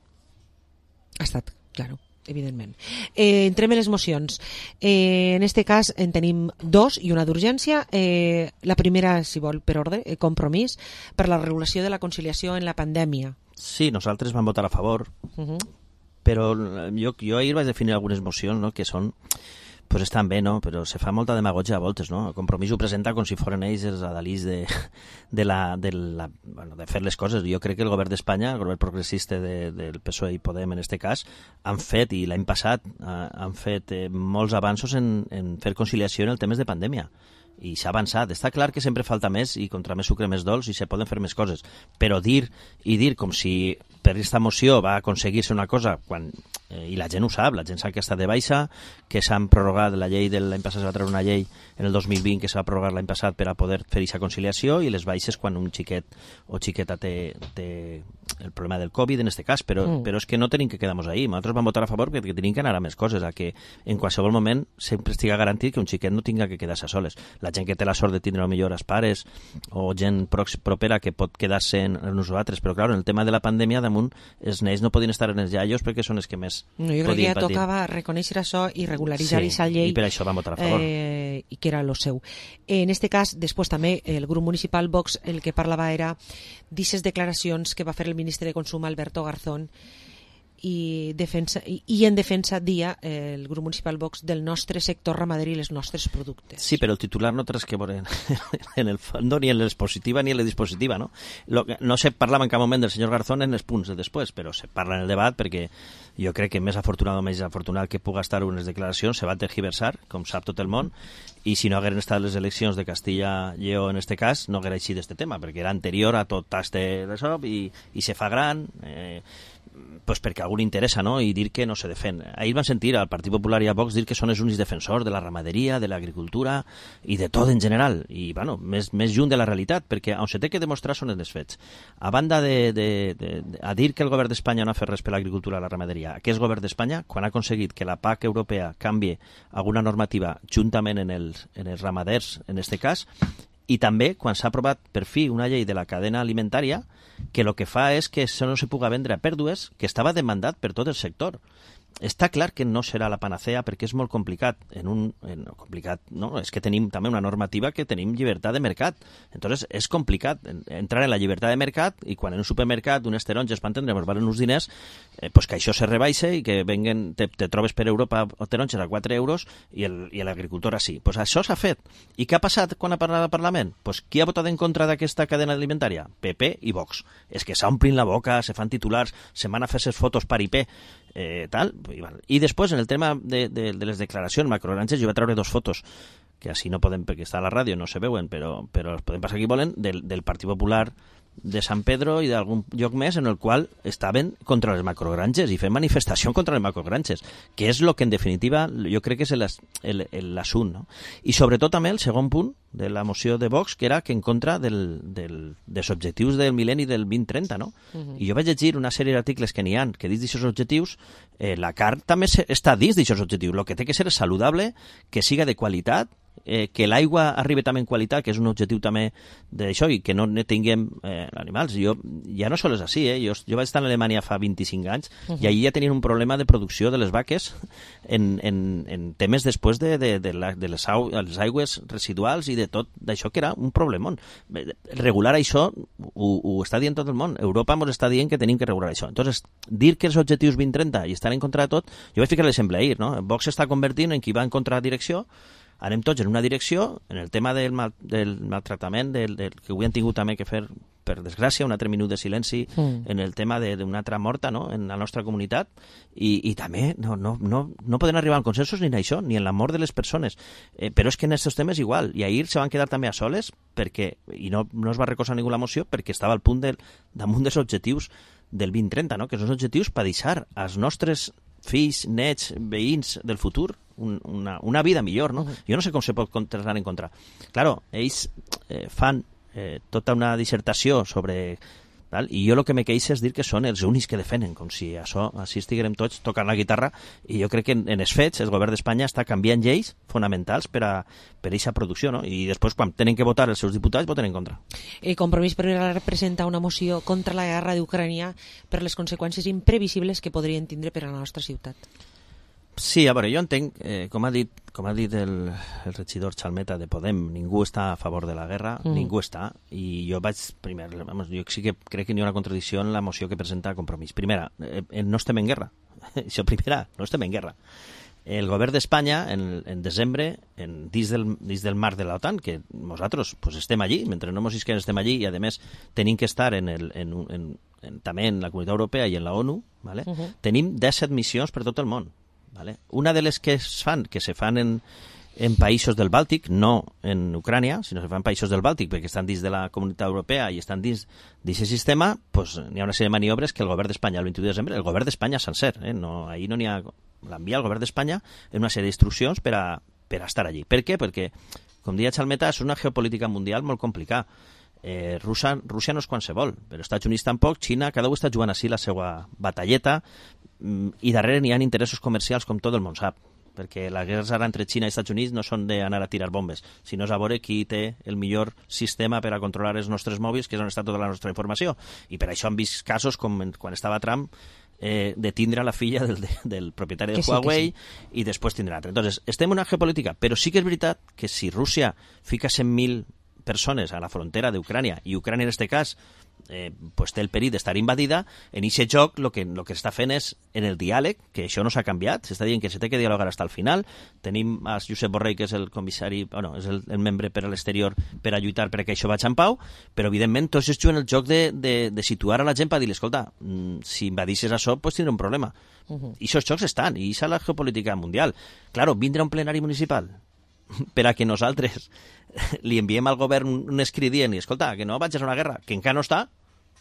Ha estat, claro, evidentment. Eh, entrem en les mocions. Eh, en este cas en tenim dos i una d'urgència. Eh, la primera, si vol, per ordre, eh, compromís per la regulació de la conciliació en la pandèmia. Sí, nosaltres vam votar a favor, Uh -huh. però jo, jo ahir vaig definir algunes mocions, no?, que són pues estan bé, no? Però se fa molta demagogia a voltes, no? El Compromís ho presenta com si foren ells els adalís de, de, la, de, la, bueno, de fer les coses. Jo crec que el govern d'Espanya, el govern progressista de, del P S O E i Podem en este cas, han fet, i l'any passat, eh, han fet eh, molts avanços en, en fer conciliació en el temes de pandèmia. I s'ha avançat. Està clar que sempre falta més i contra més sucre més dolç i se poden fer més coses. Però dir i dir com si per aquesta moció va aconseguir-se una cosa quan, eh, i la gent ho sap, la gent sap que està de baixa, que s'han prorrogat la llei de l'any passat, es va treure una llei en el dos mil vint que s'ha prorrogat l'any passat per a poder fer aquesta conciliació i les baixes quan un xiquet o xiqueta té, té el problema del Covid en este cas, però, mm. però és que no tenim que quedar-nos ahí. Nosaltres vam votar a favor perquè tenim que anar a més coses, a que en qualsevol moment sempre estiga garantit que un xiquet no tinga que quedar-se soles. La gent que té la sort de tindre millor els pares o gent propera que pot quedar-se en, en nosaltres, però clar, en el tema de la pandèmia damunt els nens no podien estar en els iaios perquè són els que més no, jo crec que ja patir. Tocava reconèixer això i regularitzar aquesta sí, llei i per això vam votar a favor. Eh, i que era lo seu. En este cas, després també el grup municipal Vox el que parlava era d'aquestes declaracions que va fer el ministre de Consum Alberto Garzón i, defensa, i, i en defensa dia eh, el grup municipal Vox del nostre sector ramader i els nostres productes. Sí, però el titular no té res que veure en, en el fondo, ni en l'expositiva ni en la dispositiva, no? Lo, no se parlava en cap moment del senyor Garzón en els punts de després, però se parla en el debat perquè jo crec que més afortunat o més afortunat que puga estar unes declaracions se va tergiversar, com sap tot el món, i si no hagueren estat les eleccions de Castilla i Lleó en este cas, no haguera així d'este tema, perquè era anterior a tot este d'això i, i se fa gran, eh, pues perquè a algú li interessa, no?, i dir que no se defen. Ahir van sentir al Partit Popular i a Vox dir que són els únics defensors de la ramaderia, de l'agricultura i de tot en general, i bueno, més, més lluny de la realitat, perquè on se té que demostrar són els fets. A banda de, de, de, de a dir que el govern d'Espanya no ha fet res per l'agricultura i la ramaderia, aquest govern d'Espanya, quan ha aconseguit que la P A C europea canvie alguna normativa juntament en els, en els ramaders, en este cas, i també quan s'ha aprovat per fi una llei de la cadena alimentària que el que fa és que això no se puga vendre a pèrdues, que estava demandat per tot el sector. Està clar que no serà la panacea perquè és molt complicat. En un, en, complicat no? És que tenim també una normativa que tenim llibertat de mercat. Entonces és complicat entrar en la llibertat de mercat i quan en un supermercat unes taronges per entendre valen uns diners, eh, pues que això se rebaixe i que venguen, te, te trobes per Europa taronges a quatre euros i l'agricultor així. Pues això s'ha fet. I què ha passat quan ha parlat al Parlament? Pues qui ha votat en contra d'aquesta cadena alimentària? P P i Vox. És que s'omplin la boca, se fan titulars, se van a fer ses fotos paripé, eh, tal. I després, en el tema de, de, de les declaracions macrogranges, jo vaig treure dos fotos que així no podem, perquè està a la ràdio, no se veuen, però, però els podem passar aquí volen, del, del Partit Popular de San Pedro i d'algun lloc més en el qual estaven contra les macrogranges i fent manifestació contra les macrogranges, que és el que en definitiva jo crec que és l'assunt, no? I sobretot també el segon punt de la moció de Vox, que era que en contra del, del, dels objectius del mil·lenni del vint trenta, no? Uh-huh. I jo vaig llegir una sèrie d'articles que n'hi ha que dins d'aquests objectius, eh, la carn també està dins d'aquests objectius. El que té que ser és saludable, que siga de qualitat, eh, que l'aigua arribi també en qualitat, que és un objectiu també d'això, i que no ne tinguem eh, animals. Jo, ja no sols és així, eh? jo, jo vaig estar a Alemanya fa vint-i-cinc anys uh-huh. i allí ja tenien un problema de producció de les vaques en, en, en temes després de, de, de, la, de les, au, les aigües residuals i de tot d'això, que era un problemón. Regular això ho, ho està dient tot el món. Europa ens està dient que tenim que regular això. Entonces, dir que els objectius vint trenta i estan en contra de tot, jo vaig ficar l'exemple ahir, no? Vox s'està convertint en qui va en contra direcció, anem tots en una direcció, en el tema del, mal, del maltractament, del, del, que avui han tingut també que fer, per desgràcia, un altre minut de silenci mm. en el tema d'una altra morta, no?, en la nostra comunitat, i, i també no, no, no, no poden arribar a consensos ni en això, ni en la mort de les persones. Eh, però és que en aquests temes igual, i ahir se van quedar també a soles, perquè, i no, no es va recolzar ningú la moció, perquè estava al punt del, damunt dels objectius del vint trenta, no?, que són objectius per deixar als nostres fills, nets, veïns del futur un, una, una vida millor, no? Uh-huh. Jo no sé com se pot contestar en contra. Claro, ells eh, fan eh, tota una dissertació sobre... Tal? I jo el que me queixa és dir que són els únics que defenen, com si això, així estiguem tots tocant la guitarra, i jo crec que en, en els fets el govern d'Espanya està canviant lleis fonamentals per a per aquesta producció, no? I després quan tenen que votar els seus diputats voten en contra. El Compromís per representa una moció contra la guerra d'Ucrània per les conseqüències imprevisibles que podrien tindre per a la nostra ciutat. Sí, a veure, jo entenc, eh, com ha dit, com ha dit el, el regidor Chalmeta de Podem, ningú està a favor de la guerra, mm. ningú està, i jo vaig, primer, vamos, jo sí que crec que n'hi ha una contradicció en la moció que presenta Compromís. Primera, eh, no estem en guerra, això primera, no estem en guerra. El govern d'Espanya, en, en desembre, en, dins, del, dins del marc de l'OTAN, que nosaltres pues, estem allí, mentre no mos isquem estem allí, i a més tenim que estar en el, en, en, en, també en la Comunitat Europea i en la ONU, ¿vale? Uh-huh. Tenim disset missions per tot el món. ¿Vale? Una de les que es fan, que se fan en, en països del Bàltic, no en Ucrània, sinó que se fan en països del Bàltic perquè estan dins de la Comunitat Europea i estan dins d'aquest sistema, pues, n'hi ha una sèrie de maniobres que el govern d'Espanya, el vint-i-u de desembre, el govern d'Espanya sencer, eh? no, ahir no n'hi ha... L'envia el govern d'Espanya en una sèrie d'instruccions per a, per a estar allí. Per què? Perquè, com deia Chalmeta, és una geopolítica mundial molt complicada. Eh, Rússia, Rússia no és qualsevol, però Estats Units tampoc, Xina, cada un està jugant així la seva batalleta, i darrere n'hi ha interessos comercials com tot el món sap, perquè la guerra ara entre Xina i Estats Units no són d'anar a tirar bombes, sinó és a veure qui té el millor sistema per a controlar els nostres mòbils, que és on està tota la nostra informació, i per això hem vist casos com quan estava Trump eh, de tindre la filla del, de, del propietari de sí, Huawei sí. i després tindre l'altre. Entonces, estem en una geopolítica, però sí que és veritat que si Rússia fica cent mil persones a la frontera d'Ucrània, i Ucrània en aquest cas eh, pues té el perill d'estar invadida. En aquest joc el que, lo que està fent és en el diàleg, que això no s'ha canviat, s'està dient que se té que dialogar fins al final. Tenim a Josep Borrell, que és el comissari, bueno, és el, el membre per a l'exterior per a lluitar perquè això vagi en pau, però evidentment tots es juguen el joc de, de, de situar a la gent per dir-li, escolta, si invadisses això, pues tindrà un problema. Uh-huh. I aquests jocs estan, i això és la geopolítica mundial. Claro, vindrà un plenari municipal per a que nosaltres li enviem al govern un escrit dient, escolta, que no vaig a una guerra, que encara no està,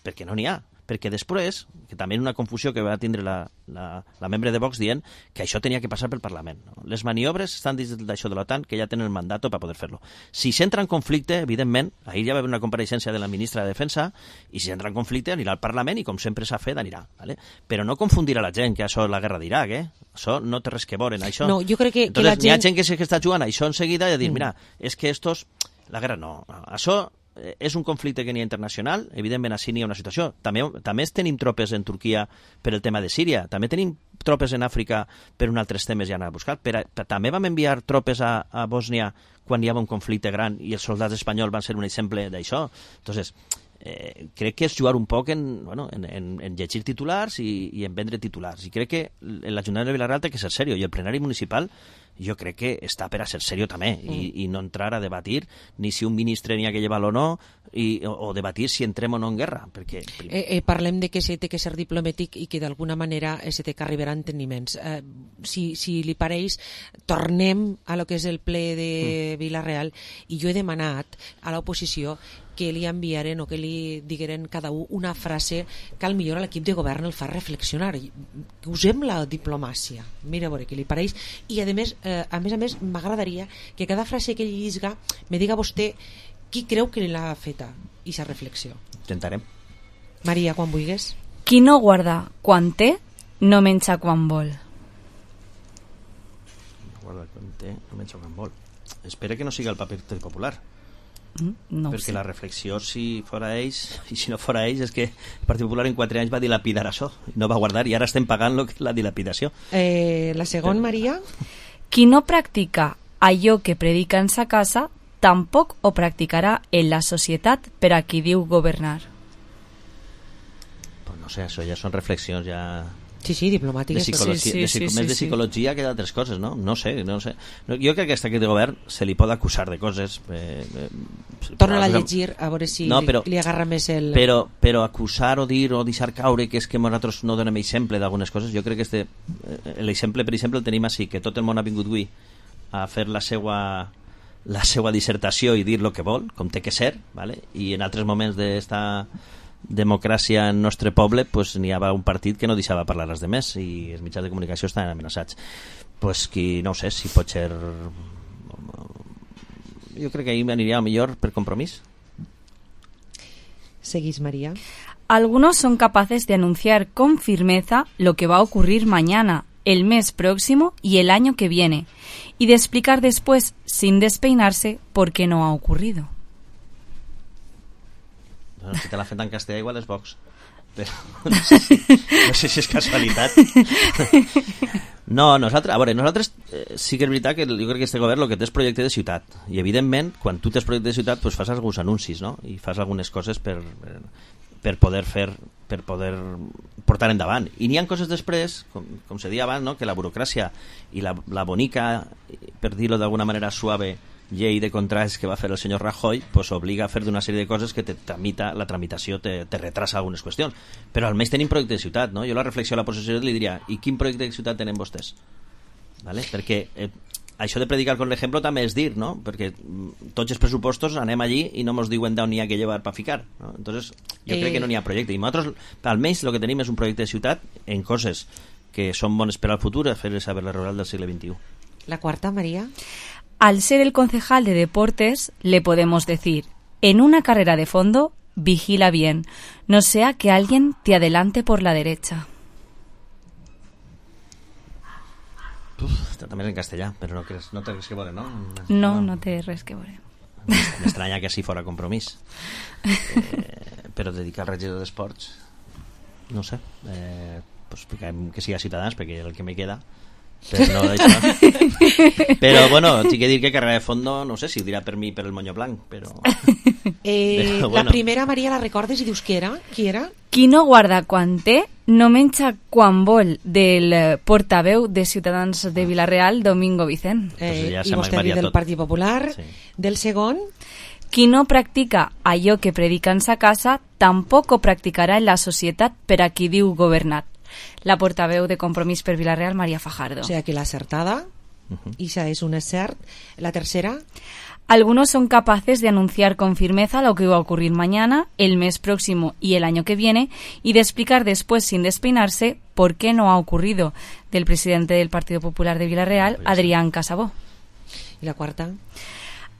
perquè no n'hi ha. Perquè després, que també una confusió que va tindre la, la, la membre de Vox dient que això tenia que passar pel Parlament. No? Les maniobres estan dins d'això de l'OTAN, que ja tenen el mandat per poder fer-lo. Si s'entra en conflicte, evidentment, ahir ja va haver una compareixença de la ministra de Defensa, i si entra en conflicte anirà al Parlament i, com sempre s'ha fet, anirà. ¿vale? Però no confundir a la gent que això és la guerra d'Iraq, eh? Això no té res que veure en això. No, jo crec que, Entonces, que la gent... Hi ha gent que, que està jugant a això en seguida i a dir, mm. mira, és que estos... La guerra no. Això és un conflicte que n'hi ha internacional, evidentment així n'hi ha una situació. També, també tenim tropes en Turquia per el tema de Síria, també tenim tropes en Àfrica per un altres temes ja anar a buscar. Per a, per, també vam enviar tropes a, a Bòsnia quan hi havia un conflicte gran i els soldats espanyols van ser un exemple d'això. Entonces, eh, crec que és jugar un poc en, bueno, en, en, en llegir titulars i, i en vendre titulars. I crec que l'Ajuntament de Vila-real té que ser seriós, i el plenari municipal jo crec que està per a ser seriós també, mm. i, i no entrar a debatir ni si un ministre n'hi ha que llevar-lo o no, i, o, o debatir si entrem o no en guerra. Perquè... Eh, eh, parlem de que se té que ser diplomàtic i que d'alguna manera eh, se té que arribar a enteniments. Eh, si, si li pareix, tornem a lo que és el ple de mm. Vila-real, i jo he demanat a l'oposició que li enviaren o que li digueren cada un una frase que al millor a l'equip de govern el fa reflexionar. Que usem la diplomàcia. Mira, a veure, què li pareix. I a més, eh, a més a més, m'agradaria que cada frase que ell llisga me diga vostè qui creu que l'ha feta i sa reflexió. Intentarem. Maria, quan vulguis. Qui no guarda quan té, no menja quan vol. No guarda quan té, no menja quan vol. Espera que no siga el paper popular. No perquè sé. la reflexió, si fora ells i si no fora ells, és que el Partit Popular en quatre anys va dilapidar això, no va guardar, i ara estem pagant lo que és la dilapidació. Eh, la segona, Maria? Qui no practica allò que predica en sa casa, tampoc ho practicarà en la societat per a qui diu governar. Pues no sé, això ja són reflexions ja... Sí, sí, diplomàtiques. De psicologia, sí, sí, de, psico, sí, més sí, de psicologia sí. que d'altres coses, no? No sé, no sé. No, jo crec que aquest equip de govern se li pot acusar de coses... Eh, eh, Torna-la a llegir, a veure si no, però, li, li agarra més el... Però, però acusar o dir o deixar caure que és que nosaltres no donem exemple d'algunes coses, jo crec que este, eh, l'exemple, per exemple, el tenim així, que tot el món ha vingut avui a fer la seva la seva dissertació i dir el que vol, com té que ser, ¿vale? I en altres moments d'esta democràcia en nostre poble pues, n'hi havia un partit que no deixava parlar els demés i els mitjans de comunicació estaven amenaçats. Pues qui, no ho sé, si pot ser... Jo crec que ahir m'aniria millor per compromís. Seguís, María. Algunos son capaces de anunciar con firmeza lo que va a ocurrir mañana, el mes próximo y el año que viene, y de explicar después, sin despeinarse, por qué no ha ocurrido. Bueno, si te l'ha fet en castellà igual és Vox, però no sé si, no sé si és casualitat. No, nosaltres, a veure, nosaltres eh, sí que és veritat que jo crec que este govern el que té és projecte de ciutat, i evidentment quan tu tens projecte de ciutat pues, fas alguns anuncis, no? I fas algunes coses per, per, per poder fer, per poder portar endavant, i n'hi ha coses després, com, com se deia abans, no? Que la burocràcia i la, la bonica, per dir-ho d'alguna manera suave, llei de contrats que va fer el senyor Rajoy pues obliga a fer d'una sèrie de coses que te tramita, la tramitació te, te retrasa algunes qüestions, però almenys tenim projecte de ciutat, no? Jo la reflexió a la possessió li diria, i quin projecte de ciutat tenen vostès? ¿Vale? Perquè eh, això de predicar con l'ejemplo també és dir, no? Perquè mm, tots els pressupostos anem allí i no ens diuen d'on n'hi ha que llevar per ficar, no? Entonces jo eh... crec que no n'hi ha projecte, i nosaltres almenys el que tenim és un projecte de ciutat en coses que són bones per al futur, a fer saber la rural del segle veintiuno. La quarta, María. Al ser el concejal de deportes, le podemos decir, en una carrera de fondo, vigila bien, no sea que alguien te adelante por la derecha. Uf, també és en castellà, però no, creus, no té res que veure, no? No, no, no té res que veure. M'estranya que així fora compromís. Eh, però dedicar al regidor d'esports, no sé, eh, pues, que siga Ciutadans, perquè és el que me queda, Però no, això. Però, bueno, tinc que dir que Carrera de Fondo, no sé si ho dirà per mi per el Moño Blanc, però... Eh, però, la bueno. primera, Maria, la recordes i dius qui era? Qui era? Qui no guarda quan té, no menja quan vol, del eh, portaveu de Ciutadans de Vilareal, Domingo Vicent. Eh, I vostè diu del Partit Popular. Sí. Del segon? Qui no practica allò que predica en sa casa, tampoc ho practicarà en la societat per a qui diu governat. La portaveu de Compromís per Vilareal, María Fajardo. O sea, que la acertada, uh-huh. Isa es un acert. La tercera... Algunos son capaces de anunciar con firmeza lo que va a ocurrir mañana, el mes próximo y el año que viene, y de explicar después, sin despeinarse, por qué no ha ocurrido. Del presidente del Partido Popular de Vilareal, Adrián Casabó. ¿Y la cuarta?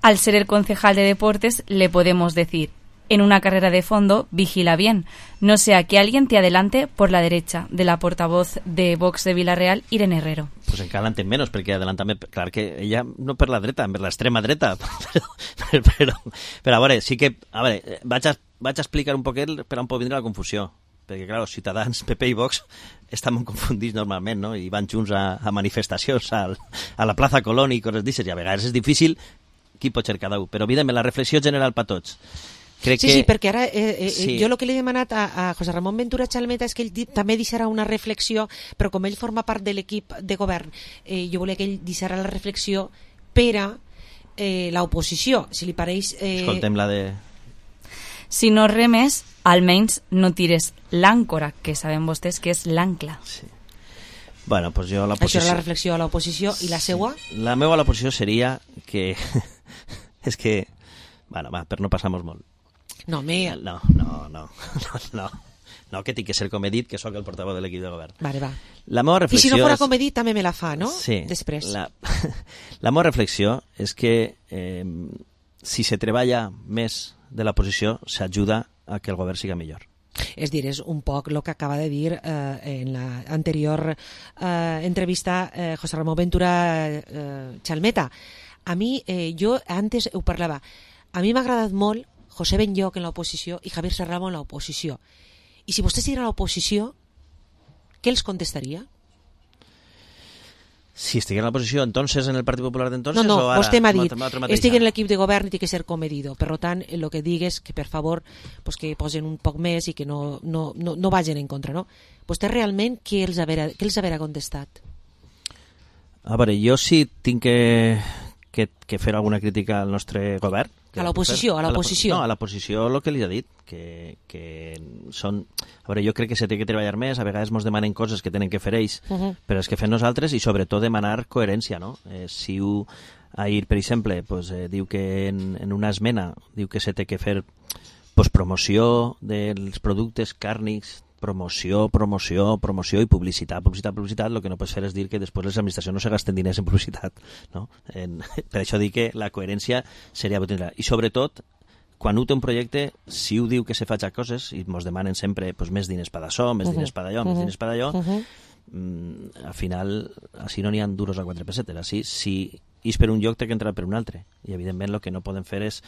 Al ser el concejal de deportes, le podemos decir: en una carrera de fondo, vigila bien, no sea que alguien te adelante por la derecha, de la portavoz de Vox de Vilareal, Irene Herrero. Pues encara l'entén menys, perquè adelantament, clar que ella no per la dreta, per l'extrema dreta, però, però, però a veure, sí que, a veure, vaig a, vaig a explicar un poquet per on pot vindre la confusió, perquè, clar, els Ciutadans, P P i Vox estan molt confundits normalment, no?, i van junts a, a manifestacions al, a la plaça Colón i coses d'aixes, i a vegades és difícil qui pot ser cada un, però evidentment la reflexió general per tots. Crec sí, que... sí, perquè ara eh, eh, sí. jo el que li he demanat a, a José Ramón Ventura Chalmeta és que ell di, també deixarà una reflexió, però com ell forma part de l'equip de govern, eh, jo volia que ell deixarà la reflexió per a eh, l'oposició, si li pareix... Eh... Escoltem la de... Si no remes, almenys no tires l'àncora, que sabem vostès que és l'ancla. Sí. Bueno, pues jo la posició... Això era la reflexió a l'oposició, i la seua? La meva a l'oposició seria que... és que... Bueno, va, per no passar-nos molt. No, me... No, no, no, no, no, no, que tinc que ser com he dit, que sóc el portaveu de l'equip de govern. Vale, va. La meva reflexió I si no fora és... com he dit, també me la fa, no? Sí. Després. La, la meva reflexió és que eh, si se treballa més de la posició, s'ajuda a que el govern siga millor. És dir, és un poc el que acaba de dir eh, en l'anterior eh, entrevista eh, José Ramón Ventura eh, Chalmeta. A mi, eh, jo antes ho parlava, a mi m'ha agradat molt José Benlloch en l'oposició i Javier Serramo en l'oposició. I si vostès estiguin a l'oposició, què els contestaria? Si estiguin a l'oposició, entonces, en el Partit Popular d'entonces, no, no, o ara? Vostè m'ha dit, estic en ja. l'equip de govern i té que ser comedido. Per tant, el que digues que, per favor, pues, que posen un poc més i que no, no, no, no vagin en contra, no? Vostè realment, què els haverà, què els haverà contestat? A veure, jo sí tinc que, que, que fer alguna crítica al nostre govern. A l'oposició, a l'oposició. No, a l'oposició el que li ha dit, que, que són... A veure, jo crec que se té que treballar més, a vegades ens demanen coses que tenen que fer ells, uh -huh. però és que fem nosaltres i sobretot demanar coherència, no? Eh, si ho, ahir, per exemple, pues, eh, diu que en, en una esmena diu que se té que fer pues, promoció dels productes càrnics, promoció, promoció, promoció i publicitat, publicitat, publicitat, el que no pots fer és dir que després les administracions no se gasten diners en publicitat, no? En, per això dic que la coherència seria botinar. I sobretot, quan un té un projecte, si ho diu que se faig coses, i ens demanen sempre pues, més diners per d'això, més uh -huh. diners per d'allò, uh -huh. més diners per d'allò, uh -huh. mm, al final, així no n'hi ha duros a quatre pessetes. Així, si és per un lloc, té que entrar per un altre. I, evidentment, el que no podem fer és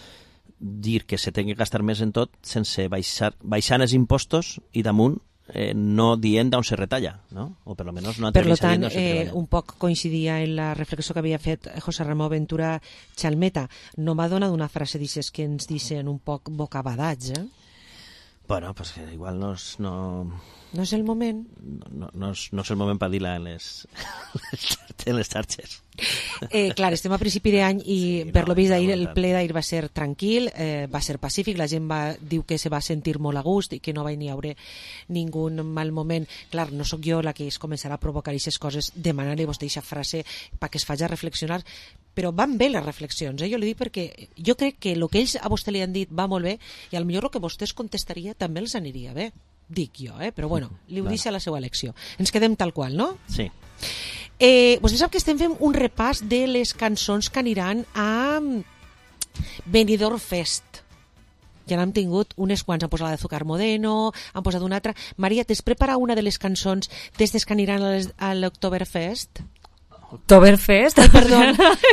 dir que se té que gastar més en tot sense baixar, baixant els impostos i damunt eh, no dient d'on se retalla, no? O per almenys no per tant, eh, un poc coincidia en la reflexió que havia fet José Ramón Ventura Chalmeta. No m'ha donat una frase d'aixes que ens dicen un poc bocabadats, eh? Bueno, pues que igual no és... No... no és el moment. No, no, no, és, no és el moment per dir-la en les, en les xarxes. Eh, clar, estem a principi d'any i sí, per no, lo vist d'ahir, el ple d'ahir va ser tranquil, eh, va ser pacífic, la gent va, diu que se va sentir molt a gust i que no va ni haure ningú mal moment. Clar, no sóc jo la que es començarà a provocar aquestes coses, demanar-li a vostè aquesta frase perquè es faci reflexionar, però van bé les reflexions, eh? Jo li dic perquè jo crec que el que ells a vostè li han dit va molt bé i al millor el que vostè es contestaria també els aniria bé, dic jo, eh? Però bueno, li ho deixa a la seva elecció. Ens quedem tal qual, no? Sí. Eh, vostè sap que estem fent un repàs de les cançons que aniran a Benidorm Fest. Ja n'hem tingut unes quants, han posat la de Azúcar Modeno, han posat una altra. Maria, t'has preparat una de les cançons d'estes que aniran a l'Oktoberfest? Oktoberfest. Ai, perdó,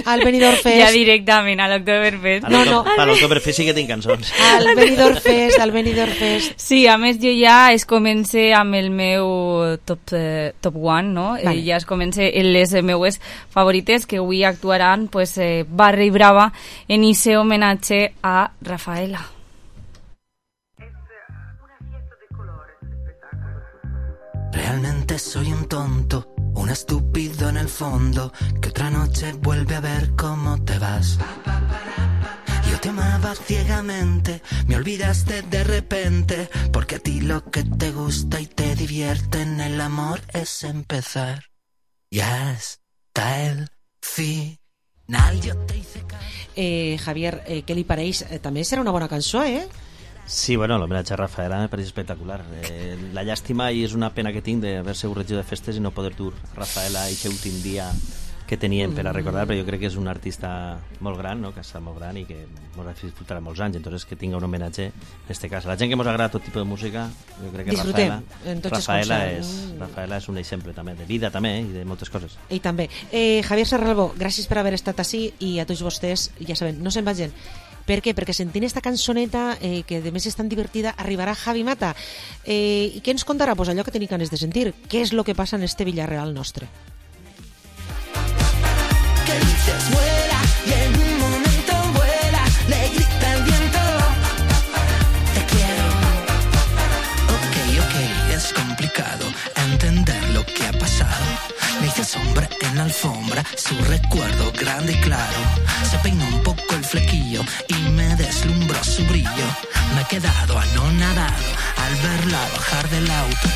al Benidorm Fest. Ja directament, a l'Oktoberfest. No, no. Per l'Oktoberfest sí que tinc cançons. Al Benidorm Fest, al Benidorm Fest. Sí, a més jo ja es comencé amb el meu top, eh, top one, no? Vale. Eh, ja es comencé les meues favorites que avui actuaran pues, eh, Barra i Brava en ese homenatge a Rafaela. Realmente soy un tonto, un estúpido en el fondo, que otra noche vuelve a ver cómo te vas. Yo te amaba ciegamente, me olvidaste de repente, porque a ti lo que te gusta y te divierte en el amor es empezar. Ya está el final, yo te hice caer. Eh, Javier, eh, què li pareix? Eh, també serà una bona cançó, eh? Sí, bueno, l'homenatge a Rafaela me pareix espectacular. Eh, la llàstima i és una pena que tinc d'haver-se regidor de festes i no poder dur Rafaela a aquest últim dia que teníem per a recordar, però jo crec que és un artista molt gran, no? Que està molt gran i que ens ha disfrutat molts anys, entonces que tinga un homenatge en este cas. A la gent que ens agrada tot tipus de música, jo crec que Disfrutem Rafaela, Rafaela, és, Rafaela és un exemple també, de vida també, i de moltes coses. I també. Eh, Javier Serralbo, gràcies per haver estat així i a tots vostès, ja saben, no se'n vagin. Per què? Perquè sentint esta cançoneta, eh, que de més és tan divertida, arribarà Javi Mata. Eh, I què ens contarà? Pues allò que tenim ganes de sentir. Què és el que passa en este Villarreal nostre? Que dices vuela y en un momento vuela, le grita el viento, te quiero. Ok, ok, es complicado entender lo que ha pasado. Me hice sombra en la alfombra, su recuerdo grande y claro. Se peinó un poco el flequillo y me deslumbró su brillo. Me he quedado anonadado al verla bajar del auto.